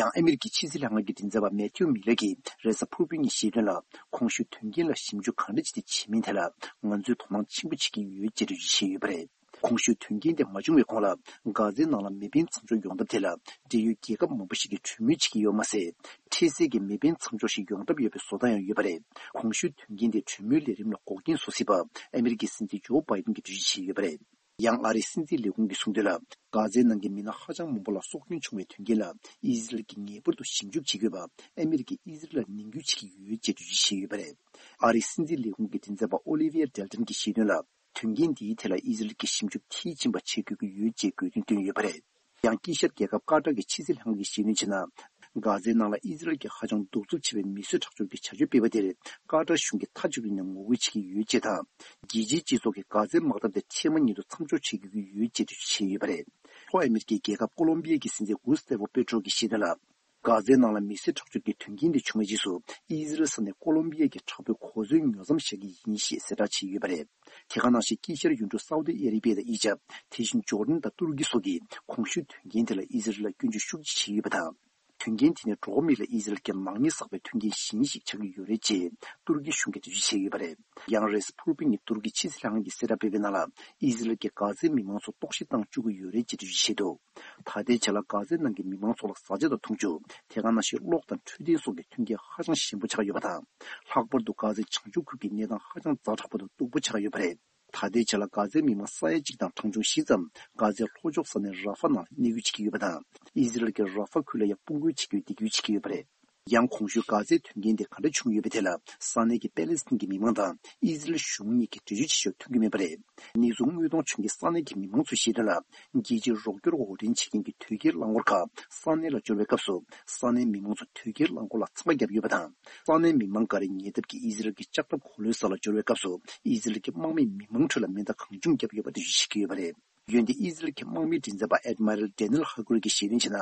ཡང་། ཨ་མི་རི་ཀའི་ཕྱི་སྲིད་ལྷན་ཁང་གི་མགྲིན་ཚབ་པ་མེ་ཐིའུ་མི་ལར་གྱིས་རེས་གཟའ་ཕུར་བུའི་ཉིན་བཤད་དོན་ལ། གོང་ཞུས་དོན་རྐྱེན་ལ་ཞིབ་འཇུག་གང་འདྲ་བྱས་ཏེ་བྱེད་མིན་ཐད་ལ། ང་ཚོས་དོ་སྣང་ཆེན་པོ་བྱེད་ཀྱི་ཡོད་ཅེས་འགྲེལ་བརྗོད་བྱས་ཡོད་པ་རེད། གོང་ཞུས་དོན་རྐྱེན་དེ་མ་བྱུང་བའི་གོང་ལ། གྷ་ཛའི་ནང་ལ་མེ་འཕེན་མཚམས་འཇོག་ཡོང་ཐབས་དེ་ལ་འབྲེལ་ཡོད་རྒྱལ་ཁབ་མང་པོ་ཞིག་གིས་གྲོས་མོལ་བྱེད་ཀྱི་ཡོད་མ་ཟད། འཕྲལ་སེལ་གྱི་མེ་འཕེན་མཚམས་འཇོག་ཞིག་ཡོང་ཐབས་ཡོད་པའི་བཟོ་ལྟ་ཡང་ཡོད་པ་རེད། གོང་ཞུས་དོན་རྐྱེན་དེ་གྲོས་མོལ་ལས་རིམ་ལ་འགོག་རྐྱེན་བཟོ་སྲིད་པ་ཨ་མི་རི་ཀའི་སྲིད་འཛིན་ཇོ་བྷའི་ཏིན་གྱིས་འགྲེལ་བརྗོད་བྱས་ཡོད་པ་རེད། ཡང་ཨ་རིའི་སྲིད་འཛིན་ལས་ཁུངས་ཀྱིས་གསུངས་དོན་ལ། གྷ་ཛའི་ནང་གི་མི་སྣ་ཧ་ཅང་མང་པོ་ལ་སྲོག་སྐྱོན་བྱུང་བའི་དོན་རྐྱེན་ལ། ཨི་ཟི་རལ་གྱིས་ངེས་པར་དུ་ཞིབ་འཇུག་བྱེད་དགོས་པ་ཨ་མི་རི་ཀས་ཨི་ཟི་རལ་ལ་ནན་སྐུལ་བྱེད་ཀྱི་ཡོད་ཅེས་འགྲེལ་བརྗོད་བྱས་ཡོད་པ་རེད། ཨ་རིའི་སྲིད་འཛིན་ལས་ཁུངས་ཀྱི་མགྲིན་ཚབ་པ་ཨོ་ལི་ཝི་ཡ་ཌེལ་ཏན་གྱིས་བཤད་དོན་ལ། དོན་རྐྱེན་འདིའི་ཐད་ལ་ཨི་ཟི་རལ་གྱིས་ཞིབ་འཇུག་མཐིལ་ཕྱིན་པ་བྱེད་དགོས་ཀྱི་ཡོད་ཅེས་དགོས་འདུན་བཏོན་ཡོད་པ་རེད། ཡང་དཀྱིལ་ཤར་རྒྱལ་ཁབ་ཀ་ཏར་གྱི་ཕྱི་སྲིད་ལྷན་ཁང་གིས་བཤད་དོན་བྱས་ན། གྷ་ཛའི་ནང་ལ་ཨི་ཟི་རལ་གྱིས་ཧ་ཅང་གདུག་རྩུབ་ཆེ་བའི་མི་གསོད་ཁྲག་སྦྱོར་གྱི་བྱ་སྤྱོད་སྤེལ་བ་དེར། ཀ་ཏར་གཞུང་གིས་མཐའ་གཅིག་ཏུ་ནས་ངོ་རྒོལ་བྱེད་ཀྱི་ཡོད་ཅེས་དང་། རྒྱལ་སྤྱིའི་སྤྱི་ཚོགས་ཀྱིས་གྷ་ཛའི་དམག་འཐབ་དེ་འཕྲལ་མ་ཉིད་དུ་མཚམས་འཇོག་བྱེད་དགོས་ཀྱི་ཡོད་ཅེས་འགྲེལ་བརྗོད་བྱས་ཡོད་པ་རེད། ལྷོ་ཨ་མི་རི་ཀའི་རྒྱལ་ཁབ་ཀོ་ལོམ་བི་ཡ་གི་སྲིད་འཛིན་གུས་སྟེ་བོ་པེ་ཏྲོ་གིས་བཤད་དོན་ལ། གྷ་ཛའི་ནང་ལ་མི་གསོད་ཁྲག་སྦྱོར་གྱི་དོན་རྐྱེན་དེ་བྱུང་བའི་རྗེས་སུ། ཨི་ཟི་རལ་ས་གནས་ཀོ་ལོམ་བི་ཡ་གི་དྲག་པོས་གོ་མཚོན་ཉོ་མཚམས་བཞག་གི་ཡིན་ཞེས་གསལ་བསྒྲགས་བྱས་ཡོད་པ་རེད། དེ་ག་ནང་བཞིན་དཀྱིལ་ཤར་ཡུལ་གྲུ་སའུ་ཏི་ཨ་རེ་བི་ཡ་དང་དབྱིན་ཇི། དེ་བཞིན་ཇོར་ཌན་དང་ཏུར་ཀི་སོགས་ཀྱིས་གོང་ཞུས་དོན་རྐྱེན་དེ་ལ་ཨི་ཟི་རལ་ལ་སྐྱོན་བརྗོད་ཤུགས་ཆེ་བྱས་ཡོད་པ་དང་། དོན་རྐྱེན་དེ་ནི་འགྲོ་བ་མི་ལ་ཨི་ཟི་རལ་གྱིས་ནག་ཉེས་བསགས་པའི་མཐུན་རྐྱེན་གཞན་ཞིག་ཆགས་ཀྱི་ཡོད་རེད་ཅེས་ཏུར་ཀི་གཞུང་གིས་འགྲེལ་བརྗོད་བྱས་ཡོད་པ་རེད། ཡང་རེས་ཕུར་བི་ཉིན་ཏུར་ཀི་ཕྱི་སྲིད་ལྷན་ཁང་གིས་གསལ་བསྒྲགས་སྤེལ་བའི་ནང་ལ། ཨི་ཟི་རལ་གྱིས་གྷ་ཛའི་མི་མང་ཚོ་ལྟོགས་ཤི་བཏང་བཅུག་གི་ཡོད་རེད་ཅེས་འགྲེལ་བརྗོད་བྱས་འདུག་ད་ལྟའི་ཆ་ལ་གྷ་ཛའི་ནང་གི་མི་མང་ཚོ་ལ་བཟའ་བཅའ་དང་འཐུང་ཆུ། དེ་ག་ནང་བཞིན་གློག་དང་འཕྲོད་བསྟེན་སོགས་ཀྱི་མཐུན་རྐྱེན་ཧ་ཅང་ཞན་པོ་ཆགས་ཡོད་པ་དང་། ལྷག་པར་དུ་གྷ་ཛའི་བྱང་ཕྱོགས་ཁུལ་གྱི་གནས་སྟངས་ཧ་ཅང་ཛ་དྲག་པ་དང་སྡུག་པོ་ཆགས་ཡོད་པ་རེད། ད་ལྟའི་ཆ་ལ་གྷ་ཛའི་མི་མང་ས་ཡ་གཅིག་དང་གྲངས་ཆུང་བཞི་ཙམ་གྷ་ཛའི་ལྷོ་ཕྱོགས་ས་གནས་ར་ཧྥ་ནང་གནས་སྐོར་བྱེད་ཀྱི་ཡོད་པ་དང་། ཨི་ཟི་རལ་གྱིས་ར་ཧྥ་ཁུལ་ལ་ཡང་དཔུང་རྒོལ་བྱེད་རྒྱུའི་འདེགས་སྐྱོར་བྱེད་ཀྱི་ཡོད་པ་རེད། ཡང་གོང་ཞུས་གྷ་ཛའི་དོན་རྐྱེན་དེ་ག་འདྲ་བྱུང་ཡོད་པའི་ཐད་ལ། ས་གནས་ཀྱི་པེ་ལེ་སི་ཐན་གྱི་མི་མང་དང་ཨི་ཟི་རལ་གཞུང་གཉིས་ཀྱིས་འགྲེལ་བརྗོད་བྱེད་ཕྱོགས་མཐུན་གྱི་མེད་པ་རེད། གནས་ཚུལ་དངོས་མཐོང་བྱུང་མཁན་ས་གནས་ཀྱི་མི་མང་ཚོས་བཤད་དོན་ལ། རྒྱལ་སྤྱིའི་རོགས་སྐྱོར་འོར་འདྲེན་བྱེད་མཁན་གྱི་དོས་སྐྱེལ་རླངས་འཁོར་ཁག་ས་གནས་ལ་འབྱོར་བའི་སྐབས་སུ། ས་གནས་མི་མང་ཚོ་དོས་སྐྱེལ་རླངས་འཁོར་ལ་འཚང་ཁ་བརྒྱབ་ཡོད་པ་དང་། ས་གནས་མི་མང་འགའ་རེ་ཉེ་འདབས་ཀྱི་ཨི་ཟི་རལ་གྱི་ལྕགས་ཐབ་གོ་ལའི་ས་ལ་འབྱོར་བའི་སྐབས་སུ། ཨི་ཟི་རལ་གྱི་དམག་མིས་མི་མང་ཁྲོད་ལ་མེ་མདའ་གང་བྱུང་བརྒྱབ་ཡོད་པ་འགྲེལ་བརྗོད་བྱེད་ཀྱི་ཡོད་པ་རེད། འོན་ཏེ་ཨི་ཟི་རལ་གྱི་དམག་མིའི་མགྲིན་ཚབ་པ་ཨེཌ་མི་རལ་ཌེ་ནེལ་ཧ་ཀུར་གྱིས་བཤད་དོན་བྱས་ན།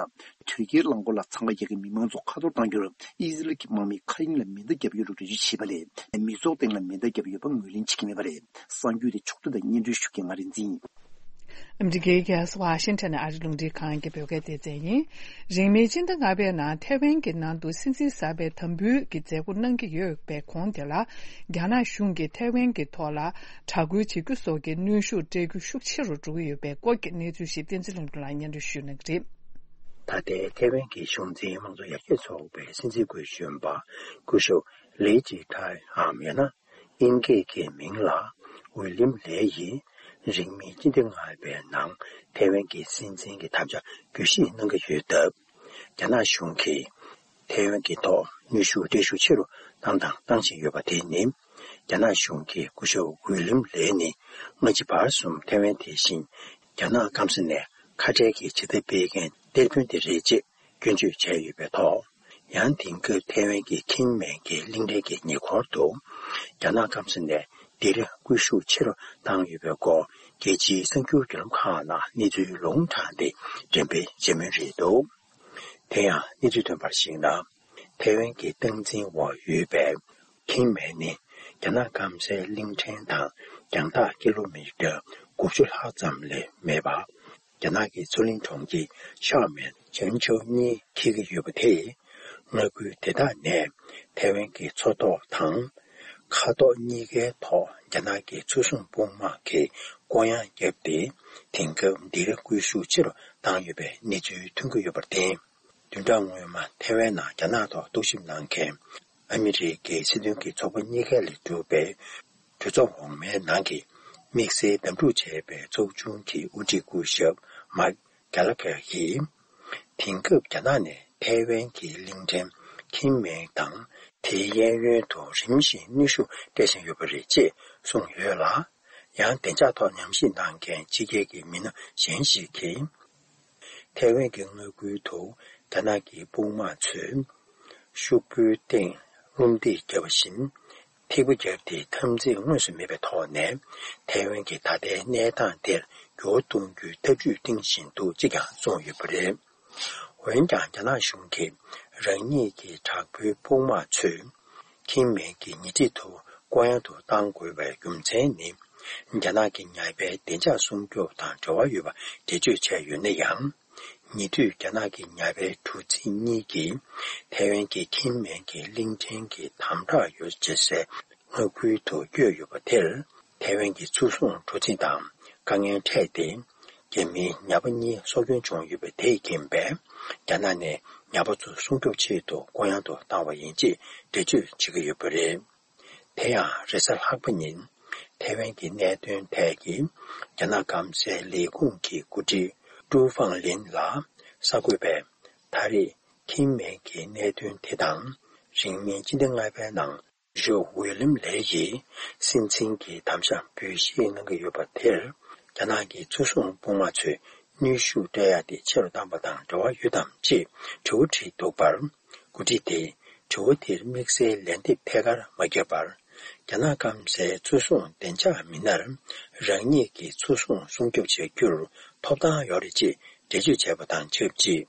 དོས་སྐྱེལ་རླངས་འཁོར་ལ་འཚང་ཁ་རྒྱག་མཁན་མི་མང་ཚོ་ཁ་འཐོར་བཏང་རྒྱུར་ཨི་ཟི་རལ་གྱི་དམག་མིས་མཁའ་དབྱིངས་ལ་མེ་མདའ་བརྒྱབ་ཡོད་ལུགས་འགྲེལ་བརྗོད་བྱས་པ་ལས། མི་ཚོགས་སྟེང་ལ་མེ་མདའ་བརྒྱབ་ཡོད་པ་ངོས་ལེན་བྱེད་ཀྱི་མེད་པ་རེད། གསར་འགྱུར་དེ་ཕྱོགས་བསྡུས་དང་སྙན་སྒྲོན་ཞུ་མཁན་ང་རིག་འཛིན་ཡིན། ཨ་མི་རི་ཀའི་རྒྱལ་ས་ཝ་ཤིང་ཊོན་ནས་ཨ་རིའི་རླུང་འཕྲིན་ཁང་གི་བོད་སྐད་སྡེ་ཚན་ཡིན། རིང་མིན་ཕྱི་ཟླ་ལྔ་པའི་ནང་ཐའེ་ཝན་གྱི་ནང་དུ་སྲིད་འཛིན་གསར་པའི་དམ་འབུལ་གྱི་མཛད་སྒོ་གནང་གི་ཡོད་པའི་གོང་དེ་ལ། རྒྱ་ནག་གཞུང་གིས་ཐའེ་ཝན་གྱི་ཐོག་ལ་དྲག་རྒོལ་བྱེད་རྒྱུ་སོགས་ཀྱི་གནོན་ཤུགས་སྤྲད་རྒྱུ་ཤུགས་ཆེ་རུ་འགྲོ་གི་ཡོད་པའི་སྐོར་གྱི་གནས་ཚུལ་ཞིག་བསྟན་འཛིན་ལྷུན་གྲུབ་ལགས་སྙན་སྒྲོན་ཞུ་གནང་གི་རེད། ད་ལྟའི་ཐའེ་ཝན་གྱི་གཞུང་འཛིན་དམངས་གཙོ་ཡར་རྒྱས་ཚོགས་པའི་སྲིད་འཛིན་སྐུའི་གཞོན་པ་སྐུ་ཞབས་ལི་ཅི་ཐའེ་འམ་ཡང་ན། དབྱིན་སྐད་ཀྱི་མིང་ལ་ཝི་ལིམ་ལེ་ཡིས་རིང་མིན་སྤྱི་ཟླ་ལྔ་པའི་ནང་ཐའེ་ཝན་གྱི་སྲིད་འཛིན་གྱི་ཐབས་ཆག་བརྗོད་གཞི་གནང་གི་ཡོད་སྟབས། རྒྱ་ནག་གཞུང་གིས་ཐའེ་ཝན་གྱི་ཐོག་གནོན་ཤུགས་སྤྲད་ཤུགས་ཆེ་རུ་བཏང་དང་བཏང་བཞིན་ཡོད་པ་དེ་ནི། རྒྱ་ནག་གཞུང་གིས་སྐུ་ཞབས་ཝི་ལིམ་ལེ་ནི་སྔ་ཕྱི་བར་གསུམ་ཐའེ་ཝན་དེ་བཞིན་རྒྱ་ནག་སྐམ་ས་ནས་ཁ་བྲལ་གྱི་བྱེད་ཐབས་སྤེལ་མཁན་གཏེར་དཔོན་དེ་རེད་ཅེས། སྐྱོན་བརྗོད་བྱས་ཡོད་པའི་ཐོག་ཡང་དེང་སྐབས་ཐའེ་ཝན་གྱི་ཁིན་མེན་གྱི་གླིང་ཕྲན་གྱི་ཉེ་འཁོར་དུ། རྒྱ་ནག་སྐམ་ས་ནས་སྡེ་ར་སྐུལ་ཤུགས་ཆེ་རུ་བཏང་ཡོད་པའི་སྐོར་རྒྱལ་སྤྱིའི་གསར་འགྱུར་བརྒྱུད་ལམ་ཁག་ནང་གནས་ཚུལ་ལུང་དྲངས་ཏེ་འགྲེམས་སྤེལ་བྱེད་མུས་རེད་འདུག་དེ་ཡང་གནས་ཚུལ་ཐོན་པར་གཞིགས་ན། ཐའེ་ཝན་གྱི་སྟངས་འཛིན་འོག་ཡོད་པའི་ཁིན་མེན་ནི་རྒྱ་ནག་སྐམ་སའི་གླིང་ཕྲན་དང་རྒྱང་ཐག་ཀི་ལོ་མི་ཊར་དགུ་བཅུ་ལྷག་ཙམ་ལས་མེད་པ། རྒྱ་ནག་གི་མཚོ་གླིང་གྲོང་ཁྱེར་ཤའོ་མེན་ཅན་ཆའོ་གཉིས་འཁེལ་གྱི་ཡོད་པ་དེས། མངའ་ཁུལ་དེ་དག་ནས་ཐའེ་ཝན་གྱི་མཚོ་ཐོག་དང་། མཁའ་ཐོག་གཉིས་ཀའི་ཐོག་རྒྱ་ནག་གི་མཚོ་སྲུང་དཔུང་དམག་གིས་བསྐོར་གཡང་བརྒྱབ་སྟེ། དེང་སྐབས་འདིར་སྐུལ་ཤུགས་ཆེ་རུ་བཏང་ཡོད་པའི་གནས་ཚུལ་ཐོན་གྱི་ཡོད་པར་བརྟེན། བདུན་ཕྲག་སྔོན་མ་ཐའེ་ཝན་ནང་རྒྱ་ནག་ཐོག་རྟོག་ཞིབ་གནང་མཁན་ཨ་མི་རི་ཀའི་སྲིད་དོན་གྱི་ཚོགས་པ་གཉིས་ཀ་ལས་གྲུབ་པའི་གྲོས་ཚོགས་འོག་མའི་ནང་གི་དམིགས་བསལ་བདམས་སྒྲུག་བྱས་པའི་ཚོགས་ཆུང་གི་དབུ་ཁྲིད་སྐུ་ཞབས་མཱིཀ་གྷེ་ལ་གྷེར་གྱིས། དེང་སྐབས་རྒྱ་ནག་ནས་ཐའེ་ཝན་གྱི་གླིང་ཕྲན་ཁིན་མེན་དང་དེའི་གཡས་གཡོན་དུ་རིམ་བཞིན་གནོན་ཤུགས་སྤྲད་བཞིན་ཡོད་པ་རེད་ཅེས་གསུངས་ཡོད་ལ། ཡང་བདེ་འཇགས་ཐོག་ཉམས་ཞིབ་གནང་མཁན་ཕྱི་རྒྱལ་གྱི་མི་སྣ་གཞན་ཞིག་གིས། ཐའེ་ཝན་གྱི་མངའ་ཁུལ་དུ་རྒྱ་ནག་གི་དཔུང་དམག་ཚོས་ཤུག་པོའི་སྟེང་རླུང་རྡེག་བརྒྱབ་པ་བཞིན། ཐིགས་པ་བརྒྱབ་སྟེ་འཐབ་འཛིང་དངོས་སུ་མེད་པའི་ཐོག་ནས་ཐའེ་ཝན་གྱི་ད་ལྟའི་གནས་སྟངས་དེར་འགྱུར་བ་གཏོང་རྒྱུའི་འཐབ་ཇུས་བཏིང་བཞིན་འདུག་ཅེས་ཀྱང་གསུངས་ཡོད་པ་རེད། འོན་ཀྱང་རྒྱ་ནག་གཞུང་གིས་རང་ཉིད་ཀྱི་དྲག་པོའི་དཔུང་དམག་ཚོས། ཁིན་མེན་གྱི་ཉེ་འཁྲིས་དུ་བསྐོར་གཡང་དུ་གཏང་དགོས་པའི་རྒྱུ་མཚན་ནི། རྒྱ་ནག་གི་ཉ་པའི་བདེ་འཇགས་སྲུང་སྐྱོབ་དང་འབྲེལ་བ་ཡོད་པ་འགྲེལ་བརྗོད་བྱས་ཡོད་ན་ཡང་། ཉེ་དུས་རྒྱ་ནག་གི་ཉ་པའི་གྲུ་གཟིངས་གཉིས་ཀྱིས་ཐའེ་ཝན་གྱི་ཁིན་མེན་གྱི་གླིང་ཕྲན་གྱི་དམ་དྲག་ཡོད་བྱེད་སའི་མངའ་ཁུལ་དུ་བསྐྱོད་ཡོད་པ་དེར། ཐའེ་ཝན་གྱི་མཚོ་སྲུང་གྲུ་གཟིངས་དང་ དཀའ་ངལ་འཕྲད་དེ། རྒྱ་མིའི་ཉ་པ་གཉིས་སྲོག་སྐྱོན་བྱུང་ཡོད་པ་དེས་རྐྱེན་པས། རྒྱ་ནག་ནས་ཉ་པ་ཚོ་སྲུང་སྐྱོབ་ཆེད་དུ་ལྐོག་གཡང་དུ་བཏང་བ་ཡིན་ཅེས་འགྲེལ་བརྗོད་བྱེད་ཀྱི་ཡོད་པ་རེད། དེ་ཡང་རེས་གཟའ་ལྷག་པ་ཉིན། ཐའེ་ཝན་གྱི་གནད་དོན་ཐད་ཀྱི་རྒྱ་ནག་སྐམ་སའི་ལས་ཁུངས་ཀྱི་འགོ་ཁྲིད་ཀྲུའུ་ཧྥང་ལིན་ལ་གསར་འགོད་པས། ད་རེས་ཁེན་མེང་གི་གནད་དོན་དེ་དང་། རིང་མིན་སྤྱི་ཟླ་ལྔ་པའི་ནང་ཞུ་ཝེ་ལིམ་ལེ་ཡིས་སྲིད་འཛིན་གྱི་དམ་བཅའ་འབུལ་བཞེས་གནང་གི་ཡོད་པ་དེར། རྒྱ་ནག་གི་ཚོ་སྲུང་དཔུང་དམག་ཚོས་ནུས་ཤུགས་སྤྲད་ཡ་དེ་ཆེ་རུ་བཏང་པ་དང་འབྲེལ་བ་ཡོད་དམ་ཅེས་དྲི་བ་དྲིས་འདུག་པར། འགོ་ཁྲིད་དེས་དྲི་བ་དེར་དམིགས་བསལ་ལན་འདེབས་ཐད་ཀར་མ་བརྒྱབ་པར། རྒྱ་ནག་སྐམ་སའི་ཚོ་སྲུང་བདེ་འཇགས་མི་སྣར་རང་ཉིད་ཀྱི་ཚོ་སྲུང་སྲུང་སྐྱོབ་བྱ་རྒྱུར་ཐོབ་ཐང་ཡོད་རེད་ཅེས་འགྲེལ་བརྗོད་བྱས་པ་དང་ཆབས་ཅིག།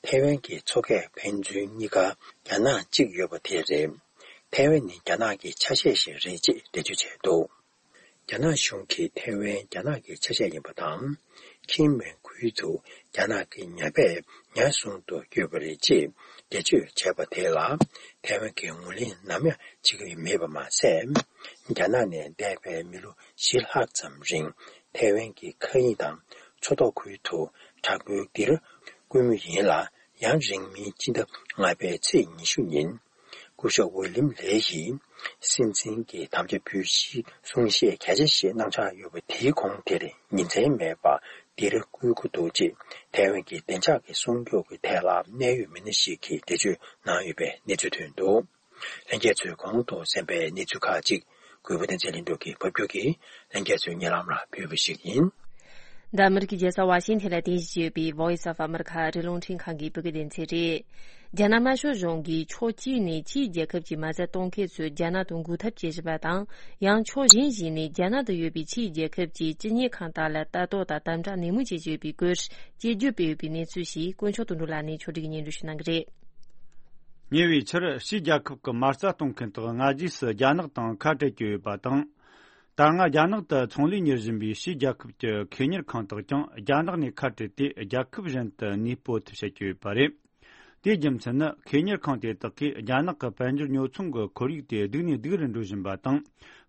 ཐའེ་ཝན་གྱི་མཚོ་ཁའི་ཕན་ཚུན་གཉིས་ཀ་རྒྱ་ནག་གཅིག་ཡོད་པ་དེ་རེད། ཐའེ་ཝན་ནི་རྒྱ་ནག་གི་ཆ་ཤས་ཤིག་རེད་ཅེས་འགྲེལ་བརྗོད་བྱས་འདུག། རྒྱ་ནག་གཞུང་གིས་ཐའེ་ཝན་རྒྱ་ནག་གི་ཆ་ཤས་ཡིན་པ་དང་། ཁེན་མེང་ཁུལ་དུ་རྒྱ་ནག་གི་ཉ་པས་ཉ་བཟུང་དུ་བསྐྱོད་པ་རེད་ཅེས་འགྲེལ་བརྗོད་བྱས་པ་དེ་ལ། ཐའེ་ཝན་གྱིས་ངོས་ལེན་ནམ་ཡང་བྱེད་ཀྱི་མེད་པ་མ་ཟད། རྒྱ་ནག་ནས་འདས་པའི་མི་ལོ་བཞི་ལྷག་ཙམ་རིང་། ཐའེ་ཝན་གྱི་མཁའ་དབྱིངས་དང་མཚོ་ཐོག་ཁུལ་དུ་དྲག་པོའི་སྡེ་ར་བསྐུལ་མུས་ཡིན་ལ། ཡང་རིང་མིན་སྤྱི་ཟླ་ལྔ་པའི་ཚེས་ཉི་ཤུ་ཉིན། སྐུ་ཞབས་ཝི་ལིམ་ལེ་ཡིས་སྲིད་འཛིན་གྱི་དམ་བཅའ་འབུལ་བཞེས་གསུང་བཤད་གལ་ཆེ་ཞིག་གནང་འཆར་ཡོད་པ་དེའི་གོང་དེར་ཉིན་མཚན་མེད་པར་སྡེ་ར་བསྐུལ་གྱི་འདུག་ཅེས་ཐའེ་ཝན་གྱི་བདེ་འཇགས་ཀྱི་སྲུང་སྐྱོབ་ཀྱི་ཐད་ལ་གནད་ཡོད་མི་སྣ་ཞིག་གིས་འགྲེལ་བརྗོད་གནང་ཡོད་པའི་གནས་ཚུལ་ཐོན་འདུག། ལྷན་རྒྱས་ཚོས་གོང་དུ་གསན་པའི་གནས་ཚུལ་ཁག་ཅིག་གུས་པ་བསྟན་འཛིན་ལྷུན་གྲུབ་ཀྱིས་ཕབ་སྒྱུར་གྱིས་ལྷན་རྒྱས་ཚོའི་སྙན་ལམ་ལ་ཕུལ་བ་ཞིག་ཡིན། འདི་ཨ་མི་རི་ཀའི་རྒྱལ་ས་ཝ་ཤིང་ཐན་ལ་རྟེན་གཞི་བྱས་ཡོད་པའི་Voice of America ཨ་རིའི་རླུང་འཕྲིན་ཁང་གི་བོད་སྐད་སྡེ་ཚན་རེད། རྒྱ་ནག་དམར་ཤོག་གཞུང་གིས་ཕྱོགས་གཅིག་ནས་ཕྱིའི་རྒྱལ་ཁབ་ཀྱི་མ་རྩ་གཏོང་མཁན་ཚོས་རྒྱ་ནག་ཏུ་འགུག་ཐབས་བྱེད་བཞིན་པ་དང་། ཡང་ཕྱོགས་གཞན་ཞིག་ནས་རྒྱ་ནག་ཏུ་ཡོད་པའི་ཕྱིའི་རྒྱལ་ཁབ་ཀྱི་སྤྱི་གཉེར་ཁང་དག་ལ་ལྟ་རྟོག་དང་དམ་དྲག་ནན་མོ་བྱེད་ཀྱི་ཡོད་པའི་སྐོར་དཔྱད་བརྗོད་སྤེལ་ཡོད་པའི་གནས་ཚུལ་ཞིག་དཀོན་མཆོག་དོན་གྲུབ་ལགས་ནས་ཕྱོགས་སྒྲིག་གིས་སྙན་སྒྲོན་ཞུ་གནང་གི་རེད། ཉེ་བའི་ཆར་ཕྱིའི་རྒྱལ་ཁབ་ཀྱི་མ་རྩ་གཏོང་མཁན་དག་སྔ་རྗེས་སུ་རྒྱ་ནག་དང་ཁ་བྲལ་གྱི་ཡོད་པ་དང་། ད་སྔ་རྒྱ་ནག་ཏུ་ཚོང་ལས་གཉེར་བཞིན་པའི་ཕྱིའི་རྒྱལ་ཁབ་ཀྱི་ཁེ་གཉེར་ཁང་དག་ཀྱང་རྒྱ་ནག་ནས་ཁ་བྲལ་ཏེ་རྒྱལ་ཁབ་གཞན་དུ་གནས་སྤོ་ཐུབ་བྱེད་ཀྱི་ཡོད་པ་རེད། དེའི་རྒྱུ་མཚན་ནི་ཁེ་གཉེར་ཁང་དེ་དག་གིས་རྒྱ་ནག་གི་དཔལ་འབྱོར་ཉོ་ཚོང་གི་ཁོར་ཡུག་དེ་སྡུག་ནས་སྡུག་རུ་འགྲོ་བཞིན་པ་དང་།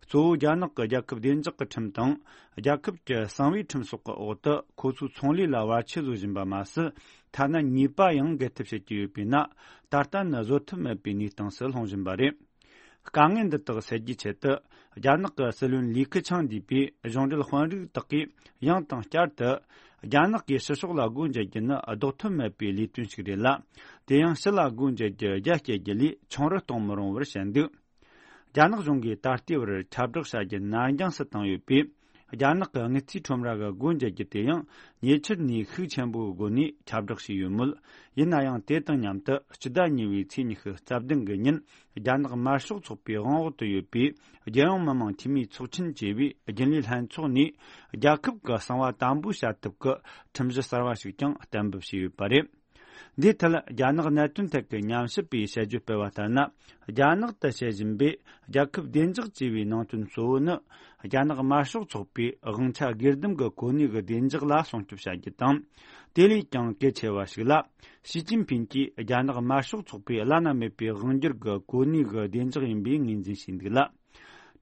གཙོ་བོ་རྒྱ་ནག་གི་རྒྱལ་ཁབ་བདེ་འཇགས་ཀྱི་ཁྲིམས་དང་། རྒྱལ་ཁབ་ཀྱི་གསང་བའི་ཁྲིམས་སོགས་ཀྱི་འོག་ཏུ་ཁོ་ཚོའི་ཚོང་ལས་ལ་བར་ཆད་བཟོ་བཞིན་པ་མ་ཟད། ཐ་ན་ཉེས་པ་ཡང་འགེལ་ཐབས་བྱེད་ཀྱི་ཡོད་པས་ན། ད་ལྟ་ནི་བཟོད་ཐབས་མེད་པའི་གནས་སྟངས་སུ་ལྷུང་བཞིན་པ་རེད། དཀའ་ངལ་འདི་དག་སེལ་རྒྱུའི་ཆེད་དུ། རྒྱ་ནག་གི་སྲིད་བློན་ལི་ཁེ་ཆང་འདུས་པའི་གཞུང་འབྲེལ་དཔོན་རིགས་དག་གིས་ཡང་དང་བསྐྱར་དུ། རྒྱ་ནག་གིས་ཕྱི་ཕྱོགས་ལ་སྒོ་འབྱེད་རྒྱུ་ནི་ལྡོག་ཐབས་མེད་པའི་ལས་དོན་ཞིག་རེད་ལ། དེ་ཡང་ཕྱི་ལ་སྒོ་འབྱེད་རྒྱུ་རྒྱ་སྐྱེད་རྒྱུ་ལས་ཆུང་རུ་གཏོང་མི་རུང་བར་བཤད་འདུག། རྒྱ་ནག་གཞུང་གིས་ད་ལྟའི་བར་ཁྱབ་བསྒྲགས་བྱ་རྒྱུ་ནར་འགྱངས་སུ་བཏང་ཡོད་པས། རྒྱ་ནག་གི་དངུལ་རྩིས་ཁྲོམ་ར་གི་སྒོ་འབྱེད་རྒྱུ་དེ་ཡང་ཉེ་ཆར་ནས་ཤུགས་ཆེན་པོའི་སྒོ་ནས་ཁྱབ་བསྒྲགས་བྱས་ཡོད་མོད། ཡིན་ན་ཡང་དེ་དང་མཉམ་དུ་སྤྱི་ཟླ་གཉིས་པའི་ཚེས་ཉི་ཤུ་རྩ་བདུན་གྱི་ཉིན་རྒྱ་ནག་དམར་ཤོག་ཚོགས་པའི་དབང་འོག་ཏུ་ཡོད་པའི་རྒྱལ་ཡོངས་མི་དམངས་འཐུས་མིའི་ཚོགས་ཆེན་ཅེས་པའི་རྒྱུན་ལས་ལྷན་ཚོགས་ནས་རྒྱལ་ཁབ་ཀྱི་གསང་བ་དམ་པོ་བྱ་ཐབས་ཀྱི་ཁྲིམས་གཞི་གསར་བ་ཞིག་ཀྱང་གཏན་འབེབས་བྱས་ཡོད་པ་རེད། འདིའི་ཐད་རྒྱ་ནག་གནད་དོན་ཐད་ཀྱི་ཉམས་ཞིབ་པས་དཔྱད་བརྗོད་སྤེལ་བ་ལྟར་ན། རྒྱ་ནག་ཏུ་བྱེད་བཞིན་པའི་རྒྱལ་ཁབ་བདེ་འཇགས་ཅེས་པའི་ནང་དོན་གཙོ་བོ་ནི། རྒྱ་ནག་དམར་ཤོག་ཚོགས་པའི་དབང་ཆ་སྒེར་སྡེམ་གྱི་གོ་གནས་ཀྱི་བདེ་འཇགས་ལ་སྲུང་སྐྱོབ་བྱ་རྒྱུ་དང་། དེ་ལས་ཀྱང་གལ་ཆེ་བ་ཞིག་ལ། ཞི་ཅིན་ཕིན་གྱིས་རྒྱ་ནག་དམར་ཤོག་ཚོགས་པའི་བླ་ན་མེད་པའི་དབང་སྒྱུར་གྱི་གོ་གནས་ཀྱི་བདེ་འཇགས་ཡིན་པའི་ངོས་འཛིན་བྱས་འདུག་ལ།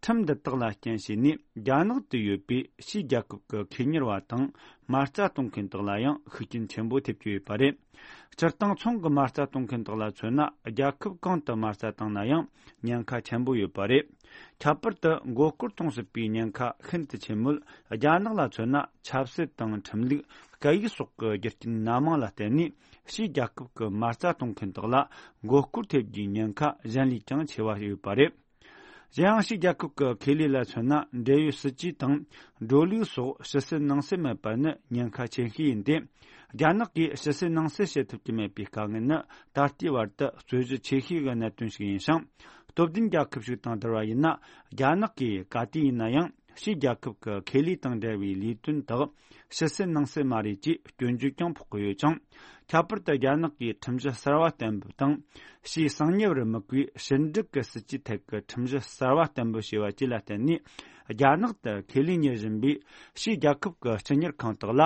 ཁྲིམས་འདི་དག་ལ་རྐྱེན་བྱས་ནས་རྒྱ་ནག་ཏུ་ཡོད་པའི་ཕྱིའི་རྒྱལ་ཁབ་ཀྱི་ཁེ་གཉེར་བ་དང་མ་རྩ་གཏོང་མཁན་དག་ལ་ཡང་ཤུགས་རྐྱེན་ཆེན་པོ་ཐེབས་ཀྱི་ཡོད་པ་རེད། སྤྱིར་བཏང་ཚོང་གི་མ་རྩ་གཏོང་མཁན་དག་ལ་མཚོན་ན། རྒྱལ་ཁབ་གང་དུ་མ་རྩ་བཏང་ན་ཡང་ཉེན་ཁ་ཆེན་པོ་ཡོད་པ་རེད། ཁྱད་པར་དུ་མགོ་སྐོར་གཏོང་སྲིད་པའི་ཉེན་ཁ་ཤིན་ཏུ་ཆེན་མོད། རྒྱ་ནག་ལ་མཚོན་ན། ཆབ་སྲིད་དང་ཁྲིམས་ལུགས། སྐད་ཡིག་སོགས་ཀྱི་རྒྱུ་རྐྱེན་སྣ་མང་ལ་བརྟེན་ནས། ཕྱིའི་རྒྱལ་ཁབ་ཀྱི་མ་རྩ་གཏོང་མཁན་དག་ལ་མགོ་སྐོར་ཐེབས་རྒྱུའི་ཉེན་ཁ་གཞན་ལས་ཀྱང་ཆེ་བ་ཡོད་པ་རེད། གཞན་ཡང་ཕྱིའི་རྒྱལ་ཁབ་ཀྱི་ཁེ་ལས་ལ་མཚོན་ན། འབྲེལ་ཡོད་སྲིད་ཇུས་དང་འགྲོ་ལུགས་སོགས་ཕྱི་སེལ་ནང་སེལ་མེད་པ་ནི་ཉེན་ཁ་ཆེ་ཤོས་ཡིན་ཏེ། རྒྱ་ནག་གིས་ཕྱི་སེལ་ནང་སེལ་བྱེད་ཐུབ་ཀྱི་མེད་པའི་དཀའ་ངལ་ནི་ད་ལྟའི་བར་དུ་རྩོད་གཞི་ཆེ་ཤོས་ཀྱི་གནད་དོན་ཞིག་ཡིན་ཞིང་། སྟོབས་ལྡན་རྒྱལ་ཁབ་ཞིག་དང་བསྡུར་བ་ཡིན་ན། རྒྱ་ནག་གིས་ག་དུས་ཡིན་ན་ཡང་ཕྱིའི་རྒྱལ་ཁབ་ཀྱི་ཁེ་ལས་དང་འབྲེལ་བའི་ལས་དོན་དག་ཕྱི་སེལ་ནང་སེལ་མ་རེད་ཅེས་སྐྱོན་བརྗོད་ཀྱང་ཕོག་གི་ཡོད་ཅིང་། ཁྱད་པར་དུ་རྒྱ་ནག་གིས་ཁྲིམས་གཞི་གསར་བ་གཏན་འབེབས་དང་། ཕྱིའི་གསང་ཉུལ་བར་དམིགས་པའི་ཕྱི་འབྲེལ་གྱི་སྲིད་ཇུས་ཐད་ཀྱི་ཁྲིམས་གཞི་གསར་བ་གཏན་འབེབས་བྱས་པ་བཅས་ལ་བརྟེན་ནས། རྒྱ་ནག་ཏུ་ཁེ་ལས་གཉེར་བཞིན་པའི་ཕྱིའི་རྒྱལ་ཁབ་ཀྱི་སྤྱི་གཉེར་ཁང་དག་ལ་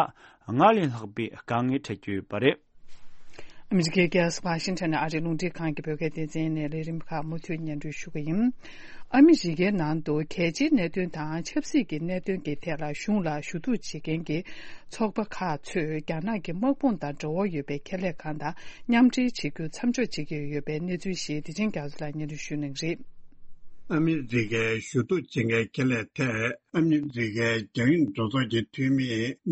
སྔར་ལས་ལྷག་པའི་དཀའ་ངལ་འཕྲད་ཀྱི་ཡོད་པ་རེད། ཨ་མི་རི་ཀའི་རྒྱལ་ས་ཝ་ཤིང་ཊོན་ནས་ཨ་རིའི་རླུང་འཕྲིན་ཁང་གི་བོད་སྐད་སྡེ་ཚན་ནས་ལས་རིམ་ཁག་མུ་མཐུད་སྙན་སྒྲོན་ཞུ་གི་ཡིན། ཨ་མི་རི་ཀའི་ནང་དུ་གལ་ཆེའི་གནད་དོན་དང་ཆབ་སྲིད་ཀྱི་གནད་དོན་གྱི་ཐད་ལ་གཞུང་ལ་ཞུ་གཏུག་བྱེད་མཁན་གྱི་ཚོགས་པ་ཁག་ཚོས་རྒྱ་ནག་གི་དམག་དཔུང་དང་འབྲེལ་བ་ཡོད་པའི་ཁེ་ལས་ཁང་དང་མཉམ་འབྲེལ་བྱེད་རྒྱུ་མཚམས་འཇོག་བྱེད་ཀྱི་ཡོད་པའི་གནས་ཚུལ་ཞིག་བདེ་ཆེན་རྒྱ་མཚོ་ལགས་སྙན་སྒྲོན་ཞུ་གནང་གི་རེད། ཨ་མི་རི་ཀའི་ཞུ་གཏུག་བྱེད་མཁན་ཁེ་ལས་ཐད་ཨ་མི་རི་ཀའི་རྒྱང་ཡོད་འགྲོ་ཚོགས་ཀྱི་འཐུས་མི་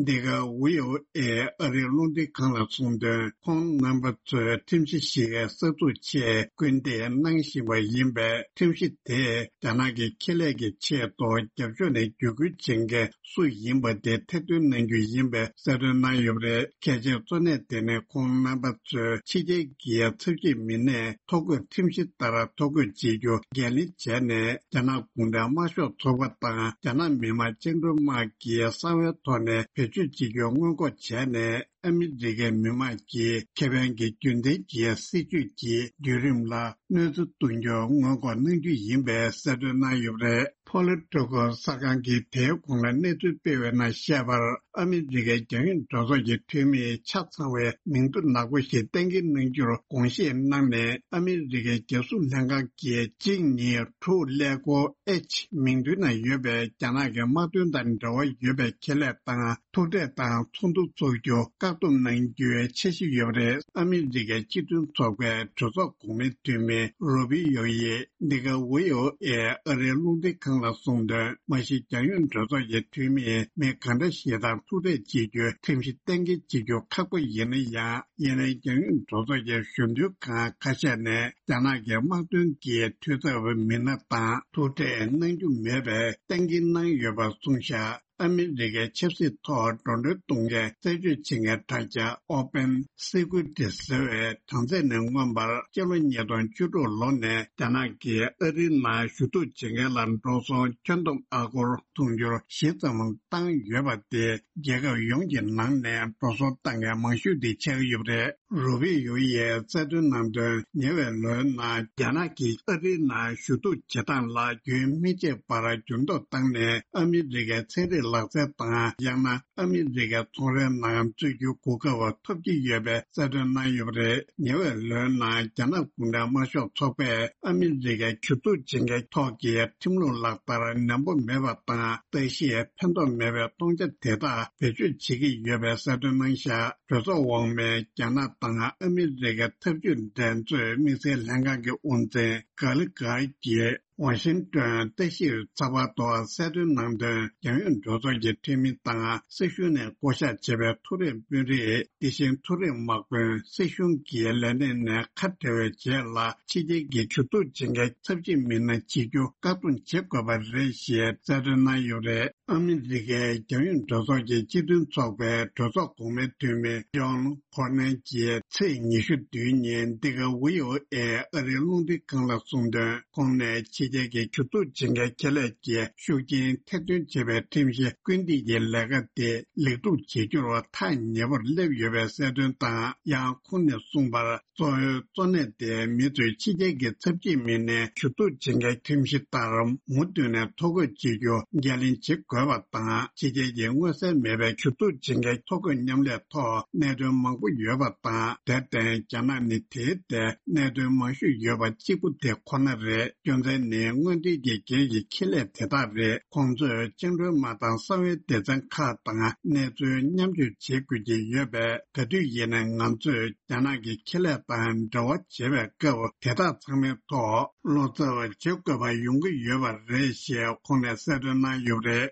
འདི་ག་ཝི་ཨོ་ཨེ་ཨ་རིའི་རླུང་འཕྲིན་ཁང་ལ་གསུངས་དོན། ཁོང་རྣམ་པ་ཚོས་ཁྲིམས་གཞི་ཞིག་གསར་འཛུགས་ཆེད་སྐུལ་འདེད་གནང་བཞིན་པ་ཡིན་པས། ཁྲིམས་གཞི་དེས་རྒྱ་ནག་གི་ཁེ་ལས་ཀྱི་ཆེད་དུ་རྒྱབ་ཕྱོགས་ནས་བརྒྱུད་སྐུལ་བྱེད་མཁན་སུ་ཡིན་པ་དེ་ཐེར་འདོན་གནང་རྒྱུ་ཡིན་པའི་གསལ་སྟོན་གནང་ཡོད་པ་རེད། གལ་ཆེའི་གཙོ་གནད་དེ་ནི་ཁོང་རྣམ་པ་ཚོས་ཕྱི་རྒྱལ་གྱི་ཚབ་ཞུས་མི་སྣས་ཐོ་འགོད་ཁྲིམས་གཞི་ལྟར་ཐོ་འགོད་བྱེད་རྒྱུ་འགན་ལེན་བྱས་ནས། རྒྱ་ནག་གུང་ཁྲན་དམར་ཤོག་ཚོགས་པ་དང་རྒྱ་ནག་མི་དམངས་བཅིངས་འགྲོལ་དམག་གི་གསང་བའི་ཐོག་ནས་བེད་སྤྱོད་བྱེད་རྒྱུ་སྔོན་འགོག་བྱས་ནས། ཨ་མི་རི་ཀའི་མི་དམངས་ཀྱི་ཁེ་ཕན་གྱི་རྒྱུན་ལྡན་གྱི་སྲིད་ཇུས་ཀྱི་བརྒྱུད་རིམ་ལ་གནོད་འཚེ་གཏོང་རྒྱུ་སྔོན་འགོག་གནང་རྒྱུ་ཡིན་པའི་གསལ་སྟོན་གནང་ཡོད་པ་རེད། Politico གསར་ཁང་གིས་དེའི་གོང་ལ་གནས་ཚུལ་སྤེལ་བའི་ནང་བཤད་པར། ཨ་མི་རི་ཀའི་རྒྱང་ཡོད་འགྲོ་ཚོགས་ཀྱི་འཐུས་མིས་ཆ་ཚང་བའི་མིང་ཐོ་ནག་པོ་ཞིག་གཏན་འཁེལ་གནང་རྒྱུར་དགོངས་བཞེས་གནང་ནས། ཨ་མི་རི་ཀའི་རྒྱལ་སྲུང་ལྷན་ཁང་གིས་གཅིག་གཉིས་དྲུག་ཀླད་ཀོར་ཨེཆ་མིང་ཐོའི་ནང་ཡོད་པའི་རྒྱ་ནག་གི་དམག་དོན་དང་འབྲེལ་བ་ཡོད་པའི་ཁེ་ལས་དང་ཐུག་འཕྲད་དང་ཚོགས་འདུ་འཚོགས་རྒྱུ་བཀག་སྡོམ་གནང་རྒྱུའི་འཆར་གཞི་ཡོད་པ་རེད། ཨ་མི་རི་ཀའི་སྤྱི་མཐུན་ཚོགས་པའི་གྲོས་ཚོགས་གོང་མའི་འཐུས་མི་རུ་པི་ཡོ་ཡིས་འདི་ག་ཝི་ཨོ་ཨེ་ཨ་རིའི་རླུང་འཕྲིན་ཁང་ལ་གསུངས་དོན། མ་གཞི་རྒྱང་ཡོད་གྲོས་ཚོགས་ཀྱི་འཐུས་མིས་མི་ག་འདྲ་ཞིག་དང་ཐུག་འཕྲད་བྱེད་རྒྱུའི་ཁྲིམས་གཞི་གཏན་འཁེལ་བྱེད་རྒྱུ་ཁག་པོ་ཡིན་ན་ཡང་། ཡིན་ནའི་རྒྱང་ཡོད་གྲོས་ཚོགས་ཀྱི་གཞོན་དུས་ཁང་ཁ་ཤས་ནས་རྒྱ་ནག་གི་དམག་དོན་གྱི་འཐུས་ཚབ་མི་སྣ་དང་ཐུག་འཕྲད་གནང་རྒྱུ་མེད་པའི་གཏན་འཁེལ་གནང་ཡོད་པ་གསུངས་བཞག་ཨ་མི་རི་ཀའི་ཆབ་སྲིད་ཐོག་འགྲོ་གྲོན་གཏོང་མཁན་རྩད་གཅོད་བྱེད་མཁན་དྲ་རྒྱ་Open Security ཟེར་བའི་གྲངས་ཚད་ནས་མངོན་པར། སྤྱི་ལོ་ཉིས་སྟོང་བཅུ་དྲུག་ལོ་ནས་རྒྱ་ནག་གིས་ཨ་རིའི་ནང་ཞུ་གཏུག་བྱེད་མཁན་ལ་འགྲོ་སོང་ཁྱོན་བསྡོམས་ཨ་སྒོར་དུང་ཕྱུར་བཞི་ཙམ་བཏང་ཡོད་པ་དེ། རྒྱལ་ཁབ་ཡོངས་ཀྱི་ནང་ནས་འགྲོ་སོང་བཏང་མཁན་མང་ཤོས་དེ་ཆགས་ཀྱི་ཡོད་པ་རེད། རུ་པི་ཡོ་ཡིས་གསལ་སྟོན་གནང་དོན། ཉེ་བའི་ལོའི་ནང་རྒྱ་ནག་གིས་ཨ་རིའི་ནང་ཞུ་གཏུག་བྱེད་སྟངས་ལ་རྒྱུན་མི་ཆད་པར་འགྱུར་ལྡོག་བཏང་ནས། ཨ་མི་རི་ཀའི་ཚན་རིག་ལག་རྩལ་དང་། ཡང་ན་ཨ་མི་རི་ཀའི་ཚོང་རའི་ནང་འཛུལ་རྒྱུའི་གོ་སྐབས་ཐོབ་ཀྱི་ཡོད་པའི་གསལ་སྟོན་གནང་ཡོད་པ་རེད། ཉེ་བའི་ལོའི་ནང་རྒྱ་ནག་གུང་ཁྲན་དམར་ཤོག་ཚོགས་པས་ཨ་མི་རི་ཀའི་ཞུ་གཏུག་བྱེད་མཁན་ཐོག་གི་ཁྲིམས་ལུགས་ལག་བསྟར་ནན་པོ་མེད་པ་དང་། ལྟ་ཞིབ་ཕན་ཐོགས་མེད་པའི་གཏོང་ཆ་དེ་དག་བེད་སྤྱོད་བྱེད་ཀྱི་ཡོད་པའི་གསལ་སྟོན་གནང་བཞག་གྲོས་ཚོགས་འོག་མའི་རྒྱ་ནག་དང་ཨ་མི་རི་ཀའི་འཐབ་ཇུས་འགྲན་རྩོད་དམིགས་བསལ་ལྷན་ཁང་གི་དབུ་འཛིན་གྷ་ལི་གྷར་གྱིས་ཝ་ཤིང་ཏོན་ལྟ་ཞིབ་ཚགས་པར་ཐོག་གསལ་སྟོན་གནང་དོན། རྒྱང་ཡོད་འགྲོ་ཚོགས་ཀྱི་འཐུས་མི་དང་སྲིད་གཞུང་ནས་བསྐོ་གཞག་བྱས་པའི་མཐོ་རིམ་དཔོན་རིགས། དེ་བཞིན་མཐོ་རིམ་དམག་དཔོན། སྲིད་གཞུང་གི་ལས་སྣེ་ནས་ཁ་བྲལ་བའི་རྗེས་ལ། ཕྱི་རྒྱལ་གྱི་ཞུ་གཏུག་བྱེད་མཁན་ཚབས་ཆེ་མི་སྣ་བྱེད་རྒྱུ་བཀག་སྡོམ་བྱེད་དགོས་པ་རེད་ཞེས་གསལ་སྟོན་གནང་ཡོད་རེད། ཨ་མི་རི་ཀའི་རྒྱང་ཡོད་འགྲོ་ཚོགས་ཀྱི་སྤྱི་མཐུན་ཚོགས་པའི་གྲོས་ཚོགས་གོང་མའི་འཐུས་མི་ཇོན་ཁོར་ནན་གྱིས་ཚེས་ཉི་ཤུ་བདུན་ཉིན་འདི་ག་ཝི་ཨོ་ཨེ་ཨ་རིའི་རླུང་འཕྲིན་ཁང་ལ་གསུངས་དོན། ཁོང་ནས་ཕྱི་རྒྱལ་གྱི་ཞུ་གཏུག་བྱེད་མཁན་ཁེ་ལས་ཀྱི་ཤུགས་རྐྱེན་ཐེར་འདོན་བྱེད་པའི་ཁྲིམས་གཞི་སྐུལ་འདེད་ཀྱི་ལས་ཀ་དེ་ལེགས་གྲུབ་བྱེད་རྒྱུར་ཐག་ཉེ་པོར་སླེབས་ཡོད་པའི་གསལ་སྟོན་དང་། ཡང་ཁོང་ནས་གསུངས་པར། གཙོ་བོའི་གཙོ་གནད་དེ་མི་ཚོས་ཕྱི་རྒྱལ་གྱི་ཚབ་ཆེ་མི་སྣའི་ཞུ་གཏུག་བྱེད་མཁན་ཁྲིམས་གཞི་ལྟར་མུ་མཐུད་ནས་ཐོ་འགོད་བྱེད་རྒྱུ་འགན་ལེན་བྱེད་དགོས་པ་དང་། ཕྱི་རྒྱལ་གྱི་མངོན་གསལ་མེད་པའི་ཞུ་གཏུག་བྱེད་མཁན་ཐོ་འགོད་མཉམ་ལས་ཐོག་གནད་དོན་མང་པོ་ཡོད་པ་དང་། དེར་བརྟེན་རྒྱ་ནག་ནི་དེའི་ཐད་གནད་དོན་མང་ཤོས་ཡོད་པ་གཅིག་པུ་དེ་ཁོ་ན་རེད། རྒྱུ་མཚན་ནི་སྔོན་ཐོན་གྱི་སྒེར་གྱི་ཁེ་ལས་དེ་དག་རེད། ཁོང་ཚོས་བཅིངས་འགྲོལ་དམག་དང་གསང་བའི་སྡེ་ཚན་ཁག་དང་གནས་ཚུལ་མཉམ་སྤྱོད་བྱེད་དགོས་ཀྱི་ཡོད་པས། ག་དུས་ཡིན་ནའང་ང་ཚོས་རྒྱ་ནག་གི་ཁེ་ལས་དང་འབྲེལ་བ་བྱེད་པའི་སྐབས་དེ་དག་ཚང་མའི་ཐོག་བློ་འཚབ་བྱེད་དགོས་པ་ཡོང་གི་ཡོད་པ་རེད་ཞེས་ཁོང་ནས་གསལ་སྟོན་གནང་ཡོད་པ་རེད།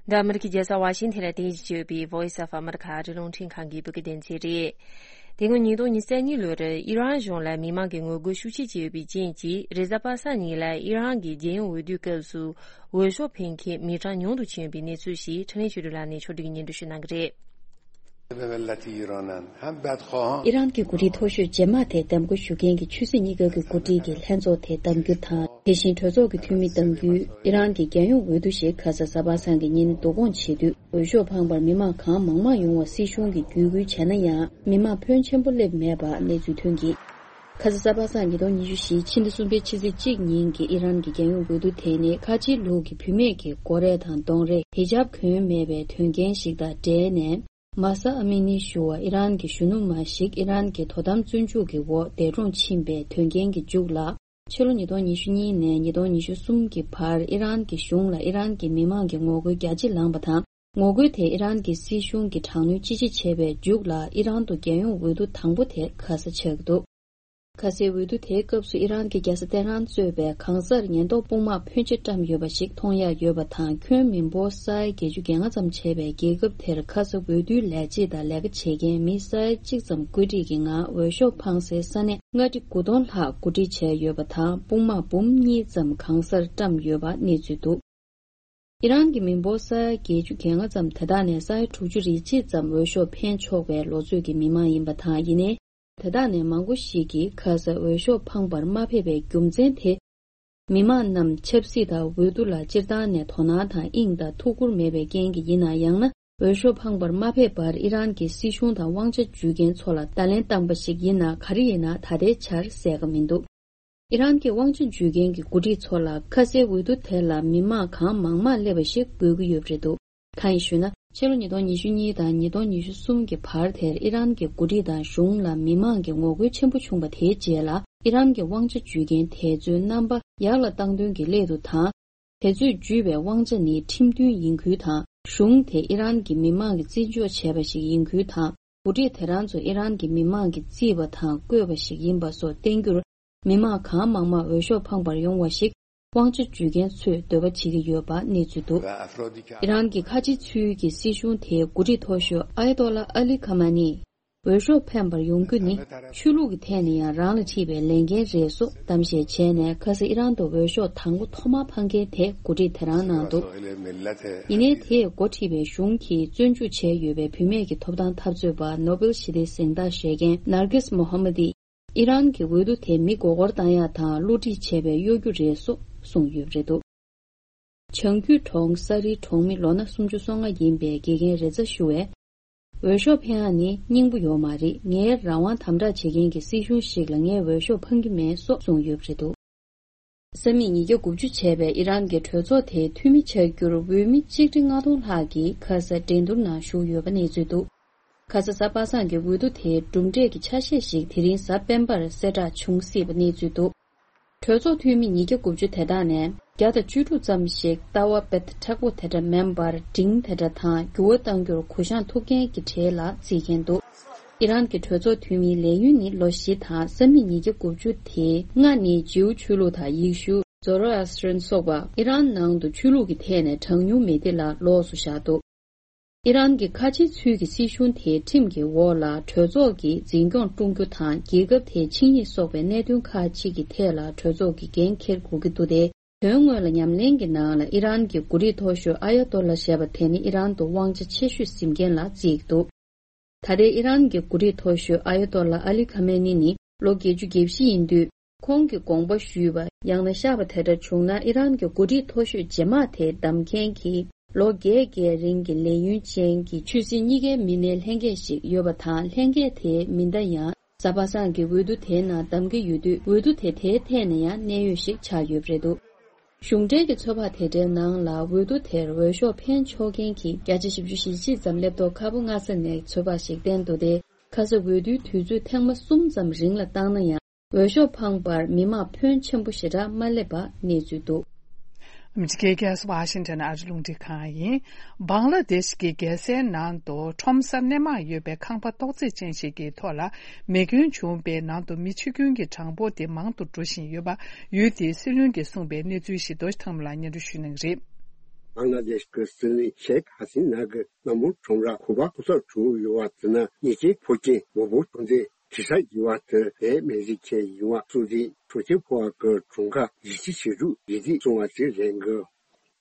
འདི་ཨ་མི་རི་ཀའི་རྒྱལ་ས་ཝ་ཤིང་ཐན་ལ་རྟེན་གཞི་བྱས་ཡོད་པའི་Voice of America ཨ་རིའི་རླུང་འཕྲིན་ཁང་གི་བོད་སྐད་སྡེ་ཚན་རེད། དེ་སྔོན་ཉིས་སྟོང་ཉི་ཤུ་རྩ་གཉིས་ལོར་ཨི་རན་གཞུང་ལ་མི་མང་གི་ངོ་རྒོལ་ཤུགས་ཆེ་བྱས་ཡོད་པའི་རྐྱེན་གྱིས། རེས་གཟའ་པ་སངས་ཉིན་ལ་ཨི་རན་གྱི་རྒྱལ་ཡོངས་འོས་བསྡུའི་སྐབས་སུ། འོས་ཤོག་འཕེན་མཁན་མི་གྲངས་ཉུང་དུ་ཕྱིན་ཡོད་པའི་གནས་ཚུལ་ཞིག་འཕྲིན་ལས་ཆོས་སྒྲོན་ལགས་ནས་ཕྱོགས་སྒྲིག་གིས་སྙན་སྒྲོན་ཞུ་གནང་གི་རེད། ཨི་རན་གྱི་འགོ་ཁྲིད་མཐོ་ཤོས་རྗེས་མ་དེ་གདམ་འགོ་ཞུ་མཁན་གྱི་ཆོས་སྲིད་གཉིས་ཀ་གི་འགོ་ཁྲིད་ཀྱི་ལྷན་ཚོགས་དེ་གདམ་རྒྱུ་དང་། དེ་བཞིན་གྲོས་ཚོགས་ཀྱི་འཐུས་མི་གདམ་རྒྱུའི་ཨི་རན་གྱི་རྒྱལ་ཡོངས་འོས་བསྡུ་ཞིག་ཁ་ས་གཟའ་པ་སངས་ཀྱི་ཉིན་བསྡུ་སྐོང་བྱེད་དུས། འོས་ཤོག་འཕངས་པར་མི་མང་གང་མང་མང་ཡོང་བ་སྲིད་གཞུང་གིས་བརྒྱུད་སྐུལ་བྱས་ན་ཡང་། མི་མང་ཕོན་ཆེན་པོ་སླེབས་མེད་པ་གནས་ཚུལ་ཐོན་གྱི། ཁ་ས་གཟའ་པ་སངས་ཉིས་སྟོང་ཉི་ཤུ་བཞི་ཕྱི་ཟླ་གསུམ་པའི་ཕྱི་ཚེས་གཅིག་ཉིན་གྱི་ཨི་རན་གྱི་རྒྱལ་ཡོངས་འོས་བསྡུ་དེ་ནི་ཁ་ཆེའི་ལུགས་ཀྱི་བུད་མེད་ཀྱི་མགོ་རས་དང་གདོང་རས་ཧི་ཇབ་གོན་མེད་པའི་དོན་རྐྱེན་ཞིག་དང་འབྲེལ་ནས། མཱ་ས་ཨ་མི་ནི་ཞུ་བ་ཨི་རན་གྱི་གཞོན་ནུ་མ་ཞིག་ཨི་རན་གྱི་དོ་དམ་བཙོན་འཇུག་གི་འོག་འདས་གྲོངས་ཕྱིན་པའི་དོན་རྐྱེན་གྱི་མཇུག་ལ། ཕྱི་ལོ་ཉིས་སྟོང་ཉི་ཤུ་གཉིས་ནས་ཉིས་སྟོང་ཉི་ཤུ་གསུམ་གྱི་བར་ཨི་རན་གྱི་གཞུང་ལ་ཨི་རན་གྱི་མི་མང་གི་ངོ་རྒོལ་རྒྱ་ཆེ་ལངས་པ་དང་། ངོ་རྒོལ་དེ་ཨི་རན་གྱི་སྲིད་གཞུང་གིས་དྲག་གནོན་ཅི་ཆེ་བྱས་པའི་མཇུག་ལ་ཨི་རན་དུ་རྒྱལ་ཡོངས་འོས་བསྡུ་དང་པོ་དེ་ཁ་ས་ཆགས་ཀྱི་འདུག་ཁ་སའི་འོས་བསྡུ་དེའི་སྐབས་སུ་ཨི་རན་གྱི་རྒྱལ་ས་ཏེ་ཧྲན་གཙོས་པའི་གང་སར་ཉེན་རྟོག་དཔུང་དམག་ཕོན་ཆེ་བཀྲམ་ཡོད་པ་ཞིག་མཐོང་ཡག་ཡོད་པ་དང་། ཁྱོན་མི་འབོར་ས་ཡ་བརྒྱད་ཅུ་གྱ་ལྔ་ཙམ་བྱས་པའི་རྒྱལ་ཁབ་དེར་ཁ་ས་འོས་བསྡུའི་ལས་བྱེད་དང་ལས་ཀ་བྱེད་མཁན་མི་ས་ཡ་གཅིག་ཙམ་བཀོད་སྒྲིག་གི་ངང་འོས་ཤོག་འཕངས་སའི་ས་གནས་ལྔ་ཁྲི་དགུ་སྟོང་ལྷག་གོ་སྒྲིག་བྱས་ཡོད་པ་དང་། དཔུང་དམག་འབུམ་གཉིས་ཙམ་གང་སར་བཀྲམ་ཡོད་པ་གནས་ཚུལ་འདུག་ཨི་རན་གྱི་མི་འབོར་ས་ཡ་བརྒྱད་ཅུ་གྱ་ལྔ་ཙམ་དེ་དག་ནས་ས་ཡ་དྲུག་ཅུ་རེ་གཅིག་ཙམ་འོས་ཤོག་འཕེན་ཆོག་པའི་ལོ་ཚོད་ཀྱི་མི་མང་ཡིན་པ་དང་། ཡིན་ནའི། དེ་དག་ནས་མང་པོ་ཞིག་གིས་ཁ་སར་འོས་ཤོག་འཕངས་པར་མ་ཕེབས་པའི་རྒྱུ་མཚན་དེ། མི་མང་རྣམས་ཆབ་སྲིད་དང་འོས་བསྡུ་ལ་སྤྱིར་བཏང་ནས་དོ་སྣང་དང་དབྱིངས་དང་ཐུགས་ཁུར་མེད་པའི་རྐྱེན་གྱིས་ཡིན་ན། ཡང་ན་འོས་ཤོག་འཕངས་པར་མ་ཕེབས་པར་ཨི་རན་གྱི་སྲིད་གཞུང་དང་དབང་ཆ་འཇུས་མཁན་ཚོ་ལ་བརྡ་ལན་བཏང་པ་ཞིག་ཡིན་ན། ག་རེ་ཡིན་ན་ད་ལྟའི་ཆར་གསལ་ཁ་མི་འདུག་ཨི་རན་གྱི་དབང་ཆ་འཇུས་མཁན་གྱི་འགོ་ཁྲིད་ཚོ་ལ་ཁ་སའི་འོས་བསྡུ་དེ་ལ་མི་མང་གང་མང་མང་སླེབས་པ་ཞིག་དགོས་ཀྱི་ཡོད་པ་རེད་འདུག་གང་ཡིན་ཞུས་ན། ཕྱི་ལོ་ཉིས་སྟོང་ཉི་ཤུ་གཉིས་དང་ཉིས་སྟོང་ཉི་ཤུ་གསུམ་གྱི་བར་དེར་ཨི་རན་གྱི་འགོ་ཁྲིད་དང་གཞུང་ལ་མི་མང་གི་ངོ་རྒོལ་ཆེན་པོ་བྱུང་བ་དེའི་རྗེས་ལ། ཨི་རན་གྱི་དབང་ཆ་འཇུས་མཁན་དེ་ཚོའི་རྣམ་པ་ཡར་ལ་བཏང་དོན་གྱི་སླད་དུ་དང་། དེ་ཚོས་འཇུས་པའི་དབང་ཆ་ནི་ཁྲིམས་མཐུན་ཡིན་ཁུལ་དང་། གཞུང་དེ་ཨི་རན་གྱི་མི་མང་གིས་བརྩི་འཇོག་བྱས་པ་ཞིག་ཡིན་ཁུལ་དང་། འགོ་ཁྲིད་དེ་རང་ཚོ་ཨི་རན་གྱི་མི་མང་གིས་བརྩིས་པ་དང་བསྐོས་པ་ཞིག་ཡིན་པ་སོགས་བསྟན་རྒྱུར། མི་མང་གང་མང་མང་འོས་ཤོག་འཕངས་པར་ཡོང་བ་ཞིག་དབང་ཆ་འཇུས་མཁན་ཚོས་འདོད་པ་བྱེད་ཀྱི་ཡོད་པ་གནས་ཚུལ་འདུག་ཨི་རན་གྱི་ཁ་ཆེ་ཚུལ་གྱི་སྲིད་གཞུང་དེའི་འགོ་ཁྲིད་མཐོ་ཤོས་ཨ་ཡ་ཏོ་ལ་ཨ་ལི་ཁ་མ་ནི། འོས་ཤོག་འཕེན་པར་ཡོང་རྒྱུ་ནི་ཆོས་ལུགས་ཀྱི་ཐད་ནས་ཡང་རང་ལ་འཁྲི་བའི་ལས་འགན་རེད་སོགས་གཏམ་བཤད་བྱས་ནས། ཁ་སང་ཨི་རན་དུ་འོས་ཤོག་དང་པོ་ཐོག་མར་འཕངས་མཁན་དེ་འགོ་ཁྲིད་དེ་རང་གནང་འདུག་ཡིན་ནའི་དེས་འགོ་ཁྲིད་པའི་གཞུང་གིས་བཙོན་འཇུག་བྱས་ཡོད་པའི་བུད་མེད་ཀྱི་ཐོབ་ཐང་འཐབ་རྩོད་པ་ནོ་བེལ་ཞི་བདེའི་གཟེངས་རྟགས་བཞེས་མཁན་ནར་གིས་མོ་ཧ་མ་དིས། ཨི་རན་གྱི་འོས་བསྡུ་དེ་མི་མགོ་སྐོར་བཏང་ཡག་དང་བསླུ་བྲིད་བྱས་པའི་གཡོ་སྒྱུ་རེད་སོགས་གསུངས་ཡོད་པ་རེད་འདུག་བྱང་རྒྱུད་གྲོང་ས་རིའི་གྲོང་མི་ལོ་ན་སུམ་ཅུ་སོ་ལྔ་ཡིན་པའི་དགེ་རྒན་རེ་ཛ་ཞུ་བས། འོས་ཤོག་འཕེན་ཡག་ནི་སྙིང་པོ་ཡོད་མ་རེད། ངའི་རང་དབང་དམ་དྲག་བྱེད་མཁན་གྱི་སྲིད་གཞུང་ཞིག་ལ་ངས་འོས་ཤོག་འཕང་གི་མེད་སོགས་གསུངས་ཡོད་པ་རེད་འདུག་ས་མིག་ཉིས་བརྒྱ་དགུ་བཅུ་བྱས་པའི་ཨི་རན་གྱི་གྲོས་ཚོགས་དེའི་འཐུས་མི་ཆགས་རྒྱུར་འོས་མི་གཅིག་ཁྲི་ལྔ་སྟོང་ལྷག་གིས་ཁ་ས་འགྲན་བསྡུར་ནང་ཞུགས་ཡོད་པ་གནས་ཚུལ་འདུག་ཁ་ས་གཟའ་པ་སངས་ཀྱི་འོས་བསྡུ་དེའི་གྲུབ་འབྲས་ཀྱི་ཆ་ཤས་ཤིག་དེ་རིང་གཟའ་སྤེན་པར་གསལ་བསྒྲགས་འབྱུང་སྲིད་པ་གནས་ཚུལ་འདུག་གྲོས་ཚོགས་འཐུས་མི་ཉིས་བརྒྱ་དགུ་བཅུ་དེ་དག་ནས་བརྒྱ་དང་བཅུ་དྲུག་ཙམ་ཞིག་ལྟ་བ་དཔེ་མཁྲེགས་པོ་དེ་འདྲ་མིན་པར་འབྲིང་དེ་འདྲ་དང་འགྱུར་བ་གཏང་རྒྱུར་གུ་བཤངས་ཐུབ་མཁན་གྱི་གྲས་ལ་བརྩིས་མཁན་འདུག་ཨི་རན་གྱི་གྲོས་ཚོགས་འཐུས་མིའི་ལས་ཡུན་ནི་ལོ་བཞི་དང་ས་མིག་ཉིས་བརྒྱ་དགུ་བཅུ་དེ་ལྔ་ནི་ཇིའུ་ཆོས་ལུགས་དང་ཡེ་ཤུ། ཛོ་རོ་ཨེ་སི་ཊི་རན་སོགས་པ་ཨི་རན་ནང་དུ་ཆོས་ལུགས་ཀྱི་ཐད་ནས་གྲངས་ཉུང་མི་སྡེ་ལ་ལོགས་སུ་བཞག་འདུག་ཨི་རན་གྱི་ཁ་ཆེའི་ཚུལ་གྱི་སྲིད་གཞུང་དེའི་ཁྲིམས་ཀྱི་འོག་ལ་གྲོས་ཚོགས་ཀྱིས་འཛིན་སྐྱོང་བསྐྲུན་རྒྱུ་དང་། རྒྱལ་ཁབ་དེའི་ཆིངས་ཡིག་སོགས་པའི་གནད་དོན་ཁག་ཅིག་གི་ཐད་ལ་གྲོས་ཚོགས་ཀྱིས་འགན་འཁྱེར་དགོས་ཀྱི་འདུག་སྟེ། དོན་དངོས་ལ་ཉམས་ལེན་གྱི་ནང་ལ་ཨི་རན་གྱི་འགོ་ཁྲིད་མཐོ་ཤོས་ཨ་ཡ་ཏོ་ལ་ཞེས་པ་དེ་ནི་ཨི་རན་དུ་དབང་ཆ་ཆེ་ཤོས་ཟིན་མཁན་ལ་བརྩིས་ཀྱི་འདུག་ད་ལྟའི་ཨི་རན་གྱི་འགོ་ཁྲིད་མཐོ་ཤོས་ཨ་ཡ་ཏོ་ལ་ཨ་ལི་ཁ་མེ་ནི་ནི་ལོ་བརྒྱད་ཅུ་གྱ་བཞི་ཡིན་དུས། ཁོང་གིས་དགོངས་པ་ཞུས་པ་ཡང་ན་བཤགས་པ་དེ་འདྲ་བྱུང་ན། ཨི་རན་གྱི་འགོ་ཁྲིད་མཐོ་ཤོས་རྗེས་མ་དེ་བདམས་མཁན་གྱི་ལོ་བརྒྱད་བརྒྱད་རིང་གི་ལས་ཡུན་ཅན་གྱི་ཆོས་སྲིད་གཉིས་ཀའི་མི་སྣའི་ལྷན་རྒྱས་ཤིག་ཡོད་པ་དང་། ལྷན་རྒྱས་དེའི་མི་སྣ་ཡང་གཟའ་པ་སངས་ཀྱི་འོས་བསྡུ་དེའི་ནང་བདམས་ཀྱི་ཡོད་དུས། འོས་བསྡུ་དེ་དེའི་ཐད་ནས་ཡང་གནད་ཡོད་ཞིག་ཆགས་ཡོད་པ་རེད་འདུག་གཞུང་འབྲེལ་གྱི་ཚོད་དཔག་དེ་འདྲའི་ནང་ལ། འོས་བསྡུ་དེར་འོས་ཤོག་འཕེན་ཆོག་མཁན་གྱི་བརྒྱ་ཆ་བཞི་བཅུ་ཞེ་གཅིག་ཙམ་སླེབས་མདོག་ཁ་པོ་མངའ་ས་ནས་ཚོད་དཔག་ཞིག་བསྟན་འདུག་སྟེ། ཁ་ས་འོས་བསྡུའི་དུས་ཚོད་ཐེངས་མ་གསུམ་ཙམ་རིང་ལ་བཏང་ན་ཡང་། འོས་ཤོག་འཕངས་པར་མི་མང་ཕོན་ཆེན་པོ་ཞེ་དྲག་མ་སླེབས་པ་གནས་ཚུལ་འདུག་ཨ་མི་རི་ཀའི་རྒྱལ་ས་ཝ་ཤིང་ཊོན་ཨ་རི་རླུང་འཕྲིན་ཁང་ཡིན། བང་ལ་དེཤ་གི་རྒྱལ་སའི་ནང་དུ་ཁྲོམ་ས་སྣེ་མང་ཡོད་པའི་ཁང་པ་རྡོག་རྫིས་ཅན་ཞིག་གི་ཐོག་ལ་མེ་སྐྱོན་བྱུང་བའི་ནང་དུ་མི་འཆི་སྐྱོན་གྱི་གྲངས་འབོར་དེ་མང་དུ་འགྲོ་བཞིན་ཡོད་པ། ཡུལ་དེའི་སྲིད་བློན་གྱིས་གསུངས་པའི་གནས་ཚུལ་ཞིག་རྡོ་རྗེ་ཐང་མོ་ལགས་སྙན་སྒྲོན་ཞུ་གནང་གི་རེད། བང་ལ་དེཤ་གི་སྲིད་བློན་ཤེག་ཧ་སི་ན་གི་སྣ་མོ་ཁྲོམ་ར་གུ་པ་ཁོ་ཚོར་བྱུང་ཡོད་པ་དེ་ནི་ཉེས་ཅན་ཕོ་སྐྱེས་མང་པོ་བྱུང་སྟེ། དེ་ས་ཡིན་པ་དེ་བས་མེ་རི་ཁའི་ཡུང་བ་སུ་ཟི་གྲོང་ཁྱེར་ཕོ་བ་གི་གྲོང་ཁ་ཡི་ཆི་ཆི་རུ་ཡི་དི་སོང་བ་དེ་རེད་གི།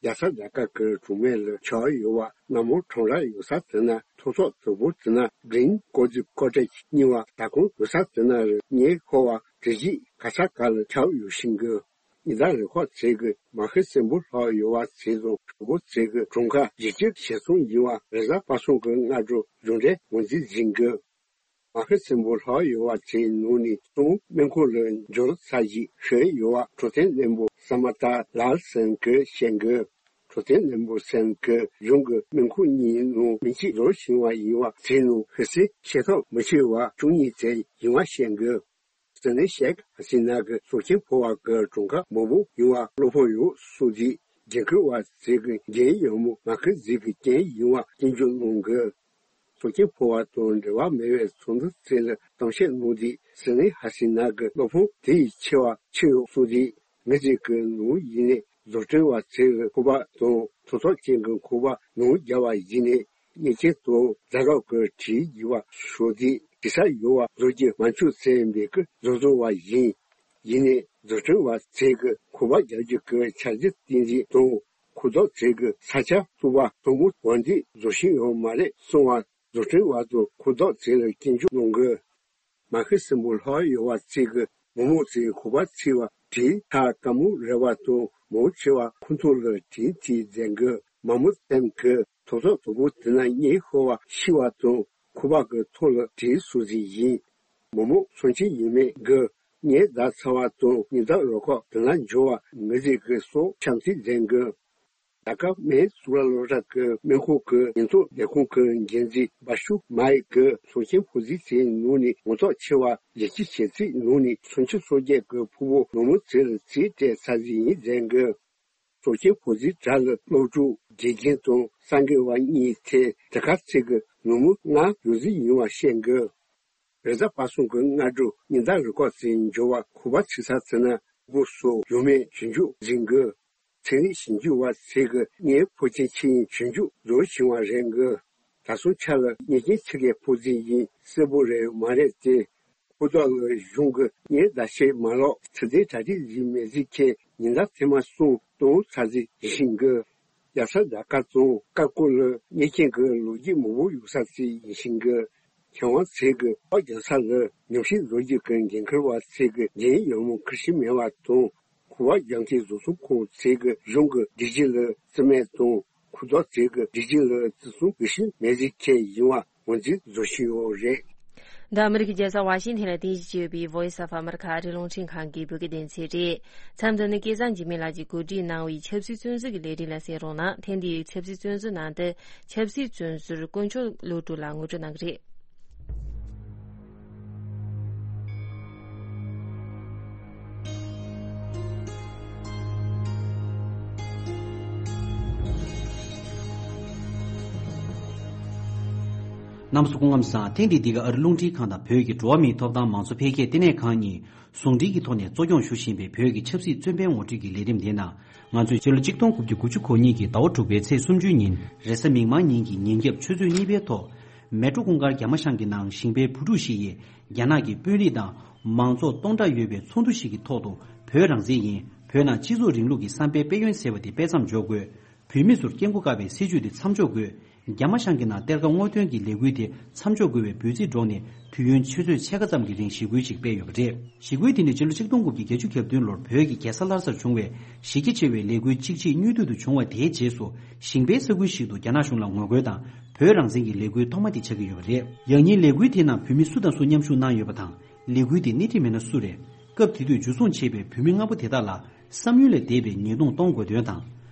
རྒྱལ་ས་ལ་ཀ་གི་གྲོང་མེ་ལ་ཆགས་ཡོད་པ་སྣ་མོ་ཁྲོམ་ར་ཡོད་ས་དེ་ན་ཐོག་ཚོགས་དུ་བོ་དེ་ན་གྲིན་ཀོ་ཙི་ཀོ་ཏྲེ་གཉིས་པ་ད་ཁོང་ཡོད་ས་དེ་ན་རེད། ངས་ཧོ་བ་དེ་གཞིས་ག་ས་ག་ལ་ཆགས་ཡོད་ཤིང་གི། ཉི་ཟླ་རེ་ཁོག་ཚེ་གི་མ་ཧི་སྲིན་པོ་ལྷག་ཡོད་པ་ཚེ་དང་གྲོགས་པོ་ཚེ་གི་གྲོང་ཁ་ཡི་ཆི་ཆེ་སོང་ཡིན་པ་རེ་ས་པ་སོང་གི་སྔ་དྲོ་གཞུང་འབྲེལ་ངོས་འཛིན་ཟིན་གི། མ་ཧི་སྲིན་པོ་ལྷག་ཡོད་པ་ཚེ་ནང་ནས་སོང་སྨན་ཁང་ལ་འབྱོར་ཚར་རྗེས་ཤི་ཡོད་པ་འཕྲོད་བསྟེན་བློན་པོ་ས་མ་ཏཱ་ལཱལ་སན་གིས་བཤད་གི། གྲོགས་དན་བློན་པོ་སེམས་ཀྱི་གཞུང་གི་མིང་ཁུངས་གཉིས་ནང་མིང་ཚིག་རོ་ཞིང་བ་ཡིན་བ་ཚིག་ནང་ཧི་སི་ཤེས་ཐབས་མི་ཆེ་བ་བཅུ་གཉིས་ཙམ་ཡིན་བ་བཤད་འགོད། ཟི་ནི་ཤེག་ཧ་སི་ན་གི་སྲོག་ཆེན་ཕོ་བ་གི་གྲོང་ཁ་མང་པོ་ཡོང་བ་བློ་ཕམ་ཡོད་སོགས་ཀྱི་འགན་འཁུར་བ་ཚོས་གི་འགན་ཡོད་མོ་མ་ཁི་ཟིག་གི་རྐྱེན་ཡིན་བ་སྐྱོན་བརྗོད་གནང་གི། སྲོག་ཆེན་ཕོ་བ་དང་འབྲེལ་བ་མེད་པའི་ཚོགས་འདུ་ཚོས་ལ་གཏམ་བཤད་གནང་དུས་ཟི་ནི་ཧ་སི་ན་གི་བློ་ཕམ་དེ་ཡི་ཆེ་བ་ཆེ་ཡོད་སོགས་ཀྱི་ངེས་ཅན་གྱི་ནང་ཡིན་ནས་བཟོ་སྐྲུན་བ་ཚོས་གི་ཁོ་པ་དང་ཐོག་ཐོག་ཅན་གྱི་ཁོ་པ་ནང་རྒྱ་བ་ཡིན་ནས། གཉེན་ཆེན་དང་ཛ་རོག་གི་བྲིས་ཡི་བ་ཤོ་དེ་དེ་ས་ཡོ་བ་བཟོ་རྒྱུ་མ་འཆུག་ཚེ་འབད་ཀི་བཟོ་བཟོ་བ་ཡིན། ཡིན་ནས་བཟོ་སྐྲུན་བ་ཚེ་གི་ཁོ་པ་རྒྱག་རྒྱུ་གི་འཆར་གཞི་བསྟན་རྒྱུ་དང་ཁོ་ཐོག་ཚེ་གི་ས་ཆ་ཐུབ་པ་དང་མོ་བ་འདི་བཟོ་ཤེས་ཡོད་མ་རེད་གསུང་བ་བཟོ་སྐྲུན་བ་དང་ཁོ་ཐོག་ཚེ་ལ་སྐྱིན་འཇུག་གནང་གི། མ་ཧི་སྲིན་པོ་ལྷག་ཡོད་བ་ཚིག་གི་མོ་མོ་ཚིག་ཁོ་པ་ཚིག་བ་དྲིན་ཐག་དཀའ་མོ་རེ་བ་དང་མོ་ཆེ་བ་ཁོ་ཐོག་ལ་དྲིན་ཐིག་མཛད་གི། མ་མོ་བསྟན་གི་ཐོག་ཐོག་དོ་པོ་དེ་ན་གཉེན་ཤོར་བ་ཤི་བ་དང་ཁོ་པ་གི་ཐོག་ལ་དྲིན་གསོ་ཟིག་ཡིན། མོ་མོ་སོན་ཆེན་ཡིན་མེད་གི་གཉེན་ཟླ་ཚ་བ་དང་ཉི་ཟླ་རོ་ཁོག་དེ་ན་འཇོ་བ་ངི་ཟིག་གི་སོགས་བྱམས་བརྩེ་མཛད་གི། ད་སྐབས་མེ་སུ་ར་ལོ་ར་གི་མེ་ཁོ་གི་ཉིན་ཐོ་ལས་ཁུངས་གི་འགན་འཛིན་བ་ཤུ་མའི་གི་སོ་ཆེན་ཕོ་ཟི་ཚེ་ནུ་ནི་ངོ་ཐོག་ཆེ་བ་ལས་ཀྱི་བྱེད་ཚིག་ནུ་ནི་སོན་ཆེ་སོ་བརྒྱད་གི་ཕུ་བོ་ནུ་མོ་ཚེ་ལ་ཚིག་སྤྲད་ས་ཟི་ཡིན་མཛད་གི། སོ་ཆེན་ཕོ་ཟི་དྲ་ལ་སློབ་ཕྲུག་དགེ་རྒན་དང་སངས་རྒྱས་བ་གཉིས་ཚེ་དེ་ཁ་ཚེ་གི་ནུ་མོ་ང་ཡོད་ཟི་ཡིན་བ་བཤད་གི། རེ་ཟ་པ་སོང་གི་སྔ་དྲོ་ཉི་ཟླ་རི་ཁོག་ཚེ་འཇོ་བ་ཁོ་པ་ཚིག་ས་ཚེ་ན་སྒོ་སོ་ཡོ་མེ་ཞིང་ཆུ་འཛིན་གི། ཚན་རིག་ཞིབ་འཇུག་པ་ཚོས་ཀྱི་ངའི་ཕོ་ཆེན་ཆེ་ཡིན་ཞིབ་འཇུག་བཟོ་བྱུང་བ་རེད་གི། ད་སོང་ཆ་ལ་ཉེ་ཆེན་ཆེ་གེ་ཕོ་ཟི་ཡིན་གསལ་པོ་རེད་མ་རེད་དེ། ཁོ་ཐོག་ལ་གཞུང་གི་ངའི་ཟླ་ཤེས་མ་ལོག་ཚི་ཚེ་གྲ་སྒྲིག་ཡིན་མེད་ཟིག་ཁྱེད་ཉིན་ཟླ་ཐེངས་མ་གསུམ་སྟོང་ཚ་ཟིག་ཡིན་ཤིང་གི། རྒྱ་ས་ཟླ་དཀར་བཙོང་དཀར་ཀོ་ལ་ཉེ་ཆེན་གི་ལོ་རྒྱུས་མང་པོ་ཡོད་ས་ཚིག་ཡིན་ཤིང་གི། མཁས་དབང་ཚོས་ཀྱི་ཨོ་རྒྱ་ས་ལ་ཉམས་ཞིབ་བཟོ་རྒྱུ་གི་འགན་འཁུར་བ་ཚོས་ཀྱི་འགན་ཡོད་མོ་ཁུར་ཤི་མེད་བ་དང་། ཁུ་བ་རྒྱང་ཁའི་བཟོ་ཚོང་ཁང་ཚོས་ཀྱི་གཞུང་གི་སྒྲིག་གཞི་ལ་བརྩི་མེད་དང་། ཁུ་དོག་ཚོས་ཀྱི་སྒྲིག་གཞི་ལ་བརྩི་སྲུང་གི་ཤི་མེད་ཟིག་ཁྱེད་ཡིན་བ་ངོས་འཛིན་བཟོ་བཞིན་ཡོད་རེད། འདི་ཨ་མི་རི་ཀའི་རྒྱལ་ས་ཝ་ཤིང་ཐན་ལ་རྟེན་གཞི་བྱས་ཡོད་པའི་Voice of America ཨ་རིའི་རླུང་འཕྲིན་ཁང་གི་བོད་སྐད་སྡེ་ཚན་རེད། མཚམས་འདི་ནི་སྐལ་བཟང་འཇིགས་མེད་ལགས་ཀྱིས་གོ་སྒྲིག་གནང་བའི་ཆབ་སྲིད་བཙོན་ཟུར་གྱི་ལས་རིམ་ལ་གསན་རོགས་གནང་། ཐེངས་འདིའི་ཆབ་སྲིད་བཙོན་ཟུར་ནང་དུ་ཆབ་སྲིད་བཙོན་ཟུར་དཀོན་མཆོག་བློ་གྲོས་ལགས་ངོ་སྤྲོད་གནང་གི་རེད། རྣམ་པ་ཚོ་སྐུ་ཁམས་བཟང་། ཐེངས་འདིའི་འདི་ག་ཨ་རི་རླུང་འཕྲིན་ཁང་དང་བོད་ཀྱི་འགྲོ་བ་མིའི་ཐོབ་ཐང་མང་གཙོ་འཕེལ་རྒྱས་ལྟེ་གནས་ཁང་གཉིས་ཟུང་འབྲེལ་གྱི་ཐོག་ནས་གཙོ་སྐྱོང་ཞུ་བཞིན་པའི་བོད་ཀྱི་ཆབ་སྲིད་བཙོན་པའི་ངོ་སྤྲོད་ཀྱི་ལས་རིམ་དེ་ནང་། ང་ཚོས་ཕྱི་ལོ་ཆིག་སྟོང་དགུ་བརྒྱ་དགུ་བཅུ་གོ་གཉིས་ཀྱི་ཟླ་བ་དྲུག་པའི་ཚེས་སུམ་ཅུའི་ཉིན་རེས་གཟའ་མིག་དམར་ཉིན་གྱི་ཉིན་རྒྱབ་ཆུ་ཚོད་གཉིས་པའི་ཐོག་མལ་གྲོ་གུང་དཀར་རྒྱ་མ་ཤང་གི་ནང་ཞིང་པའི་བུ་ཕྲུག་ཞིག་ཡིས་རྒྱ་ནག་གི་དཔོན་རིགས་དང་མང་ཚོགས་སྟོང་ཕྲག་ཡོད་པའི་ཚོགས་འདུ་ཞིག་གི་ཐོག་ཏུ་བོད་རང་བཙན་ཡིན། བོད་ནང་སྤྱི་ཚོགས་རིང་ལུགས་ཀྱི་བསམ་པའི་དཔལ་ཡོན་ཟེར་བ་དེ་སྤེལ་མཚམས་འཇོག་དགོས། བོད་མི་ཚོར་སྐྱབས་མགོན་བཀའ་པའི་སྲིད་བྱུས་དེ་མཚམས་འཇོག་དགོས། རྒྱ་མ་ཤང་གི་ནང་གཏེར་ཁ་སྔོག་འདོན་གྱི་ལས་འགུལ་དེ་མཚམས་འཇོག་དགོས་པའི་འབོད་ཚིག་སྒྲོག་ནས་དུས་ཡུན་ཆུ་ཚོད་ཕྱེད་ཀ་ཙམ་གྱི་རིང་ཞི་རྒོལ་ཞིག་སྤེལ་ཡོད་པ་རེད། ཞི་རྒོལ་དེ་ནི་ཕྱི་ལོ་ཆིག་སྟོང་དགུ་བརྒྱ་བརྒྱད་ཅུ་གྱ་བདུན་ལོར་བོད་ཀྱི་རྒྱལ་ས་ལྷ་སར་བྱུང་བའི་གཞི་རྒྱ་ཆེ་བའི་ལས་འགུལ་གཅིག་རྗེས་མཉུལ་དུ་བྱུང་བ་དེའི་རྗེས་སུ་ཞིང་པའི་ས་ཁུལ་ཞིག་ཏུ་རྒྱ་ནག་གཞུང་ལ་ངོ་རྒོལ་དང་བོད་རང་བཙན་གྱི་ལས་འགུལ་ཐོག་མ་དེ་ཆགས་ཀྱི་ཡོད་པ་རེད། ཡང་སྙིང་ལས་འགུལ་དེའི་ནང་བོད་མི་སུ་དང་སུ་མཉམ་ཞུགས་གནང་ཡོད་པ་དང་། ལས་འགུལ་དེ་སྣེ་ཁྲིད་མི་སྣ་སུ་རེད། སྐབས་དེ་དུས་འཇུ་བཟུང་བྱས་པའི་བོད་མི་ལྔ་པོ་དེ་དག་ལ་བསམ་ཡུལ་ལས་འདས་པའི་ཉེས་རྡུང་གཏོང་དགོས་དོན་དང་།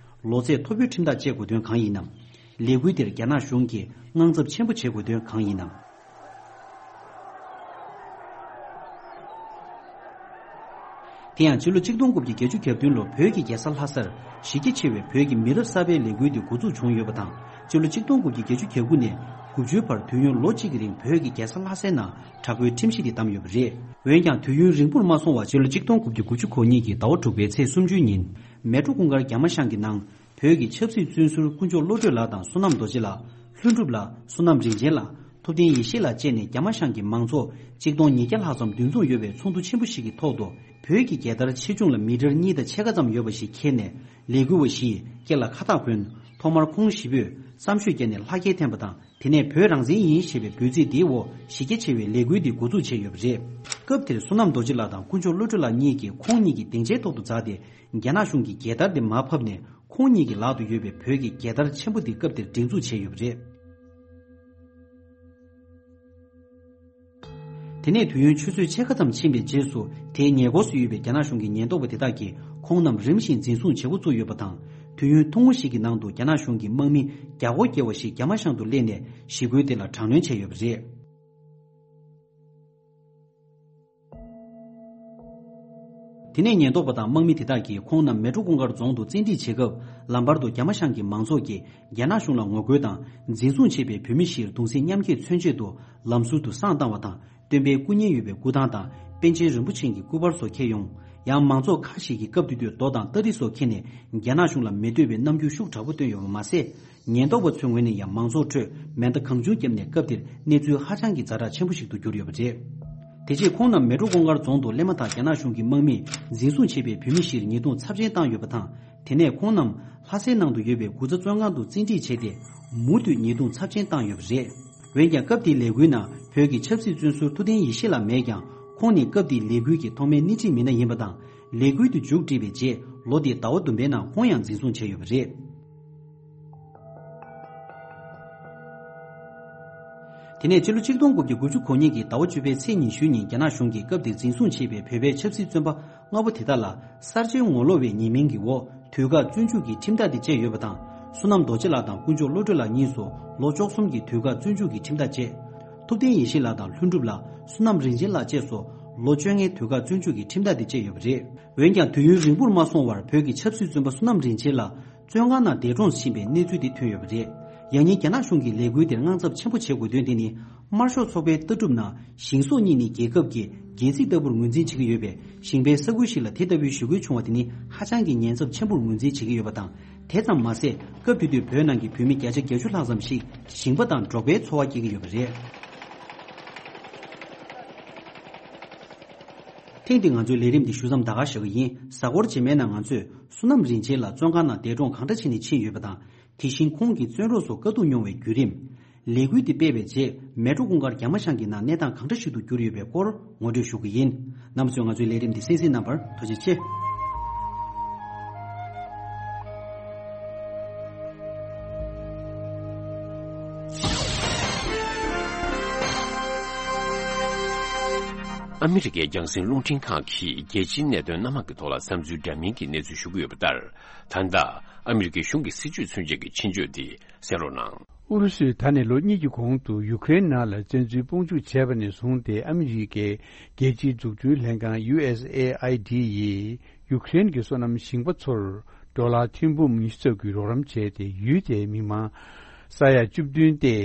ལོ་ཚད་མཐོ་པོའི་ཁྲིམས་ཐག་བཅད་དགོས་དོན་གང་ཡིན་ནམ། ལས་འགུལ་དེར་རྒྱ་ནག་གཞུང་གིས་དངངས་འཚབ་ཆེན་པོ་བྱེད་དགོས་དོན་གང་ཡིན་ནམ། དེ་ཡང་ཕྱི་ལོ་ཆིག་སྟོང་དགུ་བརྒྱ་བརྒྱད་ཅུ་གྱ་བདུན་ལོར་བོད་ཀྱི་རྒྱལ་ས་ལྷ་སར་གཞི་རྒྱ་ཆེ་བའི་བོད་ཀྱི་མི་རབས་གསར་པའི་ལས་འགུལ་དེ་འགོ་འཛུགས་བྱུང་ཡོད་པ་དང་། ཕྱི་ལོ་ཆིག་སྟོང་དགུ་བརྒྱ་བརྒྱད་ཅུ་གྱ་དགུ་ནས་དགུ་བཅུའི་བར་དུས་ཡུན་ལོ་གཅིག་གི་རིང་བོད་ཀྱི་རྒྱལ་ས་ལྷ་སའི་ནང་དྲག་པོའི་ཁྲིམས་གཞི་དེ་བསྡམས་ཡོད་པ་རེད། འོན་ཀྱང་དུས་ཡུན་རིང་པོར་མ་སོང་བར་ཕྱི་ལོ་ཆིག་སྟོང་དགུ་བརྒྱ་དགུ་བཅུ་གོ་གཉིས་ཀྱི་ཟླ་བ་དྲུག་པའི་ཚེས་སུམ་ཅུའི་ཉིན་མལ་གྲོ་གུང་དཀར་རྒྱ་མ་ཤང་གི་ནང་བོད་ཀྱི་ཆབ་སྲིད་བཙོན་ཟུར་དཀོན་མཆོག་བློ་གྲོས་ལགས་དང་བསོད་ནམས་རྡོ་རྗེ་ལགས། ལྷུན་གྲུབ་ལགས། བསོད་ནམས་རིན་ཆེན་ལགས། ཐུབ་བསྟན་ཡེ་ཤེས་ལགས་བཅས་ནས་རྒྱ་མ་ཤང་གི་མང་ཚོགས་གཅིག་སྟོང་ཉིས་བརྒྱ་ལྷག་ཙམ་འདུ་འཛོམས་ཡོད་པའི་ཚོགས་འདུ་ཆེན་པོ་ཞིག་གི་ཐོག་ཏུ་བོད་ཀྱི་རྒྱལ་དར་ཆེ་ཆུང་ལ་མི་ཊར་གཉིས་དང་ཕྱེད་ཀ་ཙམ་ཡོད་པ་ཞིག་འཁྱེར་ནས་ལས་འགུལ་བ་བཞིས་སྐེ་ལ་ཁ་བཏགས་གོན། ཐོག་མར་ཁོང་བཞི་པོས་བསམ་ཤོས་བརྒྱབ་ནས་ལྷ་སྐལ་འཐེན་པ་དང་། དེ་ནས་བོད་རང་བཙན་ཡིན་ཞེས་པའི་འབོད་ཚིག་དེའི་འོག་གཞི་རྒྱ་ཆེ་བའི་ལས་འགུལ་འདི་འགོ་འཛུགས་བྱས་ཡོད་པ་རེད། སྐབས་དེར་བསོད་ནམས་རྡོ་རྗེ་ལགས་དང་དཀོན་མཆོག་བློ་གྲོས་ལགས་གཉིས་ཀྱིས་ཁོང་གཉིས་ཀྱི་སྡིངས་ཆའི་ཐོག་ཏུ་འཛེགས་ཏེ་རྒྱ་ནག་གཞུང་གི་རྒྱལ་དར་དེ་མར་ཕབ་ནས་ཁོང་གཉིས་ཀྱི་ལག་ཏུ་ཡོད་པའི་བོད་ཀྱི་རྒྱལ་དར་ཆེན་པོ་འདི་སྐབས་དེར་སྒྲེང་འཛུགས་བྱས་ཡོད་པ་རེད། དེ་ནས་དུས་ཡུན་ཆུ་ཚོད་ཕྱེད་ཀ་ཙམ་ཕྱིན་པའི་རྗེས་སུ་དེའི་ཉེ་འཁོར་དུ་ཡོད་པའི་རྒྱ་ནག་གཞུང་གི་ཉེན་རྟོག་པ་དེ་དག་གིས་ཁོང་རྣམས་རིམ་བཞིན་འཛིན་བཟུང་བྱེད་འགོ་བཙུགས་ཡོད་པ་དང་ དུས་ཡུན་ཐུང་ངུ་ཞིག་གི་ནང་དུ་རྒྱ་ནག་གཞུང་གི་དམག་མི་བརྒྱ་སྐོར་བརྒལ་བ་ཞིག་རྒྱ་མ་ཤང་དུ་སླེབས་ནས་ཞི་རྒོལ་དེ་ལ་དྲག་གནོན་བྱས་ཡོད་པ་རེད། དེ་ནས་ཉེན་རྟོག་པ་དང་དམག་མི་དེ་དག་གིས་ཁོང་རྣམས་མལ་གྲོ་གུང་དཀར་རྫོང་དུ་བཙན་ཁྲིད་བྱེད་སྐབས། ལམ་བར་དུ་རྒྱ་མ་ཤང་གི་མང་ཚོགས་ཀྱིས་རྒྱ་ནག་གཞུང་ལ་ངོ་རྒོལ་དང་འཛིན་བཟུང་བྱས་པའི་བོད་མི་བཞིར་གདུང་སེམས་མཉམ་སྐྱེད་མཚོན་ཆེད་དུ་ལམ་ཟུར་དུ་བསང་བཏང་བ་དང་། སྟོན་པའི་སྐུ་བརྙན་ཡོད་པའི་སྐུ་ཐང་དང་པཎ་ཆེན་རིན་པོ་ཆེ་གི་སྐུ་པར་སོགས་འཁྱེར་ཡོང་། ཡང་མང་ཚོགས་ཁག་ཞིག་གིས་སྐབས་དེ་དུས་རྡོ་དང་སྟ་རི་སོགས་འཁྱེར་ནས་རྒྱ་ནག་གཞུང་ལ་མི་འདོད་པའི་རྣམ་འགྱུར་ཤུགས་དྲག་པོ་བསྟན་ཡོད་པ་མ་ཟད། ཉེན་རྟོག་པ་ཚོའི་ངོས་ནས་ཡང་མང་ཚོགས་ཁྲོད་མེ་མདའ་གང་བྱུང་བརྒྱབ་ནས་སྐབས་དེར་གནས་ཚུལ་ཧ་ཅང་གི་ཛ་དྲག་ཆེན་པོ་ཞིག་ཏུ་གྱུར་ཡོད་པ་རེད། དེ་རྗེས་ཁོང་རྣམས་མལ་གྲོ་གུང་དཀར་རྫོང་དུ་སླེབས་མ་ཐག་རྒྱ་ནག་གཞུང་གི་དམག་མིས་འཛིན་བཟུང་བྱས་པའི་བོད་མི་བཞིར་ཉེས་རྡུང་ཚབས་ཆེན་བཏང་ཡོད་པ་དང་། དེ་ནས་ཁོང་རྣམས་ལྷ་སའི་ནང་དུ་ཡོད་པའི་གུ་ཚ་བཙོན་ཁང་དུ་བཙན་ཁྲིད་བྱས་ཏེ། མུ་མཐུད་ཉེས་རྡུང་ཚབས་ཆེན་བཏང་ཡོད་པ་རེད། འོན་ཀྱང་སྐབས་དེའི་ལས་འགུལ་ནང་བོད་ཀྱི་ཆབ་སྲིད་བཙོན་ཟུར་ཐུབ་བསྟན་ཡེ་ཤེས་ལགས་མེད་ཀྱང་། ཁོང་ནི་སྐབས་དེའི་ལས་འགུལ་གྱི་ཐོག་མའི་སྣེ་ཁྲིད་མི་སྣ་ཡིན་པ་དང་། ལས་འགུལ་དུ་མཇུག་བསྒྲིལ་བའི་རྗེས་ལོ་དེའི་ཟླ་བ་བདུན་པའི་ནང་ཁོང་ཡང་འཛིན་བཟུང་བྱས་ཡོད་པ་རེད། དེ་ནས་ཕྱི་ལོ་ཆིག་སྟོང་དགུ་བརྒྱ་དགུ་བཅུ་གོ་གཉིས་ཀྱི་ཟླ་བ་བཅུ་པའི་ཚེས་ཉི་ཤུ་ཉིན་རྒྱ་ནག་གཞུང་གིས་སྐབས་དེར་འཛིན་བཟུང་བྱས་པའི་བོད་པའི་ཆབ་སྲིད་བཙོན་པ་ལྔ་པོ་དེ་དག་ལ་གསར་བརྗེའི་ངོ་ལོག་པའི་ཉེས་མིང་གི་འོག་དུས་བཀག་བཙོན་འཇུག་གི་ཁྲིམས་ཐག་དེ་བཅད་ཡོད་པ་དང་། བསོད་ནམས་རྡོ་རྗེ་ལགས་དང་དཀོན་མཆོག་བློ་གྲོས་ལགས་གཉིས་སུ་ལོ་བཅུ་གསུམ་གྱི་དུས་བཀག་བཙོན་འཇུག་གི་ཁྲིམས་ཐག་བཅད། ཐུབ་བསྟན་ཡེ་ཤེས་ལགས་དང་ལྷུན་གྲུབ་ལགས། བསོད་ནམས་རིན་ཆེན་ལགས་བཅས་སུ་ལོ་བཅོ་ལྔའི་དུས་བཀག་བཙོན་འཇུག་གི་ཁྲིམས་ཐག་དེ་བཅད་ཡོད་པ་རེད། འོན་ཀྱང་དུས་ཡུན་རིང་པོར་མ་སོང་བར་བོད་ཀྱི་ཆབ་སྲིད་བཙོན་པ་བསོད་ནམས་རིན་ཆེན་ལགས་བཙོན་ཁང་ནང་འདས་གྲོངས་ཕྱིན་པའི་གནས་ཚུལ་དེ་ཐོན་ཡོད་པ་རེད། ཡང་སྙིང་རྒྱ་ནག་གཞུང་གིས་ལས་འགུལ་དེར་དངངས་འཚབ་ཆེན་པོ་བྱེད་དགོས་དོན་དེ་ནི། དམར་ཤོག་ཚོགས་པའི་ལྟ་གྲུབ་ནང་ཞིང་སོགས་གཉིས་ནི་རྒྱལ་ཁབ་ཀྱི་སྒལ་ཚིགས་ལྟ་བུར་ངོས་འཛིན་བྱེད་ཀྱི་ཡོད་པས། ཞིང་པའི་ས་ཁུལ་ཞིག་ལ་དེ་ལྟ་བུའི་ཞི་རྒོལ་བྱུང་བ་དེ་ནི་ཧ་ཅང་གི་ཉེན་ཚབས་ཆེན་པོར་ངོས་འཛིན་བྱེད་ཀྱི་ཡོད་པ་དང་། དེ་ཙམ་མ་ཟད། སྐབས་དེ་དུས་བོད་ནང་གི་བོད་མི་བརྒྱ་ཆ་བརྒྱད་ཅུ་ལྷག་ཙམ་ཞིག་ཞིང་པ་དང་འབྲོག་པའི་འཚོ་བ་སྐྱེལ་གྱི་ཡོད་པ་རེད། ཐེངས་འདིའི་ང་ཚོའི་ལས་རིམ་འདི་ཞུ་མཚམས་ད་ག་བཞག་གི་ཡིན། གཟའ་འཁོར་རྗེས་མའི་ནང་ང་ཚོས་བསོད་ནམས་རིན་ཆེན་ལགས་བཙོན་ཁང་ནང་འདས་གྲོངས་གང་འདྲ་བྱས་ནས་ཕྱིན་ཡོད་པ་དང་། དེ་བཞིན་ཁོང་གིས་བཙོན་རོགས་སུ་དཀའ་སྡུག་མྱོང་བའི་བརྒྱུད་རིམ། ལས་འགུལ་འདི་སྤེལ་བའི་རྗེས་མལ་གྲོ་གུང་དཀར་རྒྱ་མ་ཤང་གི་ནང་གནས་སྟངས་གང་འདྲ་ཞིག་ཏུ་གྱུར་ཡོད་པའི་སྐོར་ངོ་སྤྲོད་ཞུ་གི་ཡིན། རྣམ་པ་ཚོས་ང་ཚོའི་ལས་རིམ་འདི་གསན་གཟིགས་གནང་བར་ཐུགས་རྗེ་ཆེ། ཨ་མི་རི་ཀའི་རྒྱང་སྲིང་རླུང་འཕྲིན་ཁང་གིས་རྒྱལ་སྤྱིའི་གནད་དོན་སྣ་མང་གི་ཐོག་ལ་བསམ་ཚུལ་འདྲ་མིན་གྱི་གནས་ཚུལ་ཞུ་གི་ཡོད་པ་ལྟར། ད་ལྟ་ཨ་མི་རི་ཀའི་གཞུང་གི་སྲིད་བྱུས་མཚོན་བྱེད་ཀྱི་ཆེད་བརྗོད་འདི་གསན་རོགས་གནང་། ཨུ་རུ་སུས་ད་ནས་ལོ་གཉིས་ཀྱི་གོང་དུ་ཡུ་ཀེ་རེན་ནང་ལ་བཙན་འཛུལ་དཔུང་འཇུག་བྱས་པ་ནས་བཟུང་སྟེ། ཨ་མི་རི་ཀའི་རྒྱལ་སྤྱིའི་འཛུགས་སྐྲུན་ལྷན་ཁང་ཡུ་ཨེས་ཨེ་ཨའི་ཌི་ཡིས་ཡུ་ཀེ་རེན་གྱི་སོ་ནམ་ཞིང་པ་ཚོར་ཌོ་ལར་ཐེར་འབུམ་ཉི་ཤུ་ཙམ་གྱི་རོགས་རམ་བྱས་ཏེ། ཡུལ་དེའི་མི་མང་ས་ཡ་བཅུ་བདུན་སྟེ་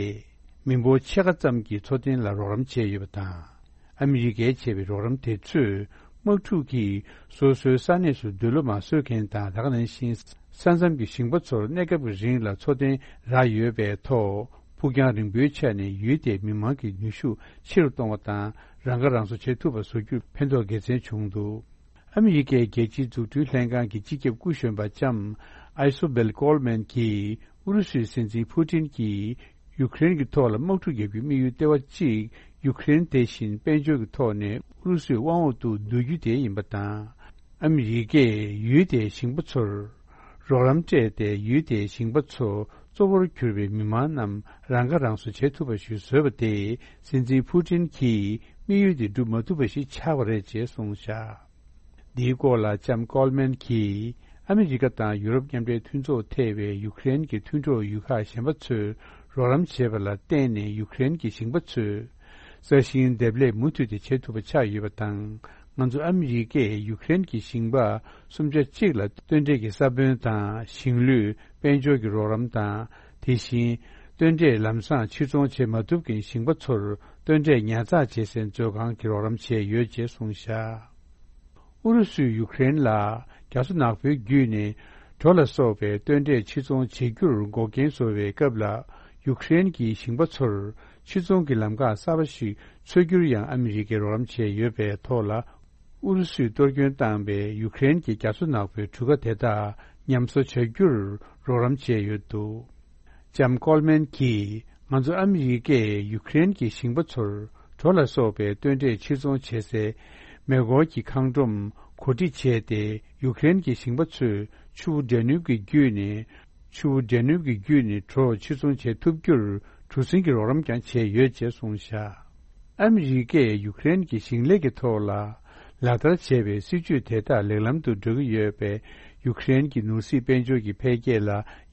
མི་འབོར་ཕྱེད་ཀ་ཙམ་གྱི་འཚོ་རྟེན་ལ་རོགས་རམ་བྱས་ཡོད་པ་དང་། ཨ་མི་རི་ཀས་བྱས་པའི་རོགས་རམ་དེ་ཚོས་དམག་འཁྲུག་གིས་སོ་སོའི་ས་གནས་སུ་འདོད་བློ་མ་བཟོད་མཁན་དང་། ད་ག་ནང་བཞིན་ས་མཚམས་ཀྱི་ཞིང་པ་ཚོར་གནས་སྐབས་ཀྱི་རིང་ལ་འཚོ་རྟེན་རག་ཡོད་པའི་ཐོག་ཕུགས་རྒྱང་རིང་པོའི་ཆ་ནས་ཡུལ་དེའི་མི་མང་གི་ནུས་ཤུགས་ཆེ་རུ་གཏོང་བ་དང་། རང་ཁ་རང་གསོ་བྱེད་ཐུབ་པ་བཟོ་རྒྱུར་ཕན་ཐོགས་དགེ་མཚན་བྱུང་འདུག་ཨ་མི་རི་ཀའི་རྒྱལ་སྤྱིའི་འཛུགས་སྐྲུན་ལྷན་ཁང་གི་སྤྱི་ཁྱབ་སྐུ་གཞོན་པ་ལྕམ་ཨའི་སོ་བེལ་ཀོལ་མན་གྱིས། ཨུ་རུ་སུའི་སྲིད་འཛིན་ཕུ་ཏིན་གྱིས་ཡུ་ཀེ་རེན་གྱི་ཐོག་ལ་དམག་འཁྲུག་བརྒྱབ་རྒྱུའི་དམིགས་ཡུལ་ལྟེ་བ་གཅིག་ཡུ་ཀེ་རེན་དེ་བཞིན་དཔལ་འབྱོར་གྱི་ཐོག་ནས་ཨུ་རུ་སུའི་དབང་འོག་ཏུ་བསྡུ་རྒྱུ་དེ་ཡིན་པ་དང་། ཨ་མི་རི་ཀས་ཡུལ་དེའི་ཞིང་པ་ཚོར་རོགས་རམ་སྤྲད་དེ། ཡུལ་དེའི་ཞིང་པ་ཚོ་གཙོ་བོར་གྱུར་པའི་མི་མང་རྣམས་རང་ཁ་རང་གསོ་བྱེད་ཐུབ་པ་ཞིག་བཟོས་པ་དེས། སྲིད་འཛིན་ཕུ་ཏིན་གྱི་དམིགས་ཡུལ་དེ་འགྲུབ་མ་ཐུབ་པ་ཞིག་ཆགས་པ་རེད་ཅེས་གསུངས་བཞག་འདིའི་སྐོར་ལ་ལྕམ་ཀོལ་མན་གྱིས། ཨ་མི་རི་ཀ་དང་ཡུ་རོབ་མཉམ་འབྲེལ་མཐུན་ཚོགས་ཐེ་བའི་ཡུ་ཀེ་རེན་གྱི་མཐུན་གྲོགས་ཡུལ་ཁག་གཞན་པ་ཚོས་རོགས་རམ་བྱས་པ་ལ་བརྟེན་ནས། ཡུ་ཀེ་རེན་གྱི་ཞིང་པ་ཚོས་ས་ཞིང་འདེབས་ལས་མུ་མཐུད་དེ་བྱེད་ཐུབ་པ་ཆགས་ཡོད་པ་དང་། ང་ཚོ་ཨ་མི་རི་ཀས་ཡུ་ཀེ་རེན་གྱི་ཞིང་པ་སུམ་ཆ་གཅིག་ལ་སྟོན་འབྲས་ཀྱི་ས་བོན་དང་། ཞིང་ལུད། དཔལ་འབྱོར་གྱི་རོགས་རམ་དང་། དེ་བཞིན་སྟོན་འབྲས་ལམ་སང་ཕྱིར་ཚོང་བྱེད་མ་ཐུབ་མཁན་ཞིང་པ་ཚོར་སྟོན་འབྲས་ཉར་ཚགས་བྱེད་སའི་མཛོད་ཁང་གི་རོགས་རམ་བྱས་ཡོད་ཅེས་གསུངས་བཞག་ཨུ་རུ་སུས་ཡུ་ཀེ་རེན་ལ་རྒྱ་མཚོ་ནག་པོའི་བརྒྱུད་ནས་གྲོ་ལ་སོགས་པའི་སྟོན་འབྲས་ཕྱིར་ཚོང་བྱེད་རྒྱུར་འགོག་རྐྱེན་བཟོ་བའི་སྐབས་ལ། ཡུ་ཀེ་རེན་གྱི་ཞིང་པ་ཚོར་ཕྱིར་ཚོང་གི་ལམ་ཁ་གསར་པ་ཞིག་འཚོལ་རྒྱུར་ཡང་ཨ་མི་རི་ཀས་རོགས་རམ་བྱས་ཡོད་པའི་ཐོག་ལ། ཨུ་རུ་སུས་གཏོར་སྐྱོན་བཏང་བའི་ཡུ་ཀེ་རེན་གྱི་རྒྱ་མཚོ་ནག་པོའི་གྲུ་ཁ་དེ་དག་ཉམས་གསོ་བྱ་རྒྱུར་རོགས་རམ་བྱས་ཡོད་འདུག་ལྕམ་ཀོལ་མན་གྱིས། ང་ཚོ་ཨ་མི་རི་ཀས་ཡུ་ཀེ་རེན་གྱི་ཞིང་པ་ཚོར་གྲོ་ལ་སོགས་པའི་སྟོན་འབྲས་ཕྱིར་ཚོང་བྱེད་སའི་མེ་འཁོར་གྱི་ཁང་སྒྲོམ་གོ་སྒྲིག་བྱས་ཏེ། ཡུ་ཀེ་རེན་གྱི་ཞིང་པ་ཚོས་ཆུ་བོ་ཌེ་ནུབ་ཀྱི་བརྒྱུད་ནས། ཆུ་བོ་ཌེ་ནུབ་ཀྱི་བརྒྱུད་ནས་གྲོ་ཕྱིར་ཚོང་བྱེད་ཐུབ་རྒྱུར་གྲུ་གཟིངས་ཀྱི་རོགས་རམ་ཀྱང་བྱས་ཡོད་ཅེས་གསུངས་བཞག་ཨ་མི་རི་ཀས་ཡུ་ཀེ་རེན་གྱི་ཞིང་ལས་ཀྱི་ཐོག་ལ་ལག་བསྟར་བྱས་པའི་སྲིད་ཇུས་དེ་དག་ལེགས་ལམ་དུ་འགྲོ་གི་ཡོད་པས། ཡུ་ཀེ་རེན་གྱི་ནོར་སྲིད་དཔལ་འབྱོར་གྱི་འཕེལ་རྒྱས་ལ་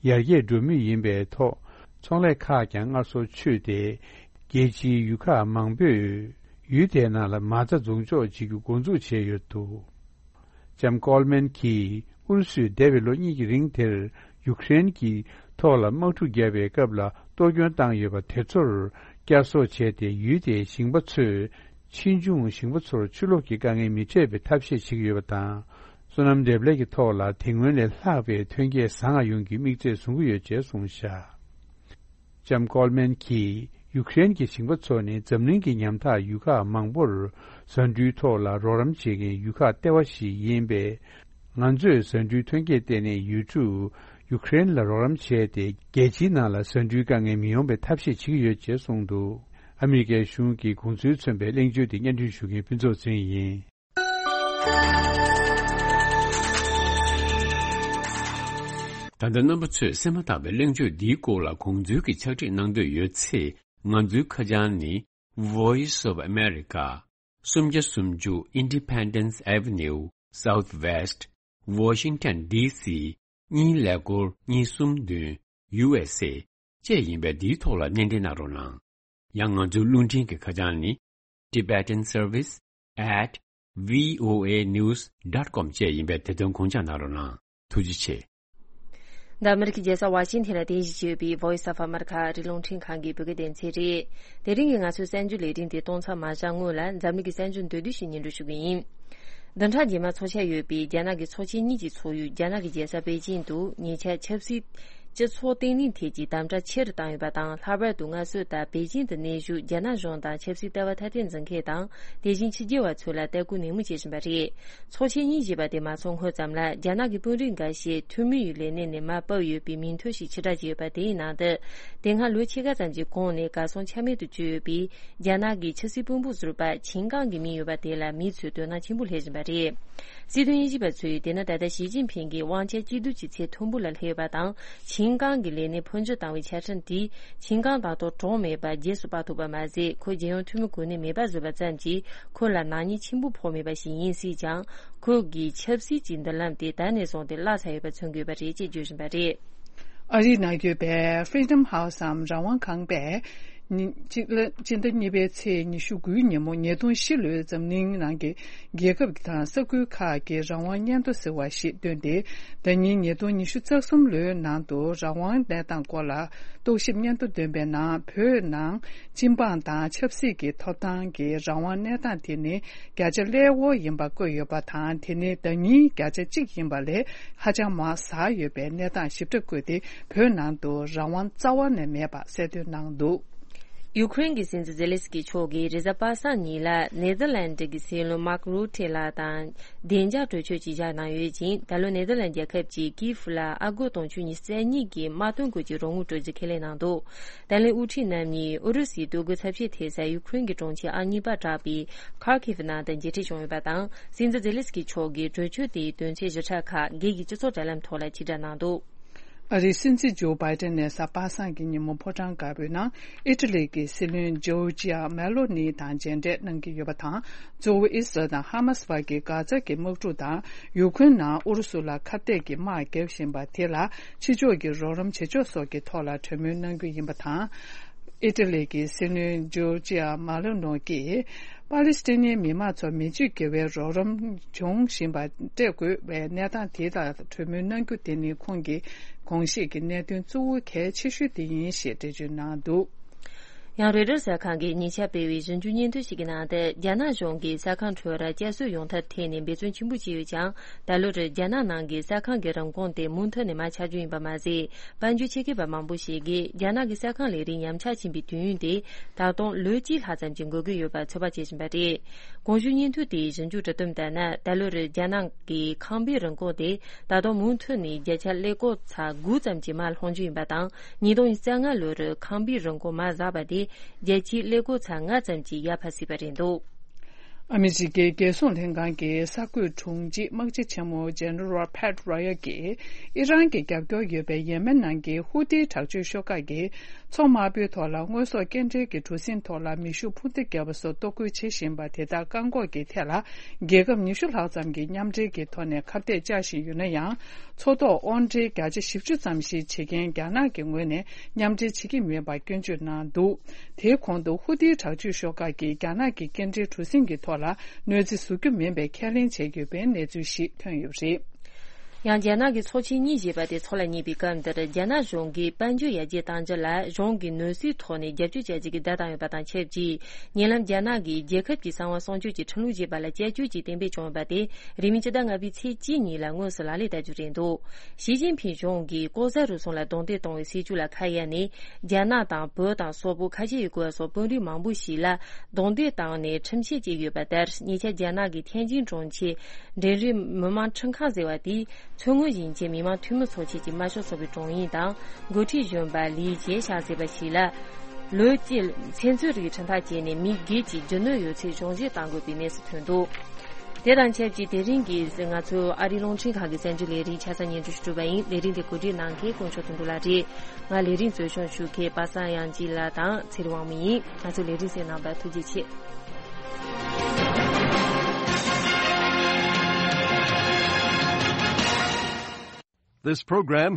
ཡར་རྒྱས་འགྲོ་མུས་ཡིན་པའི་ཐོག་ཚོང་ལས་ཁག་ཀྱང་སྔར་སོར་ཆུད་དེ། རྒྱལ་སྤྱིའི་ཡུལ་ཁག་མང་པོས་ཡུལ་དེའི་ནང་ལ་མ་རྩ་འཛུགས་འཇོག་བྱེད་རྒྱུ་འགོ་འཛུགས་བྱས་ཡོད་འདུག་ལྕམ་ཀོལ་མན་གྱིས་ཨུ་རུ་སུས་འདས་པའི་ལོ་གཉིས་ཀྱི་རིང་དེར་ཡུ་ཀེ་རེན་གྱི་ཐོག་ལ་དམག་འཁྲུག་བརྒྱབ་པའི་སྐབས་ལ་གཏོར་སྐྱོན་བཏང་ཡོད་པ་དེ་ཚོར་བསྐྱར་གསོ་བྱས་ཏེ། ཡུལ་དེའི་ཞིང་པ་ཚོས་ཕྱིས་འབྱུང་ཞིང་པ་ཚོར་ཆུ་ལོག་གི་དཀའ་ངལ་མི་འཕྲད་པའི་ཐབས་ཤེས་བྱེད་ཀྱི་ཡོད་པ་དང་། སོ་ནམ་འདེབས་ལས་ཀྱི་ཐོག་ལ་དེ་སྔོན་ལས་ལྷག་པའི་ཐོན་སྐྱེད་བཟང་ང་ཡོང་རྒྱུའི་དམིགས་ཚད་བཟུང་གི་ཡོད་ཅེས་གསུངས་བཞག་ལྕམ་ཀོལ་མན་གྱིས་ཡུ་ཀེ་རེན་གྱི་ཞིང་པ་ཚོ་ནི་འཛམ་གླིང་གི་ཉམ་ཐག་ཡུལ་ཁག་མང་པོར་ཟ་འབྲུའི་ཐོག་ལ་རོགས་རམ་བྱེད་མཁན་ཡུལ་ཁག་ལྟེ་བ་ཞིག་ཡིན་པས། ང་ཚོས་ཟ་འབྲུའི་ཐོན་སྐྱེད་བརྟེན་ནས་ཡུལ་གྲུ་ཡུ་ཀེ་རེན་ལ་རོགས་རམ་བྱས་ཏེ། རྒྱལ་སྤྱིའི་ནང་ལ་ཟ་འབྲུའི་དཀའ་ངལ་མི་ཡོང་བའི་ཐབས་ཤེས་བྱེད་ཀྱི་ཡོད་ཅེས་གསུངས་འདུག་ཨ་མི་རི་ཀའི་གཞུང་གི་དགོངས་ཚུལ་མཚོན་པའི་གླེང་བརྗོད་དེ་སྙན་སྒྲོན་ཞུ་མཁན་ཕུན་ཚོགས་ཚེ་རིང་ཡིན། ད་ལྟ་རྣམ་པ་ཚོས་གསན་མ་ཐག་པའི་གླེང་བརྗོད་འདིའི་སྐོར་ལ་དགོངས་ཚུལ་གྱི་ཕྱག་བྲིས་གནང་འདོད་ཡོད་ཚེ། ང་ཚོའི་ཁ་བྱང་ནི། Voice of America། སུམ་བརྒྱ་སུམ་ཅུ་Independence Avenue Southwest Washington D C གཉིས་ཀླད་ཀོར་གཉིས་གསུམ་བདུན། U S A བཅས་ཡིན་པས། འདིའི་ཐོག་ལ་སྣེ་འདྲེན་གནང་རོགས་གནང་། ཡང་ང་ཚོའི་རླུང་འཕྲིན་གྱི་ཁ་བྱང་ནི། Tibetan Service at V O A news dot com བཅས་ཡིན་པས། དེ་དོན་དགོངས་འཇགས་གནང་རོགས་གནང་། ཐུགས་རྗེ་ཆེ། འདི་ཨ་མི་རི་ཀའི་རྒྱལ་ས་ཝ་ཤིང་ཐན་ལ་རྟེན་གཞི་བྱས་ཡོད་པའི་Voice of America ཨ་རིའི་རླུང་འཕྲིན་ཁང་གི་བོད་སྐད་སྡེ་ཚན་རེད། དེ་རིང་གི་ང་ཚོའི་གསར་འགྱུར་ལས་རིམ་དེ་གཏོང་མཚམས་མ་བཞག་སྔོན་ལ། འཛམ་གླིང་གི་གསར་འགྱུར་མདོར་བསྡུས་ཤིག་སྙན་སྒྲོན་ཞུ་གི་ཡིན། བདུན་ཕྲག་རྗེས་མར་འཚོགས་འཆར་ཡོད་པའི་རྒྱ་ནག་གི་ཚོགས་ཆེན་གཉིས་ཀྱི་ཚོགས་ཡུལ་རྒྱ་ནག་གི་རྒྱལ་ས་པེ་ཅིང་དུ་ཉེ་ཆར་ཆབ་སྲིད་སྤྱི་ཚོགས་བརྟན་ལྷིང་ཐད་ཀྱི་དམ་དྲག་ཆེ་རུ་བཏང་ཡོད་པ་དང་། ལྷག་པར་དུ་སྔ་སྲོལ་ལྟར་པེ་ཅིང་དུ་གནས་བཞུགས་རྒྱ་ནག་གཞུང་དང་ཆབ་སྲིད་ལྟ་བ་ཐ་དད་འཛིན་མཁན་དང་། དེ་བཞིན་ཕྱི་རྒྱལ་བ་ཚོ་ལ་ལྟ་སྐུལ་ནན་མོ་བྱེད་བཞིན་པ་རེད། ཚོགས་ཆེན་གཉིས་བཞེས་པ་དེ་མ་ཚོགས་སྔོན་ཙམ་ལ། རྒྱ་ནག་གི་དཔོན་རིགས་འགའ་ཤས་འཐུས་མི་ཡི་ལས་གནས་ནས་མར་ཕབ་ཡོད་པའི་མིང་ཐོ་ཞིག་ཕྱིར་བསྒྲགས་བྱས་ཡོད་པ་དེའི་ནང་དུ། དེ་སྔ་ལོ་ཕྱེད་ཀ་ཙམ་གྱི་གོང་ནས་གར་སོང་ཆ་མེད་དུ་གྱུར་ཡོད་པའི་རྒྱ་ནག་གི་ཆབ་སྲིད་དཔོན་པོ་ཟུར་པ་ཆིན་ཀང་གི་མིང་ཡོད་པ་དེ་ལ་མི་ཚོས་དོ་སྣང་ཆེན་པོ་སླེབས་བཞིན་པ་རེད། སྲིད་དོན་དབྱེ་ཞིབ་པ་ཚོས། དེ་ནི་ད་ལྟ་ཞི་ཅིན་ཕིང་གིས་དབང་ཆ་གཅིག་སྡུད་ཀྱི་ཚད་མཐོན་པོ་ལ་སླེབས་ཡོད་པ་དང་། ཆིན་ཀང་གི་ལས་གནས་འཕོ་འགྱུར་བཏང་བའི་ཆ་འཕྲིན་དེས། ཆིན་ཀང་ད་དུང་གྲོངས་མེད་པར་རྗེས་སུ་དཔག་ཐུབ་པ་མ་ཟད། ཁོ་རྒྱལ་ཡོངས་འཐུས་མི་གོ་གནས་མེད་པ་བཟོས་པ་ཙམ་གྱིས་ཁོ་ལ་ནག་ཉེས་ཆེན་པོ་ཕོག་མེད་པ་ཞིག་ཡིན་སྲིད་ཀྱང་། ཁོ་གིས་ཆབ་སྲིད་ཀྱི་མདུན་ལམ་དེ་ད་ནས་བཟུང་སྟེ་བརླག་ཚར་ཡོད་པ་མཚོན་དགོས་པ་རེད་ཅེས་བརྗོད་བཞིན་པ་རེད། ཨ་རིའི་ནང་ཡོད་པའི་Freedom House འམ་རང་དབང་ཁང་པས། ཉི་སྤྱི་ལ་སྤྱི་ཟླ་གཉིས་པའི་ཚེས་ཉི་ཤུ་དགུའི་ཉིན་མོ། ཉིས་སྟོང་བཞི་ལོའི་འཛམ་གླིང་ནང་གི་རྒྱལ་ཁབ་དང་ས་ཁུལ་ཁག་གི་རང་དབང་སྙན་ཐོ་ཟེར་བ་ཞིག་བཏོན་ཏེ། ཟླ་ཉིན་ཉིས་སྟོང་ཉི་ཤུ་རྩ་གསུམ་ལོའི་ནང་དུ་རང་དབང་གནས་སྟངས་སྐོར་ལ་རྟོག་ཞིབ་སྙན་ཐོ་བཏོན་པའི་ནང་། བོད་ནང་སྤྱི་འབངས་དང་ཆབ་སྲིད་ཀྱི་ཐོབ་ཐང་གི་རང་དབང་གནས་སྟངས་དེ་ནི་བརྒྱ་ཆ་ཀླད་ཀོར་ཡིན་པ་བཀོད་ཡོད་པ་དང་། དེ་ནི་ཟླ་ཉིན་བརྒྱ་ཆ་གཅིག་ཡིན་པ་ལས་ཧ་ཅང་མར་ཟག་ཡོད་པའི་གནས་སྟངས་ཞིབ་ཕྲ་བཀོད་དེ། བོད་ནང་དུ་རང་དབང་རྩ་བ་ནས་མེད་པ་གསལ་སྟོན་གནང་འདུག་ཡུ་ཀེ་རེན་གྱི་སྲིད་འཛིན་ཛེ་ལེ་སི་ཀི་མཆོག་གིས་རེས་གཟའ་པ་སངས་ཉིན་ལ་ནེ་ཐར་ལན་ཌི་གི་སྲིད་བློན་མཱག་རུ་ཊེ་ལགས་དང་བདེ་འཇགས་གྲོས་ཆོད་ཅིག་བཞག་གནང་ཡོད་ཅིང་། ད་ལོ་ནེ་ཐར་ལན་རྒྱལ་ཁབ་ཀྱིས་ཀིའེ་ལ་ཨ་སྒོར་དུང་ཕྱུར་ཉི་ཤུ་རྩ་གཉིས་ཀྱི་དམག་དོན་སྐོར་གྱི་རོགས་དངུལ་སྤྲོད་རྒྱུ་ཁས་ལེན་གནང་འདུག་ཏཱ་ལའི་དབུ་ཁྲིད་རྣམ་གཉིས་ཨུ་རུ་སུའི་འདོད་རྒུ་ཚབས་ཆེན་ཐེབས་ས་ཡུ་ཀེ་རེན་གྱི་གྲོང་ཁྱེར་ཨང་གཉིས་པ་གྲགས་པའི་ཁར་ཁིབ་ནང་དུ་མཇལ་འཕྲད་བྱུང་ཡོད་པ་དང་། སྲིད་འཛིན་ཛེ་ལེ་སི་ཀི་མཆོག་གིས་གྲོས་ཆོད་དེའི་དོན་ཚན་བཞི་ཕྲག་ཁག་སྒེར་གྱི་སྤྱི་ཚོགས་དྲ་ལམ་ཐོག་ལ་ཕྱིར་བསྒྲགས་གནང་འདུག་ཨ་རིའི་སྲིད་འཛིན་ཇོ་བྷའི་ཏན་ནས་གཟའ་པ་སངས་ཀྱི་ཉིན་མོ་ཕོ་བྲང་དཀར་པོའི་ནང་ཨི་ཊ་ལི་གི་སྲིད་བློན་ཇོར་ཇི་ཡ་མེ་ལོ་ནི་དང་མཇལ་འཕྲད་གནང་གི་ཡོད་པ་དང་། གཙོ་བོ་ཨི་སི་རལ་དང་ཧ་མ་སི་བར་གྱི་གྷ་ཛ་གི་དམག་འཁྲུག་དང་། ཡུ་ཀེ་རེན་ནང་ཨུ་རུ་སུ་ལ་ཁ་གཏད་ཀྱི་དམག་བརྒྱབ་བཞིན་པ་དེ་ལ་ཕྱི་ཕྱོགས་ཀྱི་རོགས་རམ་བྱེད་ཕྱོགས་སོགས་ཀྱི་ཐོག་ལ་གྲོས་མོལ་གནང་རྒྱུ་ཡིན་པ་དང་། ཨི་ཊ་ལི་གི་སྲིད་བློན་ཇོར་ཇི་ཡ་མེ་ལོ་ནོ་གིས། པ་ལི་སི་ཐན་མི་མང་ཚོར་མི་ཚེ་གི་དགེ་བའི་རོགས་རམ་འབྱུང་བཞིན་པ་སྤྲད་དགོས་པའི་གནས་སྟངས་དེ་ལ་གྲོས་མོལ་གནང་རྒྱུ་དེ་ནི་ཁོང་གི་དགོངས་བཞེས་ཀྱི་གནད་དོན་གཙོ་བོ་གལ་ཆེ་ཤོས་དེ་ཡིན་ཞེས་འགྲེལ་བརྗོད་གནང་འདུག་ཡང་རོའི་ཊར་གསར་ཁང་གིས་ཉེ་ཆར་སྤེལ་བའི་ཞིབ་འཇུག་སྙན་ཐོ་ཞིག་གི་ནང་དུ། རྒྱ་ནག་གཞུང་གིས་གསར་ཁང་ཁྲོད་བསྐྱར་གསོ་ཡོང་ཐབས་ཐད་ནས་འབད་བརྩོན་ཆེན་པོ་བྱས་ཡོད་ཀྱང་། ད་ལོར་རྒྱ་ནག་ནང་གི་གསར་ཁང་གི་རིན་གོང་དེ་མུ་མཐུད་ནས་མར་ཆག་རྒྱུ་ཡིན་པ་མ་ཟད། དཔལ་འབྱོར་ཆེད་མཁས་པ་མང་པོ་ཞིག་གིས་རྒྱ་ནག་གི་གསར་ཁང་ལས་རིགས་ཉམས་ཆག་ཕྱིན་པའི་དུས་ཡུན་དེ་ད་དུང་ལོ་གཅིག་ལྷག་ཙམ་ཞིག་འགོར་གྱི་ཡོད་པར་ཚོད་དཔག་བྱེད་བཞིན་པ་རེད། གོང་ཞུས་སྙན་ཐོ་དེའི་ཞིབ་འཇུག་བྲིས་དོན་ལྟར་ན། ད་ལོར་རྒྱ་ནག་གི་ཁང་པའི་རིན་གོང་དེ་ད་དུང་མུ་མཐུད་ནས་བརྒྱ་ཆ་ཀླད་ཀོར་ཚ་དགུ་ཙམ་གྱིས་མར་ལྷུང་རྒྱུ་ཡིན་པ་དང་། ཉིས་སྟོང་ཉི་ཤུ་རྩ་ལྔ་ལོར་ཁང་པའི་རིན་གོང་མར་ཟགས་པ་དེ་བརྒྱ་ཆའི་ཀླད་ཀོར་ཚ་ལྔ་ཙམ་གྱིས་ཡར་འཕར་སྲིད་པ་རེད་འདུག་ཨ་མི་རི་ཀའི་རྒྱལ་སྲུང་ལྷན་ཁང་གི་གསར་འགོད་དྲུང་ཆེ་དམག་སྤྱི་ཆེན་མོ་ཇེ་ནེ་རལ་ཕེཊ་རོ་ཡལ་གྱིས་ཨི་རན་གྱི་རྒྱབ་སྐྱོར་ཡོད་པའི་ཡེ་མེན་ནང་གི་ཧུ་ཏིའི་དྲག་སྤྱོད་ཤོག་ཁག་གིས་མཚོ་དམར་པོའི་ཐོག་ལ་དངོས་ཟོག་སྐྱེལ་འདྲེན་གྱི་གྲུ་གཟིངས་ཐོག་ལ་མེ་ཤུགས་འཕུར་མདེལ་བརྒྱབ་པ་སོགས་གཏོར་རྒོལ་བྱེད་བཞིན་པ་དེ་དག་བཀག་འགོག་གི་ཐད་ལ་རྒྱལ་ཁབ་ཉི་ཤུ་ལྷག་ཙམ་གྱིས་མཉམ་འབྲེལ་གྱི་ཐོག་ནས་ཁ་གཏད་བཅག་བཞིན་ཡོད་ན་ཡང་། མཚོ་ཐོག་དབོར་འདྲེན་བརྒྱ་ཆ་བཞི་བཅུ་ཙམ་ཞིག་བྱེད་མཁན་རྒྱ་ནག་གི་ངོས་ནས་མཉམ་འབྲེལ་བྱེད་ཀྱི་མེད་པར་སྐྱོན་བརྗོད་གནང་འདུག་དེའི་གོང་དུ་ཧུ་ཏིའི་དྲག་སྤྱོད་ཤོག་ཁག་གིས་རྒྱ་ནག་གི་སྐྱེལ་འདྲེན་གྲུ་གཟིངས་ཀྱི་ཐོག་ལ་གནོད་འཚེ་བཟོ་རྒྱུ་མིན་པའི་ཁས་ལེན་བྱས་ཡོད་པའི་གནས་ཚུལ་ཞིག་ཐོན་ཡོད་པ་རེད། ཡང་རྒྱ་ནག་གི་ཚོགས་ཆེན་གཉིས་ཞེས་པ་དེ་འཚོགས་ལ་ཉེ་བའི་སྐབས་འདིར་རྒྱ་ནག་གཞུང་གིས་དཔལ་འབྱོར་ཡར་རྒྱས་གཏང་རྒྱུ་ལ་གཞུང་གིས་ནུས་སའི་ཐོག་ནས་རྒྱབ་སྐྱོར་བྱ་རྒྱུ་གི་བརྡ་བཏང་ཡོད་པ་དང་ཆབས་ཅིག་ཉེ་ལམ་རྒྱ་ནག་གིས་རྒྱལ་ཁབ་ཀྱི་གསང་བ་སྲུང་སྐྱོབ་ཀྱི་ཁྲིམས་ལུགས་ཞེས་པ་ལ་བསྐྱར་བཅོས་ཀྱིས་གཏན་འབེབས་བྱུང་ཡོད་པ་དེ་རིང་མིན་ཕྱི་ཟླ་ལྔ་པའི་ཚེས་གཅིག་ཉིན་ལ་དངོས་སུ་ལག་ལེན་བསྟར་རྒྱུ་རེད་འདུག་ཞི་ཅིན་ཕིང་གཞུང་གིས་ལྐོག་ཟ་རུལ་སུངས་ལ་རྡུང་རྡེག་གཏོང་བའི་སྲིད་བྱུས་ལ་ཁ་གཡར་ནས་རྒྱ་ནག་དང་བོད་དང་སོག་པོ་ཁ་ཆེ་ཡུལ་སྐོར་བ་སོགས་དཔོན་རིགས་མང་པོ་ཞིག་ལ་རྡུང་རྡེག་བཏང་ནས་ཁྲིམས་ཆད་བཅད་ཡོད་པ་ལྟར། ཉེ་ཆར་རྒྱ་ནག་གི་ཐེན་ཅིན་གྲོང་ཁྱེར་འབྲིང་རིམ་མི་དམངས་ཁྲིམས་ཁང་ཟེར་བ་དེས་མཚོ་སྔོན་ཞིང་ཆེན་མི་དམངས་འཐུས་མི་ཚོགས་ཆེན་གྱི་དམར་ཤོག་ཚོགས་པའི་དྲུང་ཡིག་དང་འགོ་ཁྲིད་གཞོན་པ་ལི་ཇེ་ཤ་ཟེར་བ་ཞིག་ལ། ལོ་གཅིག་ཚེ་མཚོན་རིགས་ཁྲིམས་ཐག་བཅད་ནས་མི་བརྒྱད་ཀྱི་རྒྱུ་ནོར་ཡོད་ཚད་གཞུང་བཞེས་གཏང་དགོས་པའི་གནས་སུ་ཐོན་འདུག་དེ་དང་ཆབས་ཅིག་དེ་རིང་གི་ང་ཚོའི་ཨ་རིའི་རླུང་འཕྲིན་ཁང་གི་གསར་འགྱུར་ལས་རིམ་ཆ་ཚང་སྙན་སྒྲོན་ཞུ་གྲུབ་པ་ཡིན། ལས་རིམ་དེ་གོ་སྒྲིག་གནང་མཁན་དཀོན་མཆོག་དོན་གྲུབ་ལགས་རེད། ང་ལས་རིམ་གཙོ་སྐྱོང་ཞུ་མཁན་པ་སངས་དབྱངས་སྐྱིད་ལགས་དང་ཚེ་རིང་དབང་མོ་ཡིན། ང་ཚོའི་ལས་རིམ་གསན་གནང་བར་ཐུགས་རྗེ་ཆེ། This program